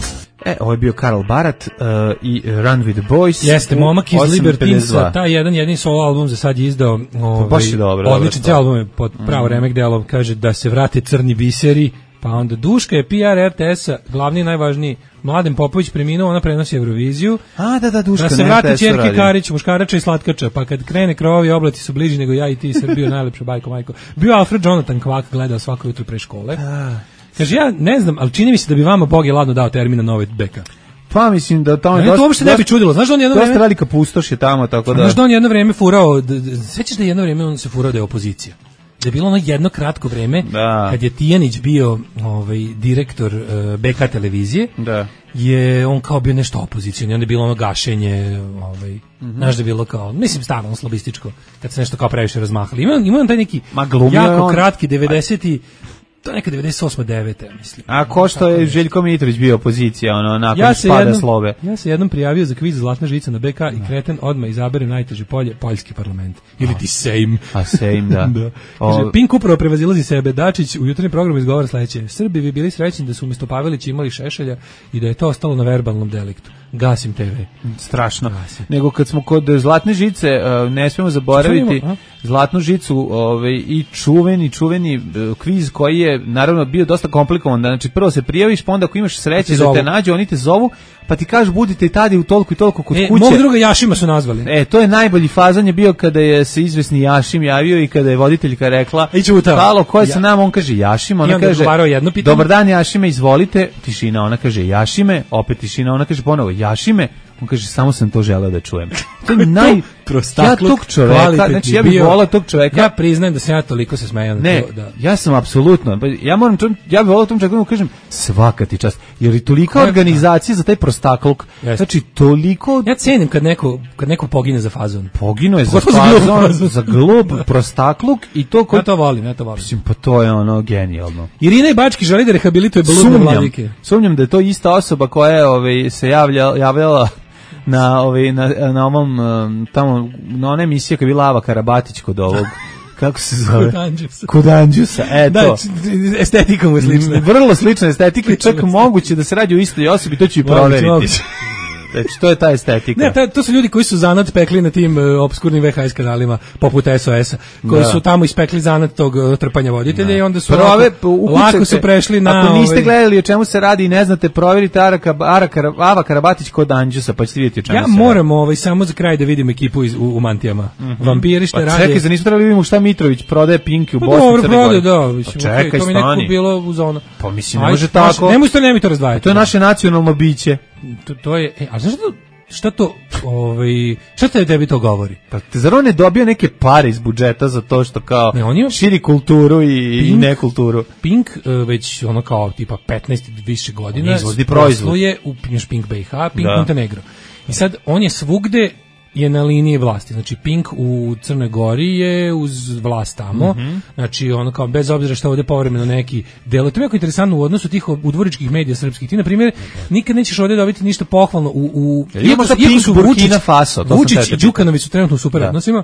E, ovo je bio Karl Barat uh, i Run with the Boys. Jeste, momak iz Libertinsa, taj jedan jedini solo album za sad je izdao. Ovaj, baš je dobro. Odličan cijel album je pod pravo mm. remek delom, kaže da se vrate crni biseri, pa onda Duška je P R R T S-a, glavni i najvažniji. Mladen Popović preminuo, ona prenosi Euroviziju. A, da, da, Duška. Da se vrati Ćerke Karić, muškarača i slatkača, pa kad krene krovovi oblati su bliži nego ja i ti, Srbio, najlepša bajko, majko. Bio Alfred Jonathan Kvak, gledao svako jutro pre škole. A. Kaže, ja ne znam, ali čini mi se da bi vama Bog je ladno dao termina nove beka. Pa mislim da tamo je dosta... to uopšte ne bi čudilo. Znaš da on jedno dosta vreme... velika pustoš je tamo, tako da... Znaš da on jedno vreme furao... Svećaš da jedno vreme on se furao da je opozicija? da je bilo ono jedno kratko vreme da. kad je Tijanić bio ovaj, direktor uh, B K televizije, da. je on kao bio nešto opozicijno i onda je bilo ono gašenje, ovaj, mm-hmm. znaš da je bilo kao, mislim stvarno slobističko, kad se nešto kao previše razmahali. Ima, ima on taj neki jako on... kratki devedeseti to je neka devedeset osma deveta mislim. A ko što je Željko Mitrović bio opozicija, ono, nakon ja spada jednom, slove. Ja se jednom prijavio za kviz Zlatna žica na B K i kreten odmah izaberem najteže polje, poljski parlament. Ili ti sejm. A sejm, da. da. Kaže, Pink upravo prevazilazi sebe. Dačić u jutarnjem programu izgovara sledeće. Srbi bi bili srećni da su umjesto Pavelića imali Šešelja i da je to ostalo na verbalnom deliktu. Gasim te ve. Strašno. Gasim. Nego kad smo kod Zlatne žice, ne smemo zaboraviti Zlatnu žicu ovaj, i čuveni, čuveni kviz koji je naravno bio dosta komplikovan. Znači prvo se prijaviš, pa onda ako imaš sreće da te nađu, oni te zovu, pa ti kažu budite i tada u toliko i toliko kod e, kuće. Mog druga Jašima su nazvali. E, to je najbolji fazan je bio kada je se izvesni Jašim javio i kada je voditeljka rekla halo, ko je sa nama, on kaže Jašima, ona kaže dobar dan Jašime, izvolite, tišina, ona kaže Jašime, opet tišina, ona kaže ponovo Jašime, on kaže samo sam to želeo da čujem. To je naj ja tog čoveka, znači ja bih volao tog čoveka. Ja priznajem da sam ja toliko se smejao na ne, to, da. Ja sam apsolutno, ja moram ja bih volao tom čovjeku da kažem svaka ti čast, jer je tolika organizacija za taj prostakluk. Yes. Znači toliko ja cenim kad neko kad neko pogine za fazon. Pogino je za fazon, za glup prostakluk i to kod... Ja to volim, ja to volim. Mislim, pa to je ono genijalno. Irina i Bački želi da rehabilituje boludne vladike. Sumnjam da je to ista osoba koja je ovaj se javlja javljala na ovaj na na ovom tamo na one emisije kad je bila Ava Karabatić kod ovog kako se zove kod Anđusa, kod Anđusa e da, to estetikom je slična, vrlo slična estetika, čak moguće da se radi o istoj osobi, to ću i proveriti. Znači, to je ta estetika. Ne, ta, to su ljudi koji su zanat pekli na tim uh, obskurnim V H S kanalima, poput S O S-a, koji da. su tamo ispekli zanat tog uh, trpanja voditelja da. i onda su Prove, lako, lako su prešli na... Ako niste ovaj... gledali o čemu se radi i ne znate, proverite Araka, Araka, Ava Karabatić kod Anđusa, pa ćete vidjeti o čemu ja se radi. Ja moram ovaj, samo za kraj da vidim ekipu iz, u, u mantijama. Mm-hmm. Vampiri šta pa radi... Čekaj, za nismo trebali vidimo šta Mitrović prodaje Pinki u pa Bosni. Dobro, prodaje, da. Mislim, pa čekaj, okay, to mi nekako bilo u zonu. Pa mislim, ne može tako. Nemoj to, nemoj to razdvajati. To je naše nacionalno biće. To, to je... E, a znaš što... Šta to, ovaj, šta te tebi to govori? Pa te zar on ne dobio neke pare iz budžeta za to što kao ne, on ima širi kulturu i, Pink, i nekulturu? Pink uh, već ono kao tipa petnaest više godina izvozi proizvod. Je u Pink B i H, Pink da. Montenegro. I sad on je svugde je na liniji vlasti. Znači Pink u Crnoj Gori je uz vlast tamo. Mm-hmm. Znači ono kao bez obzira što ovde povremeno neki delo. To je jako interesantno u odnosu tih udvoričkih medija srpskih. Ti na primjer nikad nećeš ovde dobiti ništa pohvalno u u iako su Burkina Faso, Vučić i Đukanović su trenutno u super odnosima.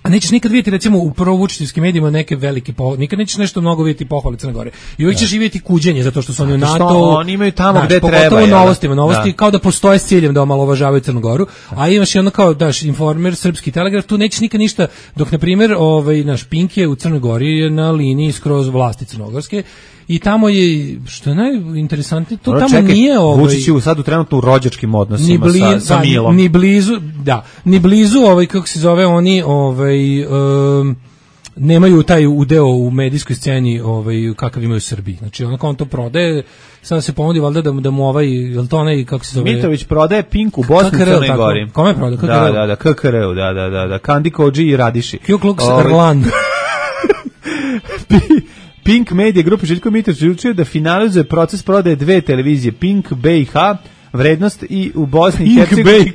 A nećeš nikad vidjeti recimo u provučićevskim medijima neke velike po, nikad nećeš nešto mnogo vidjeti pohvale Crne Gore. I uvijek ćeš vidjeti kuđenje zato što su oni u NATO. Oni imaju tamo gde treba. Pogotovo novostima, novosti da. Kao da postoje s ciljem da omalovažavaju Crnu Goru, a imaš i ono kao daš Informer, Srpski telegraf, tu nećeš nikad ništa, dok na primjer ovaj naš Pink je u Crnoj Gori je na liniji skroz vlasti crnogorske. I tamo je, što je najinteresantnije, to no, tamo čekaj, nije ovaj... Vučić je sad u trenutno u rođačkim odnosima bli, sa, sa Milom. Ni blizu, da, ni blizu, ovaj, kako se zove, oni ovaj, um, nemaju taj udeo u medijskoj sceni ovaj, kakav imaju u Srbiji. Znači, onako on to prodaje, sada se ponudi valjda da, da mu ovaj, je li to onaj, kako se zove... Mitrović prodaje Pink u Bosni i Crnoj Gori. Kome prodaje? K K R U? Da, da, da, K K R U, da, da, da, da, Kandi Kođi i Radiši. Ku Klux Klan. Pink Media Grupa Željko Mitrović odlučio da finalizuje proces prodaje dve televizije Pink B i H, vrednost i u Bosni i Hercegovini B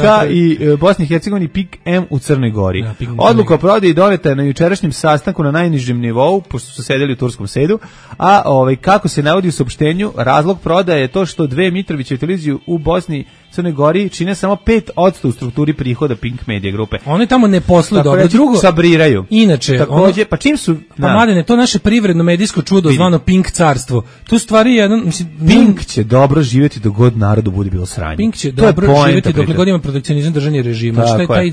K i uh, Bosni i Hercegovini Pink M u Crnoj Gori. Ja, odluka o prodaji doneta je na jučerašnjem sastanku na najnižem nivou, pošto su sedeli u turskom sedu, a ovaj, kako se navodi u saopštenju, razlog prodaje je to što dve Mitrovićeve televizije u Bosni i Crnoj Gori čine samo pet posto u strukturi prihoda Pink Media grupe. Oni tamo ne posluju dobro, reći, drugo sabriraju. Inače, takođe, pa čim su pa mladene, to naše privredno medijsko čudo zvano Pink carstvo. Tu stvari jedan, mislim, Pink će dobro živjeti dok god narodu bude bilo sranje. Pink će to dobro živjeti dok god ima protekcionizam držanje režima. Šta je taj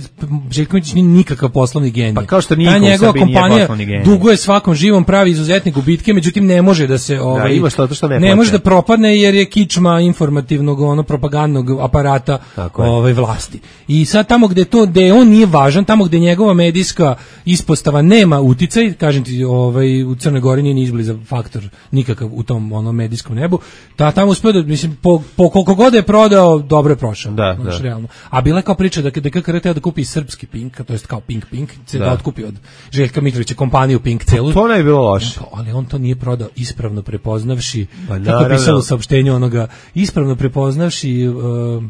Željković nije nikakav poslovni genij. Pa kao što niko ta njegova kompanija duguje svakom živom, pravi izuzetne gubitke, međutim ne može da se ovaj da, ima što, to što ne, ne može da propadne jer je kičma informativnog ono propagandnog aparata ovaj vlasti. I sad tamo gde to gde on nije važan, tamo gde njegova medijska ispostava nema uticaj, kažem ti, ovaj u Crnoj Gori nije ni izbliza faktor nikakav u tom onom medijskom nebu. Ta tamo uspeo da mislim po, po koliko god je prodao, dobro je prošao. Da, znaš, da. realno. A bila je kao priča da da K K R teo da kupi srpski Pink, to jest kao Pink Pink, se da, Da. otkupi od Željka Mitrovića kompaniju Pink celu. To ne bi bilo loše. Pa, ali on to nije prodao ispravno prepoznavši, Pa, kako naravno. je pisalo u saopštenju onoga, ispravno prepoznavši uh,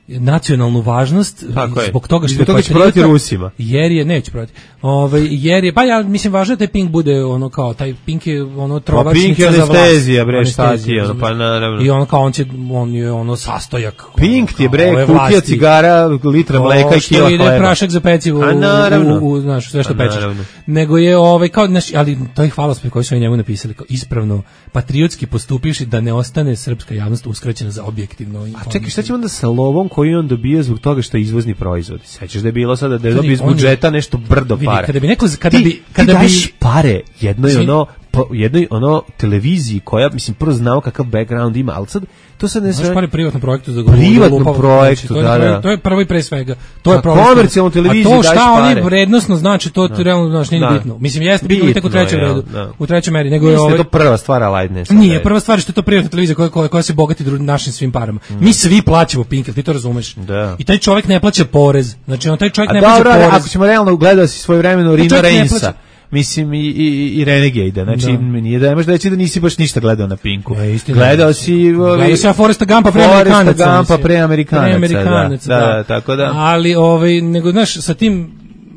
nacionalnu važnost Tako je. zbog toga što Zbog toga će patriota- prodati Rusima. Jer je neće prodati. Ovaj jer je pa ja mislim važno da taj Pink bude ono kao taj Pink je ono Pa trovačnica Pink je za vlast. anestezija, bre, šta ti Anestezija, je, ono, pa naravno. I on kao on će on je ono sastojak. Pink ono, ti je, kao bre, ove kutija vlasti. cigara, litra mleka i što kila ide hleba. prašak za pecivo A u, naravno. u, u, znaš, sve što A pečeš. naravno. Nego je ovaj kao naš, ali to je hvalospjev koji su oni njemu napisali kao ispravno patriotski postupivši da ne ostane srpska javnost uskraćena za objektivno. A čekaj, šta će onda sa lovom koji on dobija zbog toga što je izvozni proizvod? Sećaš da je bilo sada da je Vidi, dobio iz on je- budžeta nešto brdo Vidi, para. kada bi neko kada ti, bi kada ti bi daješ pare jednoj Izvini. ono po, jednoj ono televiziji koja mislim prvo znao kakav background ima, ali sad to sad ne Znaš, sve pari privatnom projektu za Privatnom lupavo, projektu, to je, da, to je- da. To je prvo i pre svega. To je Na problem. komercijalnu televiziju A to daješ šta oni pare. vrednosno znači, to ti realno znaš nije ni Da. bitno. Mislim jeste bitno tek u Bitno trećem je, redu, da. u trećoj meri, nego je Mislim da ovaj je to prva stvar, ali ajde ne sad, Nije, ajde. prva stvar je što je to privatna televizija koja, koja, koja se bogati dru- našim svim parama. Mi svi plaćamo Pink, jel ti to razumeš? Da. I taj čovjek ne plaća porez. Znači on taj čovjek A ne plaća dobro, ali porez. ako ćemo realno gledati si svojevremeno Rino čovjek ne Reinsa, plaća. mislim i, i, i Renegade, znači Da. nije da nemaš da reći da nisi baš ništa gledao na Pinku. Ne, istina. Gledao si ovi, Gledao sam ja Foresta Gumpa pre Foresta Amerikanaca. Gumpa mislim. pre Amerikanaca, Pre Amerikanaca, da, da, tako da. Ali, ovaj, nego, znaš, sa tim,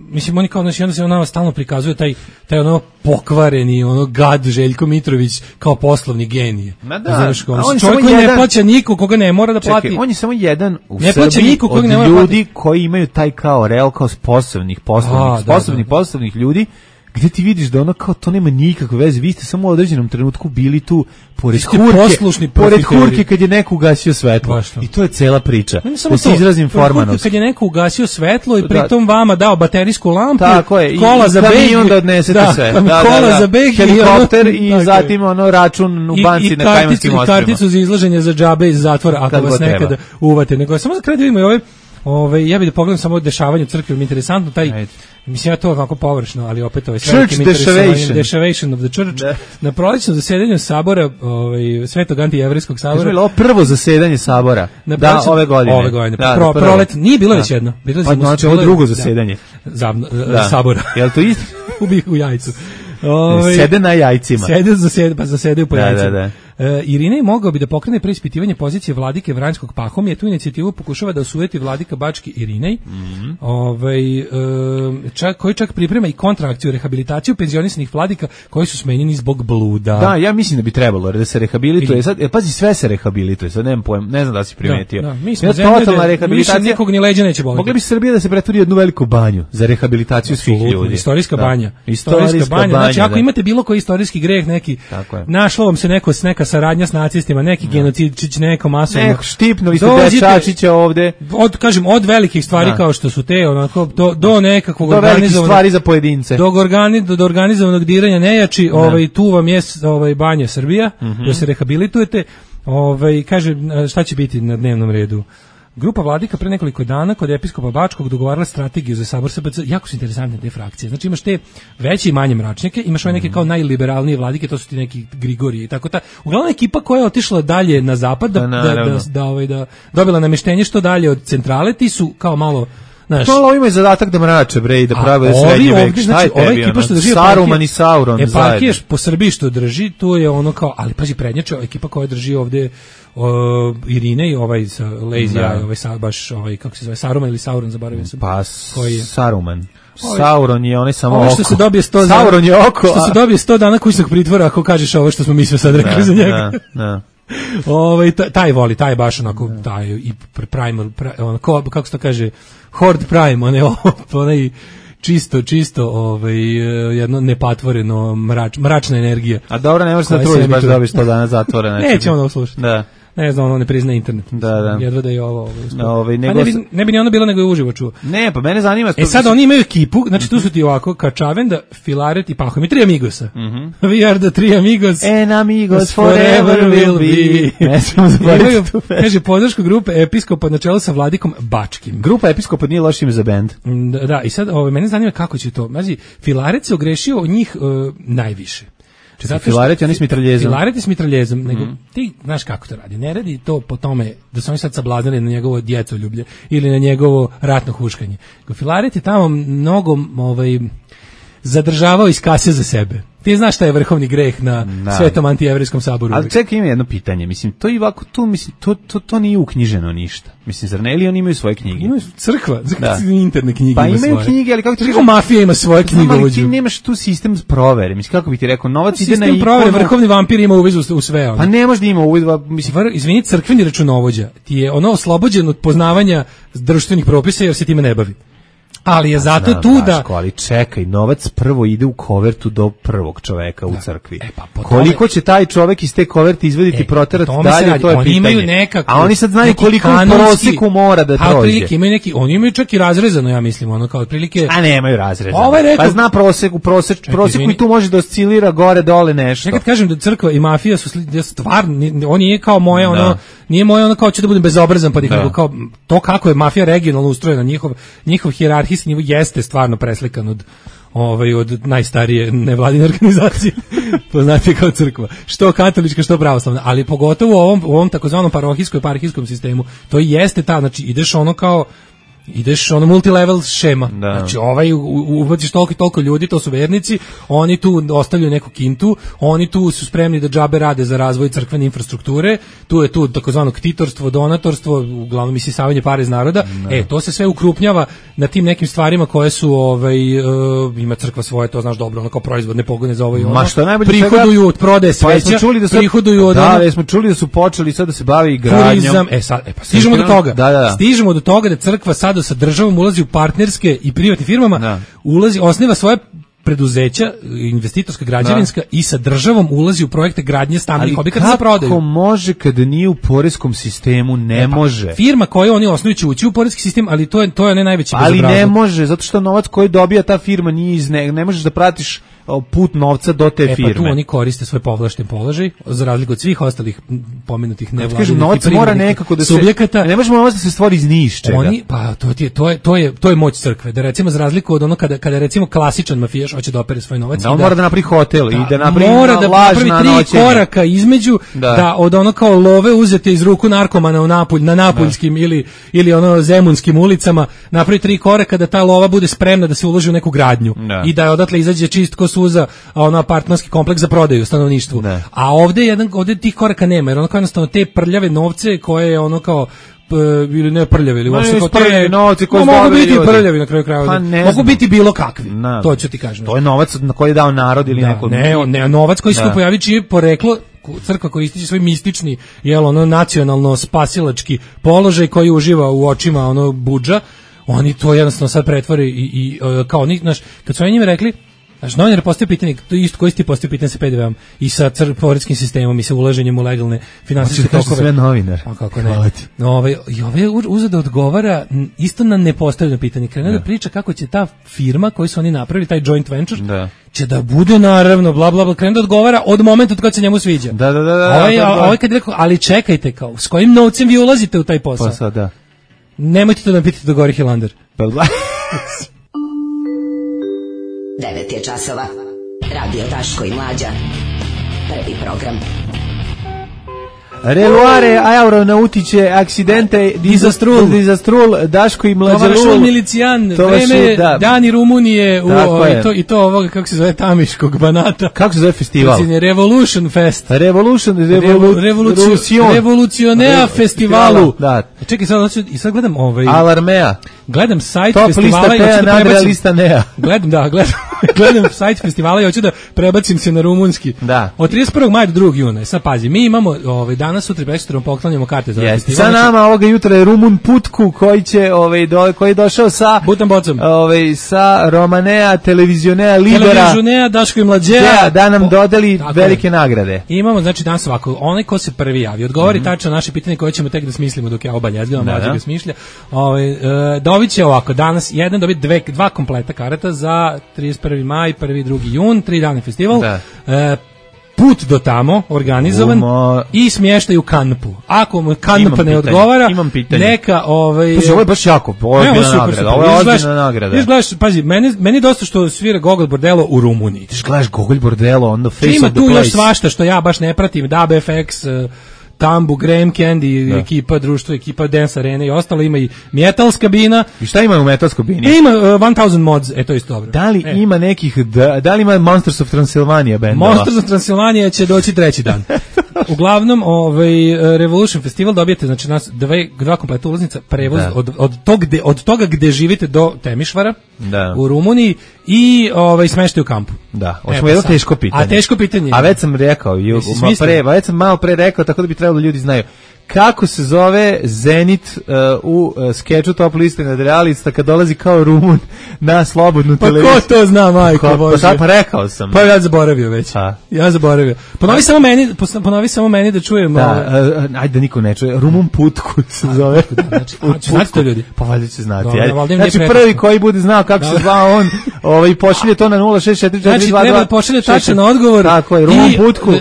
mislim, oni kao, znaš, i onda se on nama stalno prikazuje taj, taj ono pokvareni, ono gad Željko Mitrović kao poslovni genije. Ma da, Znaš, kao, a on je čovjek samo koji ne jedan- plaća niko, koga ne mora da plati. Čekaj, on je samo jedan u Ne plaća Srbiji niko kojeg od ne mora ljudi koji imaju taj kao real, kao sposobnih, poslovnih, A, da, sposobnih, da, da. poslovnih ljudi, gdje ti vidiš da ono kao to nema nikakve veze, vi ste samo u određenom trenutku bili tu pored ste hurke, poslušni pored profiteri. hurke kad je neko ugasio svetlo. Baš to. I to je cela priča. Ne samo Da se to, izrazim to je formanovski. kad je neko ugasio svetlo i Da. pritom vama dao baterijsku lampu, Tako je, i- kola i za kamion beg, da odnesete sve. Da, da, kola da. za beg, Helikopter i, ono- i tako je. zatim ono račun u I- banci i na karticu- Kajmanskim i ostrvima. karticu za izlaženje za džabe iz zatvora ako Kad vas god nekada treba. uvate. Nego samo za kraj da vidimo i ove, ove, ja bih da pogledam samo dešavanje u crkvi, mi je interesantno taj, Ajde. mislim ja to ovako površno, ali opet ovaj Church velikim interesovanjem, dešavation. dešavation of the church. Da. Na prolećnom zasedanju sabora, ovaj, Svetog antijevrijskog Kažemo, sabora, je li ovo prvo zasedanje sabora? na Da, prolećnom- ove godine. Ove godine. Da, Pro, prvo. prolet, nije bilo Da. već jedno. Bilo je Pa, zimus- znači, bilo ovo je- drugo da. zasedanje. Zavno, Da. sabora. Je li to isto? u, bi- u jajcu. Ovaj, Sede na jajcima. Sede za sede, pa zasedaju po Da, jajcima. da, da. E, Irinej mogao bi da pokrene preispitivanje pozicije vladike Vranjskog Pahomija. Tu inicijativu pokušava da osujeti vladika Bački Irinej, Mhm. ovaj, e, čak, koji čak priprema i kontraakciju, rehabilitaciju penzionisanih vladika koji su smenjeni zbog bluda. Da, ja mislim da bi trebalo da se rehabilituje. Sad, e, pazi, sve se rehabilituje. Sad nemam pojem, ne znam da li si primetio. Da, da. Mi smo Jedna zemlja totalna da rehabilitacija. više nikog ni leđa neće boliti. Mogla bi Srbija da se pretvori u jednu veliku banju za rehabilitaciju svih Apsolutno, ljudi. Istorijska Da. banja. Istorijska banja. Znači, ako da. imate bilo koji istorijski greh, neki, Tako je. našlo vam se neko, neka saradnja s nacistima, neki genocidčić, neko masovno. Neko štipnuli ste Dođite- Dečačića ovde. Od, kažem, od velikih stvari Da. kao što su te, onako, do, do nekakvog Do velikih organizovanog... stvari za pojedince. Do, organi, do, do organizovanog diranja nejači, ovaj, tu vam je ovaj, banja Srbija, Mhm. da se rehabilitujete. Ovaj, kaže, šta će biti na dnevnom redu? Grupa vladika pre nekoliko dana kod episkopa Bačkog dogovarala strategiju za sabor S B C. Jako su interesantne te frakcije. Znači imaš te veće i manje mračnjake, imaš ove neke kao najliberalnije vladike, to su ti neki Grigorije i tako ta. Uglavnom ekipa koja je otišla dalje na zapad da Pa, da, naravno. da, da, ovaj, da dobila namještenje što dalje od centrale, ti su kao malo, znaš, To ovo ima zadatak da mrače, bre, i da a prave ovi srednji vek. ovdje, Šta znači, je ova tebi, ekipa ono? što drži Saruman eparhije- i Sauron eparhije zajedno. po Srbiji što drži, tu je ono kao, ali pazi, prednjače ekipa koja drži ovde o, Irine i ovaj sa Lazy Da. Eye, ovaj sa, baš ovaj kako se zove, Saruman ili Sauron, zaboravio sam. Pa, Koji je? Saruman. Ovaj- Sauron je onaj samo Ovo oko. što se dobije sto Sauron je oko. Što se a- dobije sto dana kućnog pritvora ako kažeš ovo što smo mi sve sad rekli Da, za njega. da, da. Ovaj taj, taj voli, taj je baš onako taj i pr- primal, pri- ono, ko, kako se to kaže, Horde Prime, onaj onaj čisto, čisto, ovaj, jedno nepatvoreno mrač, mračna energija. A dobro, ne možeš Koja da se trudiš baš emituje. da dobiš sto dana zatvora. znači. Nećemo da slušati. Da. Ne znam, ono ne prizna internet. Da, da. Jedva da je ovo. ovo uspelo. Ovaj, Pa nego ne, bi, sa- ne bi ni ono bilo nego je uživo čuo. Ne, pa mene zanima... E sad oni imaju ekipu, znači tu su ti ovako, Kačavenda, Filaret i Pahom. I tri amigosa. We are the three amigos. And amigos forever will be. Ne smemo Imaju, zaboraviti tu pesmu. kaže, podršku grupe episkopa na čelu sa Vladikom Bačkim. Grupa Episkopa nije loš ime za bend. Da, da, i sad ovaj, mene zanima kako će to. Mazi, Filaret se ogrešio od njih uh, najviše. Čekaj, filareti, oni s mitraljezom. Filareti s mitraljezom, nego mm. ti znaš kako to radi. Ne radi to po tome da su oni sad sablaznili na njegovo djetoljublje ili na njegovo ratno huškanje. Filaret je tamo mnogo ovaj, zadržavao iz kase za sebe. Ti znaš šta je vrhovni greh na da. Svetom antijevrijskom saboru. Ali čekaj, ima jedno pitanje. Mislim, to i ovako, tu, mislim, to, to, to nije uknjiženo ništa. Mislim, zar ne, ili oni imaju svoje knjige? Imaju crkva, da. Interne knjige pa ima imaju svoje. Knjige, ali kako ti kažem? Mafija ima svoje knjige. Ali ti nemaš tu sistem provere. Mislim, kako bi ti rekao, novac sistem ide na ikonu. Provere, vrhovni vampir ima uvid u, u sve. Ono. Pa ne može da ima uvid. Mislim, Vr, izvini, crkveni računovođa ti je ono oslobođen od poznavanja društvenih propisa jer se time ne bavi. Ali je zato znam, tu da... Daško, ali čekaj, novac prvo ide u kovertu do prvog čoveka u da. crkvi. E, pa, koliko tome... će taj čovek iz te koverte izvediti, e, proterati dalje, to je oni pitanje. Imaju nekako, a oni sad znaju koliko kanonski, u prosjeku mora da prođe. Prilike, imaju neki, oni imaju čak i razrezano, ja mislim, ono kao otprilike... A nemaju razrezano. Ovaj rekao, pa zna prosek, u prosek, čekaj, prosjeku izvini. I tu može da oscilira gore, dole nešto. Nekad kažem da crkva i mafija su stvarno, on nije kao moje, da. ono, nije moje ono kao će da budem bezobrazan, pa da. Kao to kako je mafija regionalno ustrojena, njihov, njihov hijerarhijski nivo jeste stvarno preslikan od ovaj od najstarije nevladine organizacije poznate kao crkva, što katolička što pravoslavna, ali pogotovo u ovom u ovom takozvanom parohijskom eparhijskom sistemu to jeste ta, znači ideš ono kao ideš ono multilevel šema. Da. Znači ovaj ubaciš toliko i toliko ljudi, to su vernici, oni tu ostavljaju neku kintu, oni tu su spremni da džabe rade za razvoj crkvene infrastrukture, tu je tu takozvano ktitorstvo, donatorstvo, uglavnom isisavanje pare iz naroda. Da. E, to se sve ukrupnjava na tim nekim stvarima koje su ovaj uh, ima crkva svoje, to znaš dobro, ono kao proizvodne pogone za ovaj ono. Ma što najbolje prihoduju od prodaje sveća, pa čuli da su, prihoduju od da, ono, smo čuli da su počeli sad da se bavi gradnjom. Turizam, e sad, e pa stižemo do toga. Da, da, da. Stižemo do toga da crkva sad sa državom ulazi u partnerske i privatnim firmama, da. Ulazi, osniva svoje preduzeća, investitorska, građevinska, da. I sa državom ulazi u projekte gradnje stambenih objekata za prodaju. Kako može kada nije u poreskom sistemu? Ne, ne pa, može. Firma koju oni osnuju će ući u poreski sistem, ali to je to je ne najveći bezobrazluk. Ali ne može, zato što novac koji dobija ta firma nije iz ne, ne možeš da pratiš put novca do te e, firme. E pa tu oni koriste svoj povlašten položaj, za razliku od svih ostalih pomenutih nevladinih. Kažem, novac mora nekako da se subjekata. Ne možemo novac da se stvori iz ničega. Oni pa to je to je to je to je moć crkve. Da recimo za razliku od ono kada kada recimo klasičan mafijaš hoće da opere svoj novac, da on da, mora da napravi hotel da, i da napravi mora da napravi tri noćenje. Koraka između da. Da od ono kao love uzete iz ruku narkomana u Napulj, na napuljskim da. ili ili ono zemunskim ulicama, napravi tri koraka da ta lova bude spremna da se uloži u neku gradnju da. I da odatle izađe čist ko suza, a ono apartmanski kompleks za prodaju stanovništvu. Ne. A ovde jedan ovde tih koraka nema, jer ono kao jednostavno te prljave novce koje je ono kao p, ili ne prljave ili uopšte kao te novci koji no, mogu biti ljudi. Prljavi na kraju krajeva. Pa mogu biti bilo kakvi. Ne. To ću ti kažem. To je novac na koji je dao narod ili da, neko. Ne, ne, novac koji se tu pojavi čije poreklo crkva koja ističe svoj mistični, jel ono nacionalno spasilački položaj koji uživa u očima ono budža, oni to jednostavno sad pretvore i, i kao oni, znaš, kad su oni njima rekli Znaš, novinar postoji pitanje, to isto koji ti postoji pitanje sa P D V-om i sa poreskim sistemom i sa ulaženjem u legalne finansijske tokove. Znači, sve novinar. A kako ne? Ove, I ove uzeo da odgovara isto na nepostavljeno pitanje. Krene da. da priča kako će ta firma koju su oni napravili, taj joint venture, da. Će da bude naravno, bla, bla, bla, krene da odgovara od momenta od kada se njemu sviđa. Da, da, da. da ovaj, da, da. Ovaj kad rekao, ali čekajte, kao, s kojim novcem vi ulazite u taj posao? Posao, da. Nemojte to da pitite do Gori Hilander. devet je časova. Radio Daško i Mlađa. Prvi program. Reluare, aeronautice, aksidente, dizastrul, dizastrul, Daško i Mlađa. Tovašul milicijan, vreme, da. Dani Rumunije u, o, i, to, i to ovoga, kako se zove, Tamiškog Banata. Kako se zove festival? Revolution Fest. Revolution, revolu, Revolucion. Revolucionea festivalu. Da. Čekaj, sad, i sad gledam ovaj... Alarmea. Gledam sajt Top festivala lista i hoću da prebacim... lista Nea. Gledam, da, gledam, gledam sajt festivala i hoću da prebacim se na rumunski. Da. Od trideset prvog maja do drugog juna. Sad pazi, mi imamo ovaj, danas, sutra i prekosutra poklanjamo karte za ovaj festival. Sa nama ovoga jutra je Rumun Putku koji će ovaj do, koji je došao sa Butan bocom. Ovaj sa Romanea, Televizionea Libera. Televizionea Daško i Mlađea da, da nam po, dodali velike je. nagrade. I imamo znači danas ovako, onaj ko se prvi javi, odgovori mm-hmm. tačno naše pitanje koje ćemo tek da smislimo dok ja obaljezgam, Mlađa ga smišlja. Ovaj e, dobit će ovako danas jedan dobit dve, dva kompleta karata za trideset prvi maj, prvi drugi jun, tri dana festival. Da. E, put do tamo organizovan Uma... i smještaj u kanpu. Ako mu kanp ne pitanje, odgovara, neka ovaj Pazi, ovo je baš jako, ovo je ozbiljna nagrada. Ovo je ozbiljna nagrada. Ti gledaš, pazi, meni meni dosta što svira Gogol Bordelo u Rumuniji. Ti gledaš Gogol Bordelo on the face ima of the tu place. Još svašta što ja baš ne pratim, Dub F X, Tambu, Graham Candy, da. Ekipa, društvo, ekipa Dance Arena i ostalo, ima i Metals kabina. I šta ima u Metals kabini? E, ima uh, tisuću mods, e to isto dobro. Da li e. ima nekih, da, da li ima Monsters of Transylvania bendova? Monsters of Transylvania će doći treći dan. Uglavnom, ovaj Revolution Festival dobijete, znači nas dve, dva kompleta ulaznica, prevoz da. od, od, tog gde, od toga gde živite do Temišvara da. u Rumuniji i ovaj smeštaj u kampu. Da, hoćemo jedno teško pitanje. A teško pitanje. A već sam rekao, ju, ma pre, već sam malo pre rekao, tako da bi trebalo ljudi znaju. Kako se zove Zenit uh, u uh, skeču Top liste nadrealista kad dolazi kao Rumun na slobodnu pa televiziju? Pa ko to zna, majko Bože? Pa, pa rekao sam. Pa ja zaboravio već. A? Ja zaboravio. Ponovi samo meni, ponovi samo meni da čujem. Da, uh, ajde da niko ne čuje. Rumun Putku se zove. Znači, znate to ljudi? Pa valjda će znati. Dobre, ajde. Znači prvi koji bude znao kako Dobre. se zvao on, ovaj pošalje to na nula šest četiri četiri dva dva. Znači treba pošalje tačan odgovor. Tako je, Rumun Putku.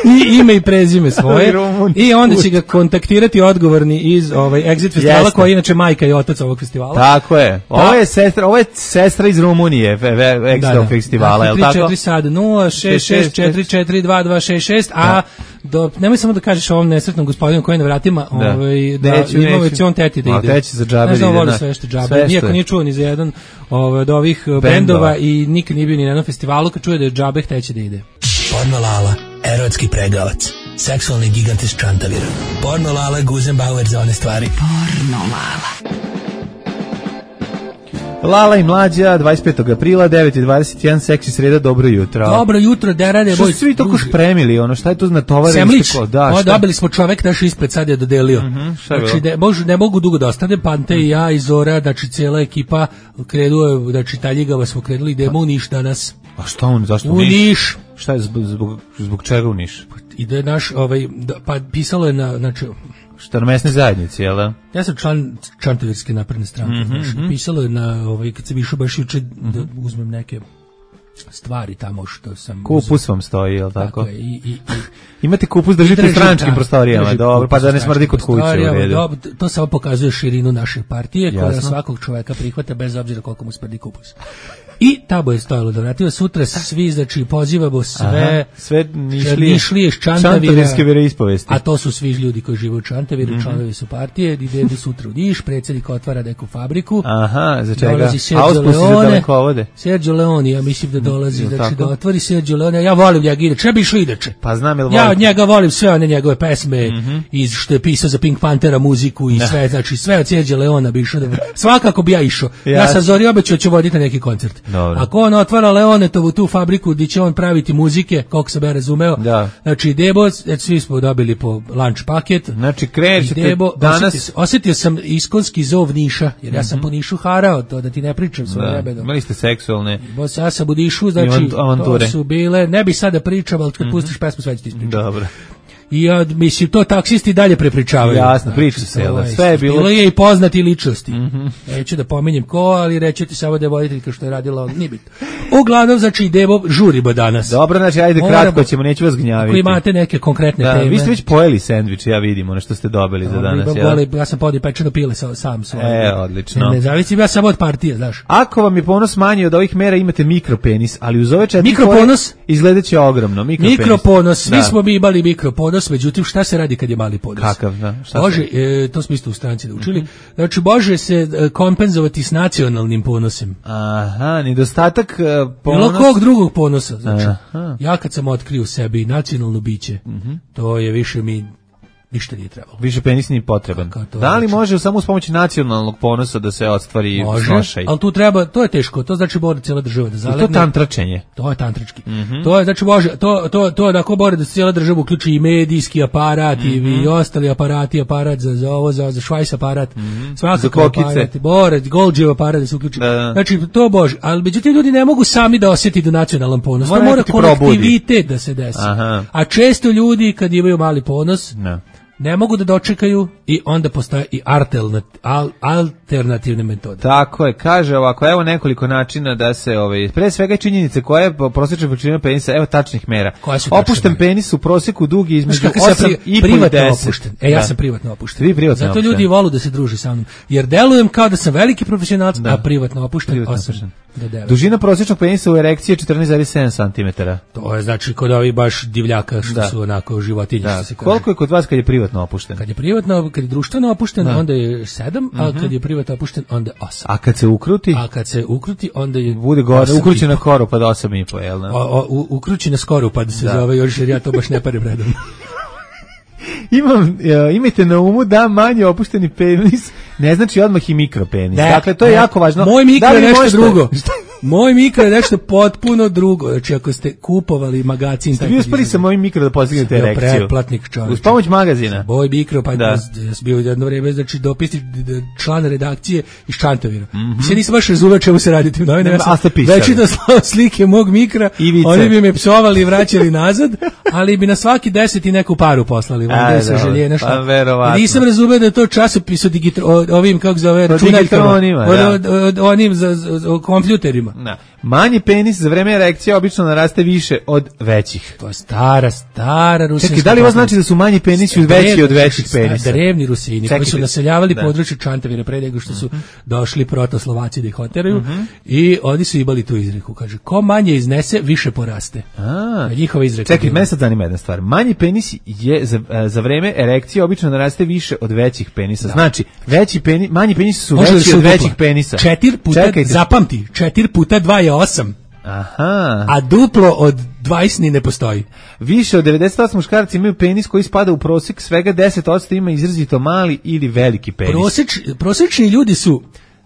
I ime i prezime svoje i onda će ga kontaktirati odgovorni iz ovaj Exit festivala koji je inače majka i otac ovog festivala. Tako je. Ovo je sestra, ovo je sestra iz Rumunije Exit da, da. festivala, je l' tako? tri četiri sad nula šest šest četiri četiri dva dva šest šest a do nemoj samo da kažeš ovom nesretnom gospodinu koji je na vratima, da. ovaj da neću, ima već on teti da ide. A teći za džabe ide. Ne znam, sve što džabe. Nijako nije čuo ni za jedan ovaj od ovih bendova i nikad nije bio ni na jednom festivalu, kad čuje da je džabe teći da ide. Porno Lala, erotski pregavac, seksualni gigant iz Čantavira. Porno Lala, Guzenbauer za one stvari. Porno Lala. Lala i Mlađa, dvadeset petog aprila, devet i dvadeset jedan, seksi sreda, dobro jutro. Dobro jutro, da rade. Što su svi toko špremili, ono, šta je to natovareno? Semlić, da, o, dobili smo čovek naš ispred, sad je dodelio. Uh -huh, znači, ne, mož, ne mogu dugo da ostane, Pante i ja i Zora, znači cijela ekipa krenuje, znači Taljigava smo krenuli, idemo u Niš danas. A šta on, zašto u Niš? Niš. Šta je, zbog, zbog, zbog čega u Niš? Ide naš, ovaj, da, pa pisalo je na, znači, šta na mesne zajednici, jel da? Ja sam član Čantavirske napredne stranke, mm -hmm, znači, pisalo je na, ovaj, kad sam išao baš juče da uzmem neke stvari tamo što sam... Kupus vam stoji, jel tako? Tako je, i... i, i imate kupus, držite u stranačkim prostorijama, dobro, pa da ne smrdi kod kuće u redu. Dobro, to samo pokazuje širinu naše partije, Jasno. koja svakog čoveka prihvata bez obzira koliko mu smrdi kupus. I tamo je stojalo da vrativa sutra svi, znači pozivamo sve, Aha, sve nišlije, nišlije iz Čantavira, veroispovesti. A to su svi ljudi koji žive u Čantaviru, mm -hmm. članovi su partije, ide sutra u Niš, predsjednik otvara neku fabriku. Aha, za čega? Dolazi Sergio Leone, Sergio Leone, ja mislim da dolazi, znači tako? Da otvori Sergio Leone, ja volim njega inače, ja bi išao inače. Pa znam jel ja od njega volim sve one njegove pesme, mm -hmm. iz što je pisao za Pink Panthera muziku i sve, znači sve od Sergio Leona bi išao, da... svakako bi ja išao. Ja, ja sam Zori obećao ću voditi neki koncert. Dobro. Ako on otvara Leonetovu tu fabriku gdje će on praviti muzike, koliko sam ja razumeo, da. Znači Debo, svi smo dobili po lunch paket. Znači krećete danas. Osjetio, osjetio sam iskonski zov Niša, jer ja sam mm -hmm. po Nišu harao, to da ti ne pričam svoje da. rebedo. Imali ste seksualne. Bos, ja sam u Nišu, znači to su bile, ne bi sada pričao, ali kad mm -hmm. pustiš pesmu sve ću ti ispričati. Dobro. I ja, mislim, to taksisti dalje prepričavaju. Jasno, priča se, jel, sve je bilo. Bilo je i poznati ličnosti. Mm -hmm. Neću da pominjem ko, ali reći ti samo da je voditeljka što je radila, on nije bitno. Uglavnom, znači, idemo, žurimo danas. Dobro, znači, ajde Moramo, kratko ćemo, neću vas gnjaviti. Ako imate neke konkretne da, teme. Vi ste već pojeli sendvič, ja vidim, ono što ste dobili za danas. Ja, boli, ja sam podio pečeno pile sa, sam svoje. E, odlično. Ne, ne zavisim, ja samo od partije, znaš. Ako vam je ponos manji od ovih mera, imate mikropenis, ali uz ove četiri mikroponos izgledaće ogromno. Mikropenis. Mikroponos, svi da. smo mi imali mikroponos, međutim, šta se radi kad je mali ponos? Kakav, da? Šta Bože, e, to smo isto u stranci da učili. Mm-hmm. Znači, može se e, kompenzovati s nacionalnim ponosem. Aha, nedostatak e, ponos... Bilo kog drugog ponosa. Znači, Aha. ja kad sam otkrio u sebi nacionalno biće, mm-hmm. to je više mi... ništa nije trebalo. Više penis nije potreban. Da li može samo uz pomoć nacionalnog ponosa da se ostvari snošaj? Ali tu treba, to je teško, to znači mora cijela država da zalegne. I to tantračenje. To je tantrički. Mm -hmm. To je, znači može, to, to, to je ako mora da cijela država uključi i medijski aparat mm -hmm. i ostali aparati, aparat za, za ovo, za, za švajs aparat, mm -hmm. svakako aparat, bore, Golđev aparat da se uključi. Da, da. Znači, to bože, ali međutim ljudi ne mogu sami da osjeti do nacionalan ponos. Mora, mora kolektivitet da se desi. Aha. A često ljudi kad imaju mali ponos, ne. ne mogu da dočekaju i onda postoje i alternativ, al, alternativne metode. Tako je, kaže ovako, evo nekoliko načina da se, ovaj, pre svega činjenice koje je prosječna veličina penisa, evo tačnih mera. Opušten penis u proseku dug je između osam i deset. Opušten. E, ja da. sam privatno opušten. Vi privatno Zato opušten. ljudi volu da se druži sa mnom. Jer delujem kao da sam veliki profesionalac, da. a privatno opušten privatno osam do devet. Dužina prosječnog penisa u erekciji je četrnaest zarez sedam centimetara. To je znači kod ovih baš divljaka što da. su onako životinje. Da. Što se kaže. Koliko je kod vas kad je privatno opušten? Kad je privatno, kad je društveno opušten, da. onda je sedam, a uh-huh. kad je privatno opušten, onda je osam. A kad se ukruti? A kad se ukruti, onda je bude gore, ukrući na koru pa do osam i po, jel da? Ukrući na skoru pa da se da. zove još, jer ja to baš ne parem redom. Imam, imajte na umu da manje opušteni penis ne znači odmah i mikropenis. Ne, dakle, to je ne. jako važno. Moj mikro da je nešto možete... drugo. Moj mikro je nešto potpuno drugo. Znači, ako ste kupovali magazin... Ste vi uspeli sa mojim mikro da postignete erekciju? Pretplatnik čovječ. Uz pomoć magazina? Moj mikro, pa da. ja sam bio jedno vreme, znači, dopisni član redakcije iz Čantavira. Mm-hmm. Mislim, nisam baš razumeo čemu se radi tim novinama. Ja sam već da slao slike mog mikra, oni bi me psovali i vraćali nazad, ali bi na svaki deset i neku paru poslali. Vanda sa želje, nešto. Pa, verovatno. Nisam razumeo da je to časopis o digitro, ovim, kako zove, računaljkama. Onim za, za, o kompjuterima. Da. Manji penis za vreme erekcije obično naraste više od većih. To je stara, stara rusinska. Čekaj, da li ovo znači da su manji penisi veći od većih penisa? Drevni Rusini koji su naseljavali područje Čantavira pre nego što su uh-huh. došli protoslovaci da ih oteraju uh-huh. i oni su imali tu izreku. Kaže, ko manje iznese, više poraste. A, njihova izreka. Čekaj, mene sad zanima jedna stvar. Manji penis je za, za vreme erekcije obično naraste više od većih penisa. Da. Znači, veći penis, manji penisi su Može veći od većih penisa. Četiri puta, Čekajte. zapamti, četiri puta dva je osam. Aha. A duplo od dvadeset ni ne postoji. Više od devedeset osam muškaraca imaju penis koji spada u prosek, svega deset posto ima izrazito mali ili veliki penis. Proseč, prosečni ljudi su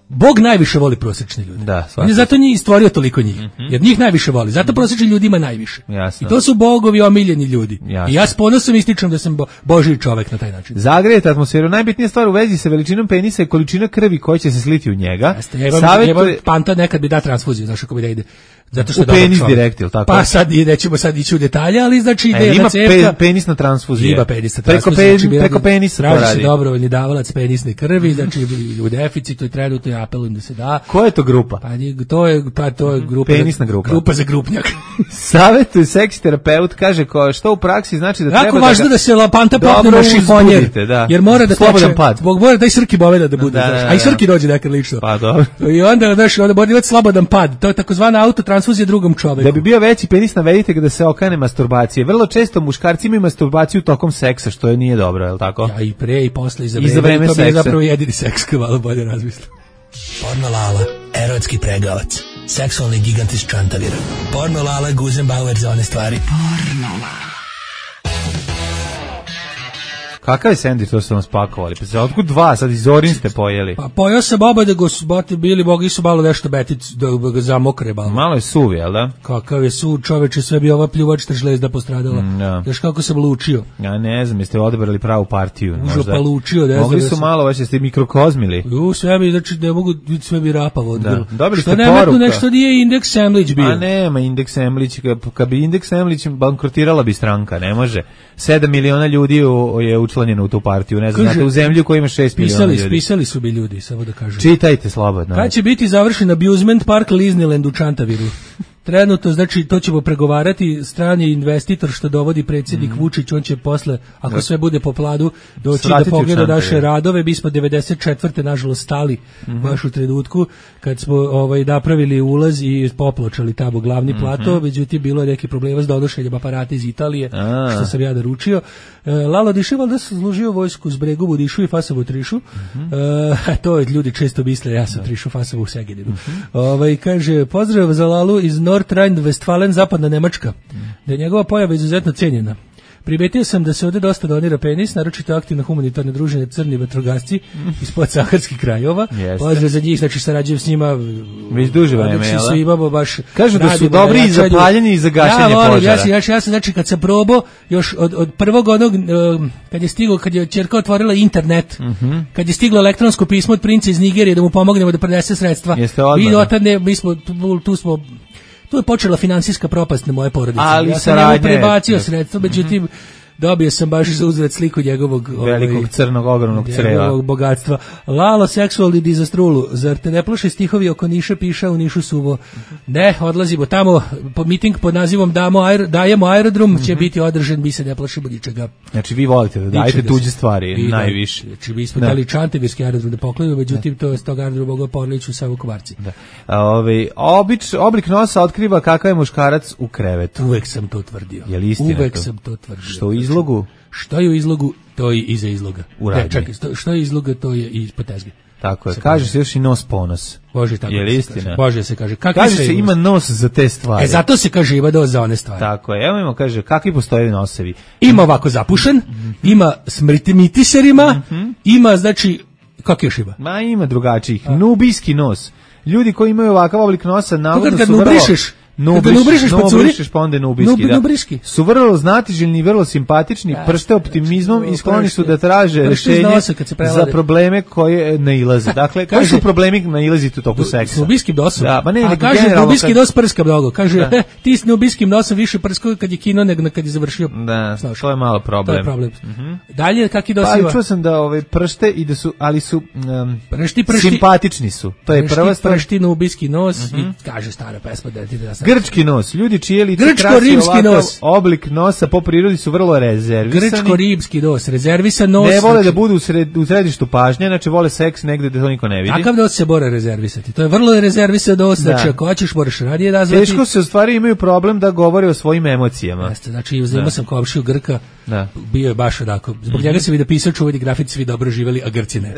Bog najviše voli prosečne ljude. Da, on je zato njih stvorio toliko njih. Mm-hmm. Jer njih najviše voli. Zato prosečni ljudi ima najviše. Jasno. I to su bogovi omiljeni ljudi. Jasno. I ja s ponosom ističem da sam bo, Božji čovek na taj način. Zagrejete atmosferu. Najbitnija stvar u vezi sa veličinom penisa je količina krvi koja će se sliti u njega. Jeste, ja imam, Savjet... ja imam panta nekad bi da transfuziju, znaš kako bi da ide. Zato što u penis direkt, ili tako? Pa sad nećemo sad ići u detalje, ali znači ide e, jedna cevka. Ima pe, penisna transfuzija. Ima penisna transfuzija. Preko, pe, znači, preko penisa to radi. Traži se dobrovoljni davalac penisne krvi, znači u deficitu i trenutno ja apelujem da se da. Koja je to grupa? Pa to je, pa to je grupa, penisna grupa. Grupa za grupnjak. Savjetuje seksi terapeut, kaže ko, što u praksi znači da jako treba važno da, ga, da se lapanta popne na šifonjer, da. jer mora da slobodan pad. Zbog mora da i Srki boveda da bude, da, da, da, a i Srki dođe nekad lično. Pa dobro. I onda, znaš, onda mora imati slobodan pad. To je takozvana autotransfuzija drugom čoveku. Da bi bio veći penis, navedite ga da se okane masturbacije. Vrlo često muškarci imaju masturbaciju tokom seksa, što je nije dobro, je li tako? Ja, i pre i posle i za vreme. I za vreme to seksa. je zapravo jedini seks, kao malo bolje razmislim. Porno Lala, erotski pregavac, seksualni gigant iz Čantavira. Porno Lala, Guzenbauer za one stvari. Porno Lala. Kakav je sendvič to su vam spakovali? Pa se otkud dva, sad iz Zorin ste pojeli. Pa pojeo sam oba da go su bati bili, bogi su malo nešto betic, da ga zamokre malo. Malo je suv, jel da? Kakav je suv, čoveče, sve bi ova pljuvačta žlezda postradala. Mm, ja. Daš kako sam lučio. Ja ne znam, jeste odabrali pravu partiju. Užo pa lučio. Ne mogli su sam... malo, već jeste mikrokozmili. U, sve bi, znači ne mogu, sve bi rapavo. Da. Dobili što ste nema poruka. Tu nešto nije indeks Semlić bio. A nema indeks Semlić, kad bi indeks Semlić bankrotirala bi stranka, ne može. sedam miliona ljudi je učlanjeno u tu partiju. Ne znam, znate, u zemlju koja ima šest miliona ljudi. Pisali su bi ljudi, samo da kažem. Čitajte slobodno. Kad će biti završen abusement park Disneyland u Čantaviru? Trenutno, znači, to ćemo pregovarati, strani investitor što dovodi predsjednik mm. Vučić, on će posle, ako da. sve bude po planu, doći Sratiti da pogleda naše radove. Mi smo devedeset četvrte nažalost stali mm-hmm. baš u trenutku kad smo ovaj napravili ulaz i popločali tamo glavni mm-hmm. plato, međutim bilo je neki problema s donošenjem aparata iz Italije, A. što sam ja naručio. E, Lalo Diševal da sam služio vojsku s Bregu, Budišu i Fasovu Trišu. Mm-hmm. E, to je ljudi često misle, ja sam Trišu Fasovu u Segedinu. Mm-hmm. Ovaj, kaže, pozdrav za Lalu iz Nord Rhein-Westfalen, zapadna Nemačka, da je njegova pojava izuzetno cijenjena. Primetio sam da se ovdje dosta donira penis, naročito aktivno humanitarne druženje Crni vatrogasci iz podsaharskih krajova. Pozdrav za njih, znači sarađujem s njima. Već duže vreme, jel? Su imamo baš. Kažu da su dobri i za paljenje i za gašenje ja volim, požara. Ja, ja, ja sam, znači, kad sam probao, još od, od prvog onog, um, kad je stiglo, kad je ćerka otvorila internet, mm-hmm. kad je stiglo elektronsko pismo od princa iz Nigerije da mu pomognemo da prenese sredstva. Jeste odmah. Mi otad ne, mi smo, tu, tu smo, tu je počela finansijska propast na moje porodice. Ali ja sam njemu prebacio sredstva, međutim, dobio sam baš za uzvrat sliku njegovog velikog ovaj, crnog ogromnog creva. Njegovog bogatstva. Lalo seksualni dizastrulu. Zar te ne plaše stihovi oko Niša piša u Nišu suvo? Ne, odlazimo tamo. Po miting pod nazivom Damo aer, dajemo aerodrom mm-hmm. će biti održan, mi se ne plašimo ničega. Znači vi volite da dajete tuđe stvari I najviše. Da, znači mi smo dali Čantavirski aerodrom da poklanjamo, međutim to je s tog aerodroma mogao Porlić u Savukovarci. Da. A, ovaj, obič, oblik nosa otkriva kakav je muškarac u krevetu. Uvek sam to tvrdio. Je li istina Uvek to? sam to tvrdio. Što u izlogu? Što je u izlogu, to je iza izloga. U radnji. Ne, čekaj, što je izloga, to je i ispod tezge. Tako je, kaže se još i nos ponos. Bože, tako je li se istina? Kaže. Bože se kaže. Kakvi kaže se ima nos za te stvari. E, zato se kaže ima nos za one stvari. Tako je, evo imamo, kaže, kakvi postoje nosevi? Ima ovako zapušen, mm-hmm. ima smrtimitiserima, mm-hmm. ima, znači, kako još ima? Ma ima drugačijih. Nubijski nos. Ljudi koji imaju ovakav oblik nosa, navodno su vrlo... Nubriš, nubrišeš pa curi, nubrišeš pa onda nubiski, Nub, da. Nubriški. Su vrlo znatiželjni i vrlo simpatični, ja, pršte optimizmom i skloni su da traže rešenje za probleme koje nailaze. Dakle, koji su problemi nailaziti u toku seksa? S nubiskim nosom. Da, ma ne, a kaže, nubiski nos prska mnogo. Kaže, da. ti s nubiskim nosom više prskao kad je kino nego kad je završio. Da, Znaš, to je malo problem. To je problem. Mm-hmm. Dalje, kaki dosiva? Pa, čuo sam da ove pršte i da su, ali su um, pršti, pršti, simpatični su. To je pršti, prva stvar. Pršti, nubiski nos mm-hmm. i kaže stara pesma da ti da sam. Grčki nos. Ljudi čije lice Grčko-rimski nos. Oblik nosa po prirodi su vrlo rezervisani. Grčko-rimski nos, rezervisan nos. Ne vole da budu u, sred, u središtu pažnje, znači vole seks negde da to niko ne vidi. Takav nos se mora rezervisati. To je vrlo rezervisan nos, da. Znači ako hoćeš moraš radije nazvati. Teško se u stvari imaju problem da govore o svojim emocijama. Jeste, znači imao sam komšiju Grka, da. Bio je baš onako. Zbog mm-hmm. njega se vidi pisao čuveni grafit, svi dobro živeli, a Grci ne.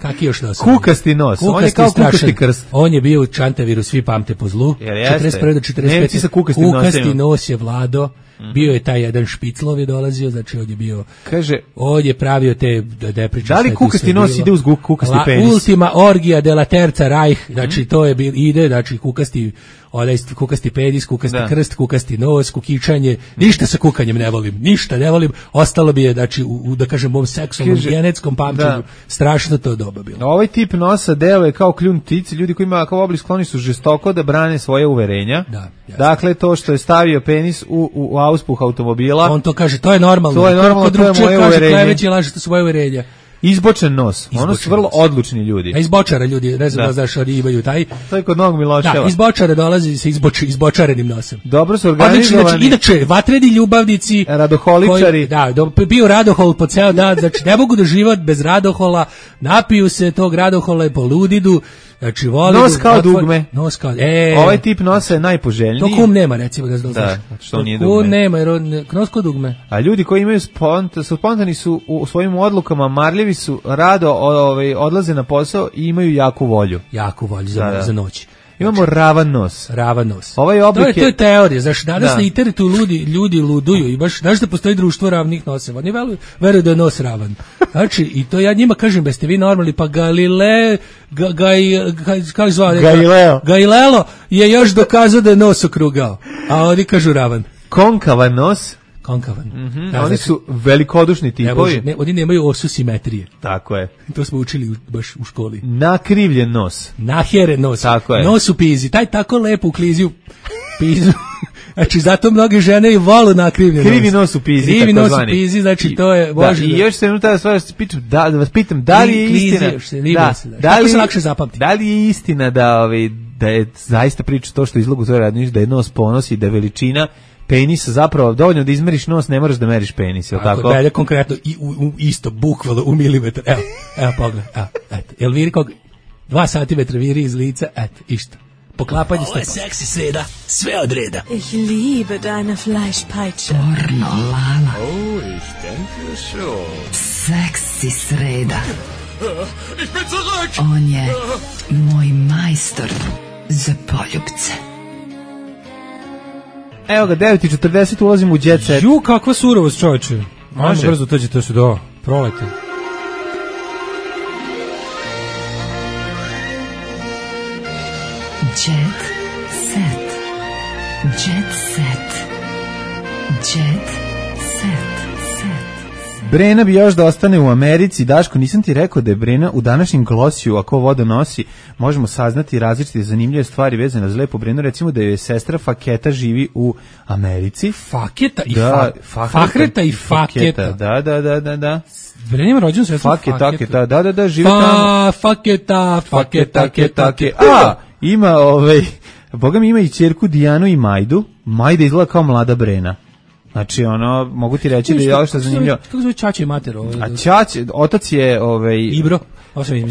Kaki još nos? Kukasti nos. Kukasti, on je kao strašan. Kukasti krst. On je bio u Čantaviru, svi pamte po zlu. četrdeset prve do četrdeset pete. Nemci sa kukastim Kukasti nosima. nos je vlado. Mm-hmm. Bio je taj jedan Špiclov je dolazio, znači on je bio... Kaže... On je pravio te depriče. Da li kukasti nos ide uz kukasti La, penis? Ultima orgija de la terza Reich, znači mm-hmm. to je bil, ide, znači kukasti... Onaj kukasti penis, kukasti da. Krst, kukasti nos, kukičanje, ništa sa kukanjem ne volim, ništa ne volim, ostalo bi je, znači, u, u da kažem, mom seksualnom, genetskom pamćenju, da. Strašno to doba bilo. Ovaj tip nosa deluje kao kljun ptice, ljudi koji imaju kao oblik skloni su žestoko da brane svoje uverenja. Da, dakle, to što je stavio penis u, u, u auspuh automobila. On to kaže, to je normalno. To je normalno, to je moje kaže, uverenje. Kleveće laže, to su moje uverenja. Izbočen nos, izbočen ono su vrlo nos. Odlučni ljudi. A izbočara ljudi, ne znam da znaš, oni imaju taj. To je kod Novog Miloševa. Da, izbočara dolazi sa izboč, izbočarenim nosem. Dobro su organizovani. Znači, inače, vatreni ljubavnici. Radoholičari. Koji, da, do, bio radohol po ceo dan, znači ne mogu da život bez radohola, napiju se tog radohola i poludidu. Znači, voli nos kao otvor, dugme. Nos kao, e, ovaj tip nosa je najpoželjniji. To kum nema, recimo, da znaš. Da, što nije dugme. Kum nema, jer on, nos kao dugme. A ljudi koji imaju spont, su spontani su u svojim odlukama, marljivi su, rado ovaj, odlaze na posao i imaju jaku volju. Jaku volju za, da, da. za noć. Imamo znači, ravan nos. Ravan nos. Ovaj oblik to je, to je teorija, znaš, danas da. Na internetu ljudi, ljudi luduju i baš, znaš da postoji društvo ravnih noseva, oni veruju, veruju da je nos ravan. Znači, i to ja njima kažem, da ste vi normalni, pa Galile, ga, gaj, gaj, kako zvao? Galileo. Galileo je još dokazao da je nos okrugao, a oni kažu ravan. Konkavan nos. Konkavan. Mm-hmm. Da, oni znači, su velikodušni tipovi. Ne, ne, oni nemaju osu simetrije. Tako je. To smo učili u, baš u školi. Nakrivljen nos. Naheren nos. Tako je. Nos u pizi. Taj tako lepo u kliziju pizu. Znači, zato mnoge žene i volu nakrivljen nos. Krivi nos u pizi. Krivi nos u pizi, znači to je... Da, i još se minuta da, stvar, da, da vas pitam, da li je istina... Se, da, se, da, da, li, se lakše zapamti. Da li je istina da, ovaj, da je zaista priča to što izlogu zove radniš, da je nos ponosi, da je veličina penis zapravo dovoljno da izmeriš nos, ne moraš da meriš penis, je li tako? Tako, konkretno i u, u isto bukvalno u milimetar. Evo, evo pogled, evo, eto. Jel viri kog dva santimetra viri iz lica, eto, isto. Poklapanje Ovo je seksi sreda, sve od reda. Ich liebe deine Fleischpeitsche. Pornolala. Oh, ich denke schon. Seksi sreda. Ich bin zurück. On je moj majstor za poljubce. Evo ga, devet i četrdeset ulazimo u jet set. Ju, kakva surovost, čovječe. Može. Ajmo brzo, tođe to se do prolete. Jet set. Jet set. Jet set. Set. Set. Brena bi još da ostane u Americi. Daško, nisam ti rekao da je Brena u današnjem glosiju, ako voda nosi, možemo saznati različite zanimljive stvari vezane za lepu Brenu. Recimo da je sestra Faketa živi u Americi. Faketa i da, fa, Fahreta i Faketa. Da, da, da, da, da. Brena ima rođenu sestru Faketa. Faketa. Da, da, da, živi fa, tamo. Faketa, Faketa, Faketa, Faketa. A, ima ovaj, Boga mi ima i ćerku Dijanu i Majdu. Majda izgleda kao mlada Brena. Znači, ono, mogu ti reći da je ovo što je zanimljivo. Kako zove Čače i mater? Ovo, a Čače, otac je... Ovaj, Ibro?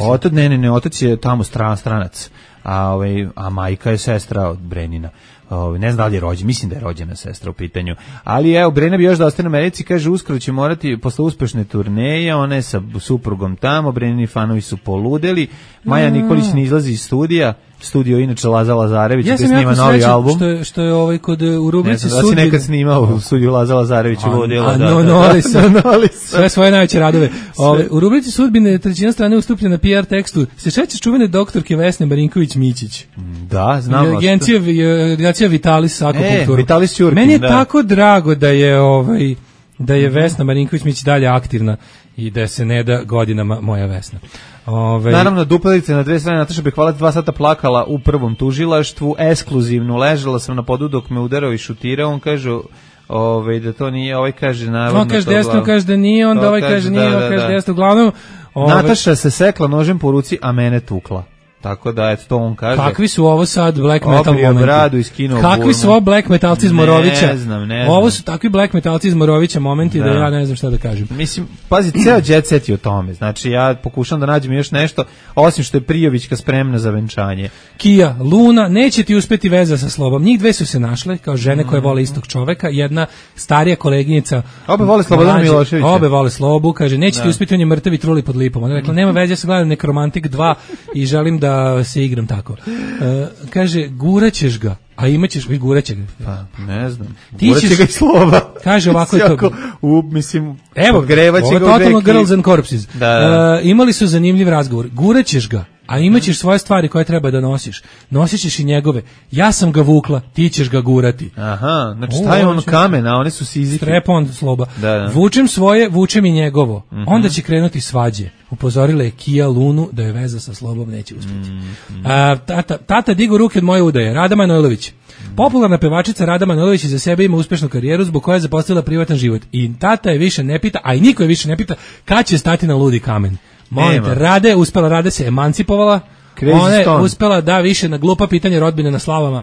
Otac, ne, ne, ne, otac je tamo stran, stranac, a, ovaj, a majka je sestra od Brenina. Ovaj, ne znam da li je rođena, mislim da je rođena sestra u pitanju. Ali evo, Brena bi još da ostane u Americi, kaže, uskoro će morati, posle uspešne turneje, ona je sa suprugom tamo, Brenini fanovi su poludeli, Maja Nikolić ne izlazi iz studija, studio inače Laza Lazarević, ja gde snima novi album. Što je, što je ovaj kod u rubrici sudbine. Ne znam da si nekad snimao u studiju Laza Lazarevića ludila. A no, noli sam, noli sam. Sve svoje najveće radove. Ove, u rubrici sudbine trećina strane ustupljena na P R tekstu. Se šećeš čuvene doktorke Vesne Marinković-Mićić? Da, znam. Agencija, agencija Vitalis Akvakulturu. E, Vitalis Ćurkin, meni je da. tako drago da je, ovaj, da je Vesna Marinković-Mićić dalje aktivna i da se ne da godinama moja Vesna. Ove... Naravno, duplerice na dve strane. Nataša Bekvalac dva sata plakala u prvom tužilaštvu, ekskluzivno ležala sam na podu dok me udarao i šutirao. On kaže ove, da to nije, ovaj kaže navodno. On kaže desno, kaže da nije, onda ovaj kaže nije, da, ovaj kaže da. desno. Uglavnom, ove... Nataša se sekla nožem po ruci, a mene tukla. Tako da, eto, to on kaže. Kakvi su ovo sad black metal Obrio momenti? bradu i skinuo Kakvi burnu. su ovo black metalci iz Morovića? Ne znam, ne znam. Ovo su takvi black metalci iz Morovića momenti da. da ja ne znam šta da kažem. Mislim, pazi, ceo jet set je o tome. Znači, ja pokušam da nađem još nešto, osim što je Prijovićka spremna za venčanje. Kija, Luna, neće ti uspeti veza sa Slobom. Njih dve su se našle kao žene koje vole istog čoveka. Jedna starija koleginica. Obe vole Slobodana Miloševića. Obe vole Slobu, kaže, neće da. ti uspeti, on je mrtav i truli pod lipom. Ona rekla, nema veze, ja sam gledam Nekromantik dva i želim da se igram tako. Uh, kaže, guraćeš ga, a imaćeš vi guraće ga. Pa, ne znam. Ti guraće ćeš... ga i Slova. Kaže ovako je to. U, mislim, evo, grevaće ga u totalno Girls and Corpses. Da, da. Uh, imali su zanimljiv razgovor. Guraćeš ga, a imaćeš svoje stvari koje treba da nosiš. Nosit ćeš i njegove. Ja sam ga vukla, ti ćeš ga gurati. Aha, znači taj on kamen, a one su Sizifи. Strep-on Sloba. Da, da. Vučem svoje, vučem i njegovo. Uh-huh. Onda će krenuti svađe. Upozorila je Kija Lunu da je veza sa Slobom neće uspjeti. Mm-hmm. A, tata, tata digo ruke od moje udaje. Rada Manojlović. Popularna pevačica Rada Manojlović iza sebe ima uspešnu karijeru zbog koje je zaposlila privatan život. I tata je više ne pita, a i niko je više ne pita kad će stati na ludi kamen. Molim te, Rade je uspela, Rade se emancipovala. Crazy Ona je Stone. uspela da više na glupa pitanja rodbine na slavama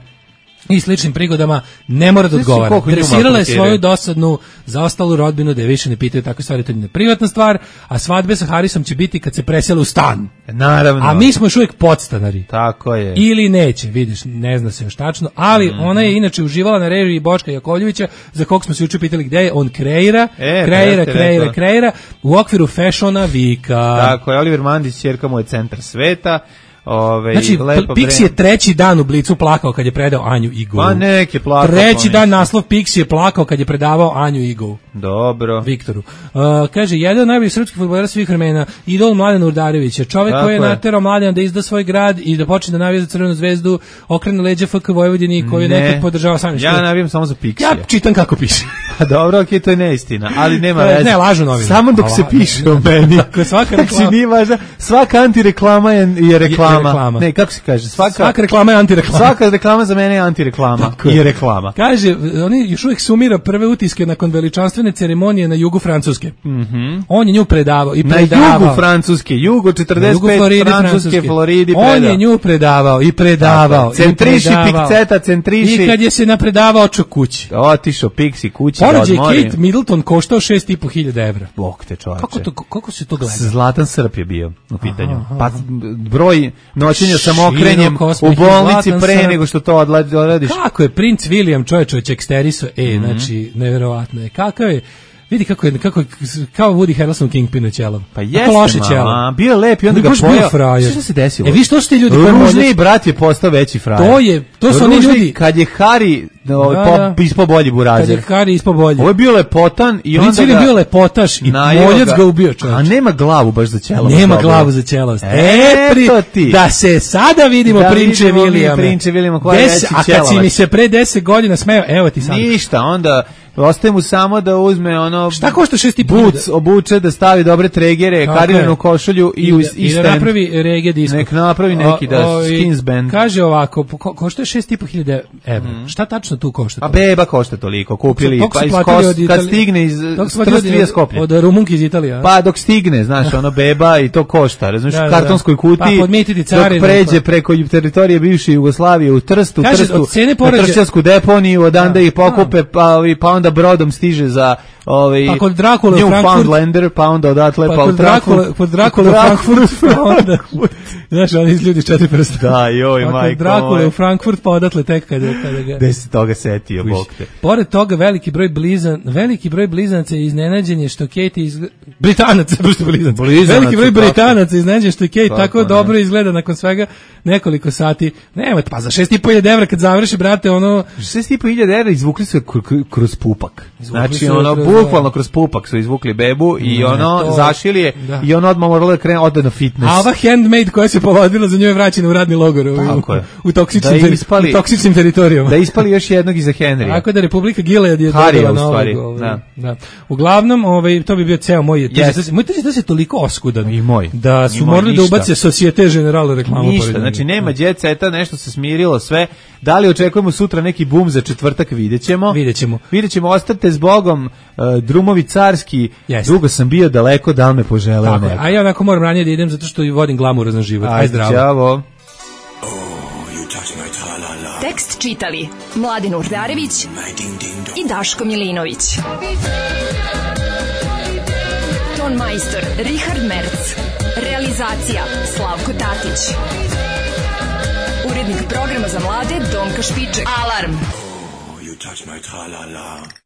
i sličnim prigodama ne mora da odgovara. Dresirala je svoju dosadnu zaostalu rodbinu da je više ne pitaju takve stvari, to je privatna stvar, a svadbe sa Harisom će biti kad se presele u stan. Naravno. A mi smo još uvijek podstanari. Tako je. Ili neće, vidiš, ne zna se još tačno, ali mm. ona je inače uživala na režiji Boška Jakovljevića, za kog smo se juče pitali gde je, on kreira, e, kreira, kreira, kreira, u okviru fashiona vika. Tako je, Oliver Mandić, ćerka mu je centar sveta. Ove, znači, Pixi je treći dan u Blicu plakao kad je predao Anju Igovu. Pa nek je plakao. Treći dan naslov Pixi je plakao kad je predavao Anju Igovu. Dobro. Viktoru. Uh, kaže, jedan od najboljih srpskih fudbalera svih vremena, idol Mladen Urdarevića, čovjek koji je naterao Mladena da izda svoj grad i da počne da navija za Crvenu zvezdu, okrene leđa F K Vojvodini koju ne, nekad podržava sam. Ja navijam samo za Pixi. Ja čitam kako piše. A dobro, okej, okay, to je neistina, ali nema veze. Ne, lažu novine. Samo dok se piše o meni. Dakle, svaka reklama. Nije važno, svaka antireklama je, je reklama. Je reklama. Ne, kako se kaže? Svaka, svaka reklama je antireklama. Svaka reklama za mene je antireklama i je reklama. Kaže, oni još uvijek sumira prve utiske nakon veličanstvene ceremonije na jugu Francuske. Mm-hmm. On je nju predavao i predavao. Na jugu Francuske, jugo četrdeset pet, Floridi, Francuske, Floridi predavao. On je nju predavao i predavao. Tako, centriši, pikceta, centriši. I kad je se napredavao očo kući. Otišao Pixi kući da odmori. Porođaj Kate Middleton koštao šest i po hiljada evra. Bog te čovječe. Kako, to, kako se to gleda? Zlatan Srp je bio u pitanju. Aha, aha. Pa broj noćenja samokrenjem u bolnici pre Srp. Nego što to odrediš. Kako je princ William čovječ od Čeksteriso? E, mm-hmm. znači, neverovatno je. Kakav je... Vidi kako je, kako je, kao Woody Harrelson Kingpin ćelav. Pa jeste, ma, bio je lep i onda ga pojao. Što se desilo? E, vi što su ti ljudi? Ružni brat je postao veći frajer. To je, to su oni ljudi. Kad je Harry no, po, ispo bolji burazer. Kad je Harry ispo bolji. Ovo je bio lepotan i Princ onda ga... bio lepotaš i moljac ga ubio čovječ. A nema glavu baš za ćelavost. Nema glavu za ćelavost. E, pri, ti. Da se sada vidimo da Prinče Williame. Prinče Williama koja je veći ćelavac. A kad si mi se pre deset godina smeo, evo ti sad. Ništa, onda... Ostaje mu samo da uzme ono... Šta košta šest i po Boots, obuče, da stavi dobre tregere, kariranu košulju i, I, u, da, i, i da napravi reggae disco. Nek napravi neki da o, o, skins band. Kaže ovako, ko, košta šest i po hiljada evra. Mm. Šta tačno tu košta? A beba košta toliko, kupili, Tok, pa iz kos, Itali... kad stigne iz Trstva Skoplje. Od Rumunke iz Italije. Pa dok stigne, znaš, ono beba i to košta, razumiješ, da, u kartonskoj kutiji, pa, dok pređe pa. preko teritorije bivše Jugoslavije u Trstu, Kaže, Trstu, poređe... na Tršćansku deponiju, odanda ih pokupe, pa, pa onda brodom stiže za ovaj pa kod Drakule u Newfoundlander, pa onda odatle pa, pa kod Drakule, kod Drakule u Frankfurt, pa onda znaš, oni iz ljudi s četiri prsta. Da, joj, pa majko. Kod Drakule u Frankfurt, pa odatle tek kada, kada ga... Gde si toga setio, Bog te. Pored toga, veliki broj blizan, veliki broj blizanaca je iznenađen je što Kate iz... Britanaca, prosto blizanaca. Veliki broj Britanaca iznenađen što Kate tako, tako dobro izgleda nakon svega nekoliko sati. Nema, pa za šest i po hiljada evra kad završi, brate, ono... šest i po hiljada evra izvukli su kroz pupak. Znači, ono, bukvalno kroz pupak su izvukli bebu i ne, ono, to, zašili je da. I on odmah morala da krene, ode na fitness. A ova handmade koja se povadila za nju je vraćena u radni logor u, u, u, toksičnim, da ispali, u toksičnim teritorijama. Da ispali još jednog iza Henrya. Tako da Republika Gilead je dobila na ovog. Ovaj, da. Da. Uglavnom, ovaj, to bi bio ceo moj... Yes. Moj tržište da se toliko oskudan. I moj. Da su morali da ubace Societe Generale reklamu. Ništa, znači nema jet seta, nešto se smirilo sve. Da li očekujemo sutra neki bum za četvrtak, videćemo. Videćemo. Videćemo, ostate s Bogom, uh, drumovi carski, yes. Dugo sam bio daleko, da li me poželeo neko. A ja onako moram ranije da idem zato što vodim glamurozan život. Aj, zdravo. Ćavo. Tekst čitali Mladin Urdarević i Daško Milinović. Ton majstor Richard Merc. Realizacija Slavko Tatić. Urednik programa za mlade Donka Špiček. Alarm! Oh, you touch my tra-la-la.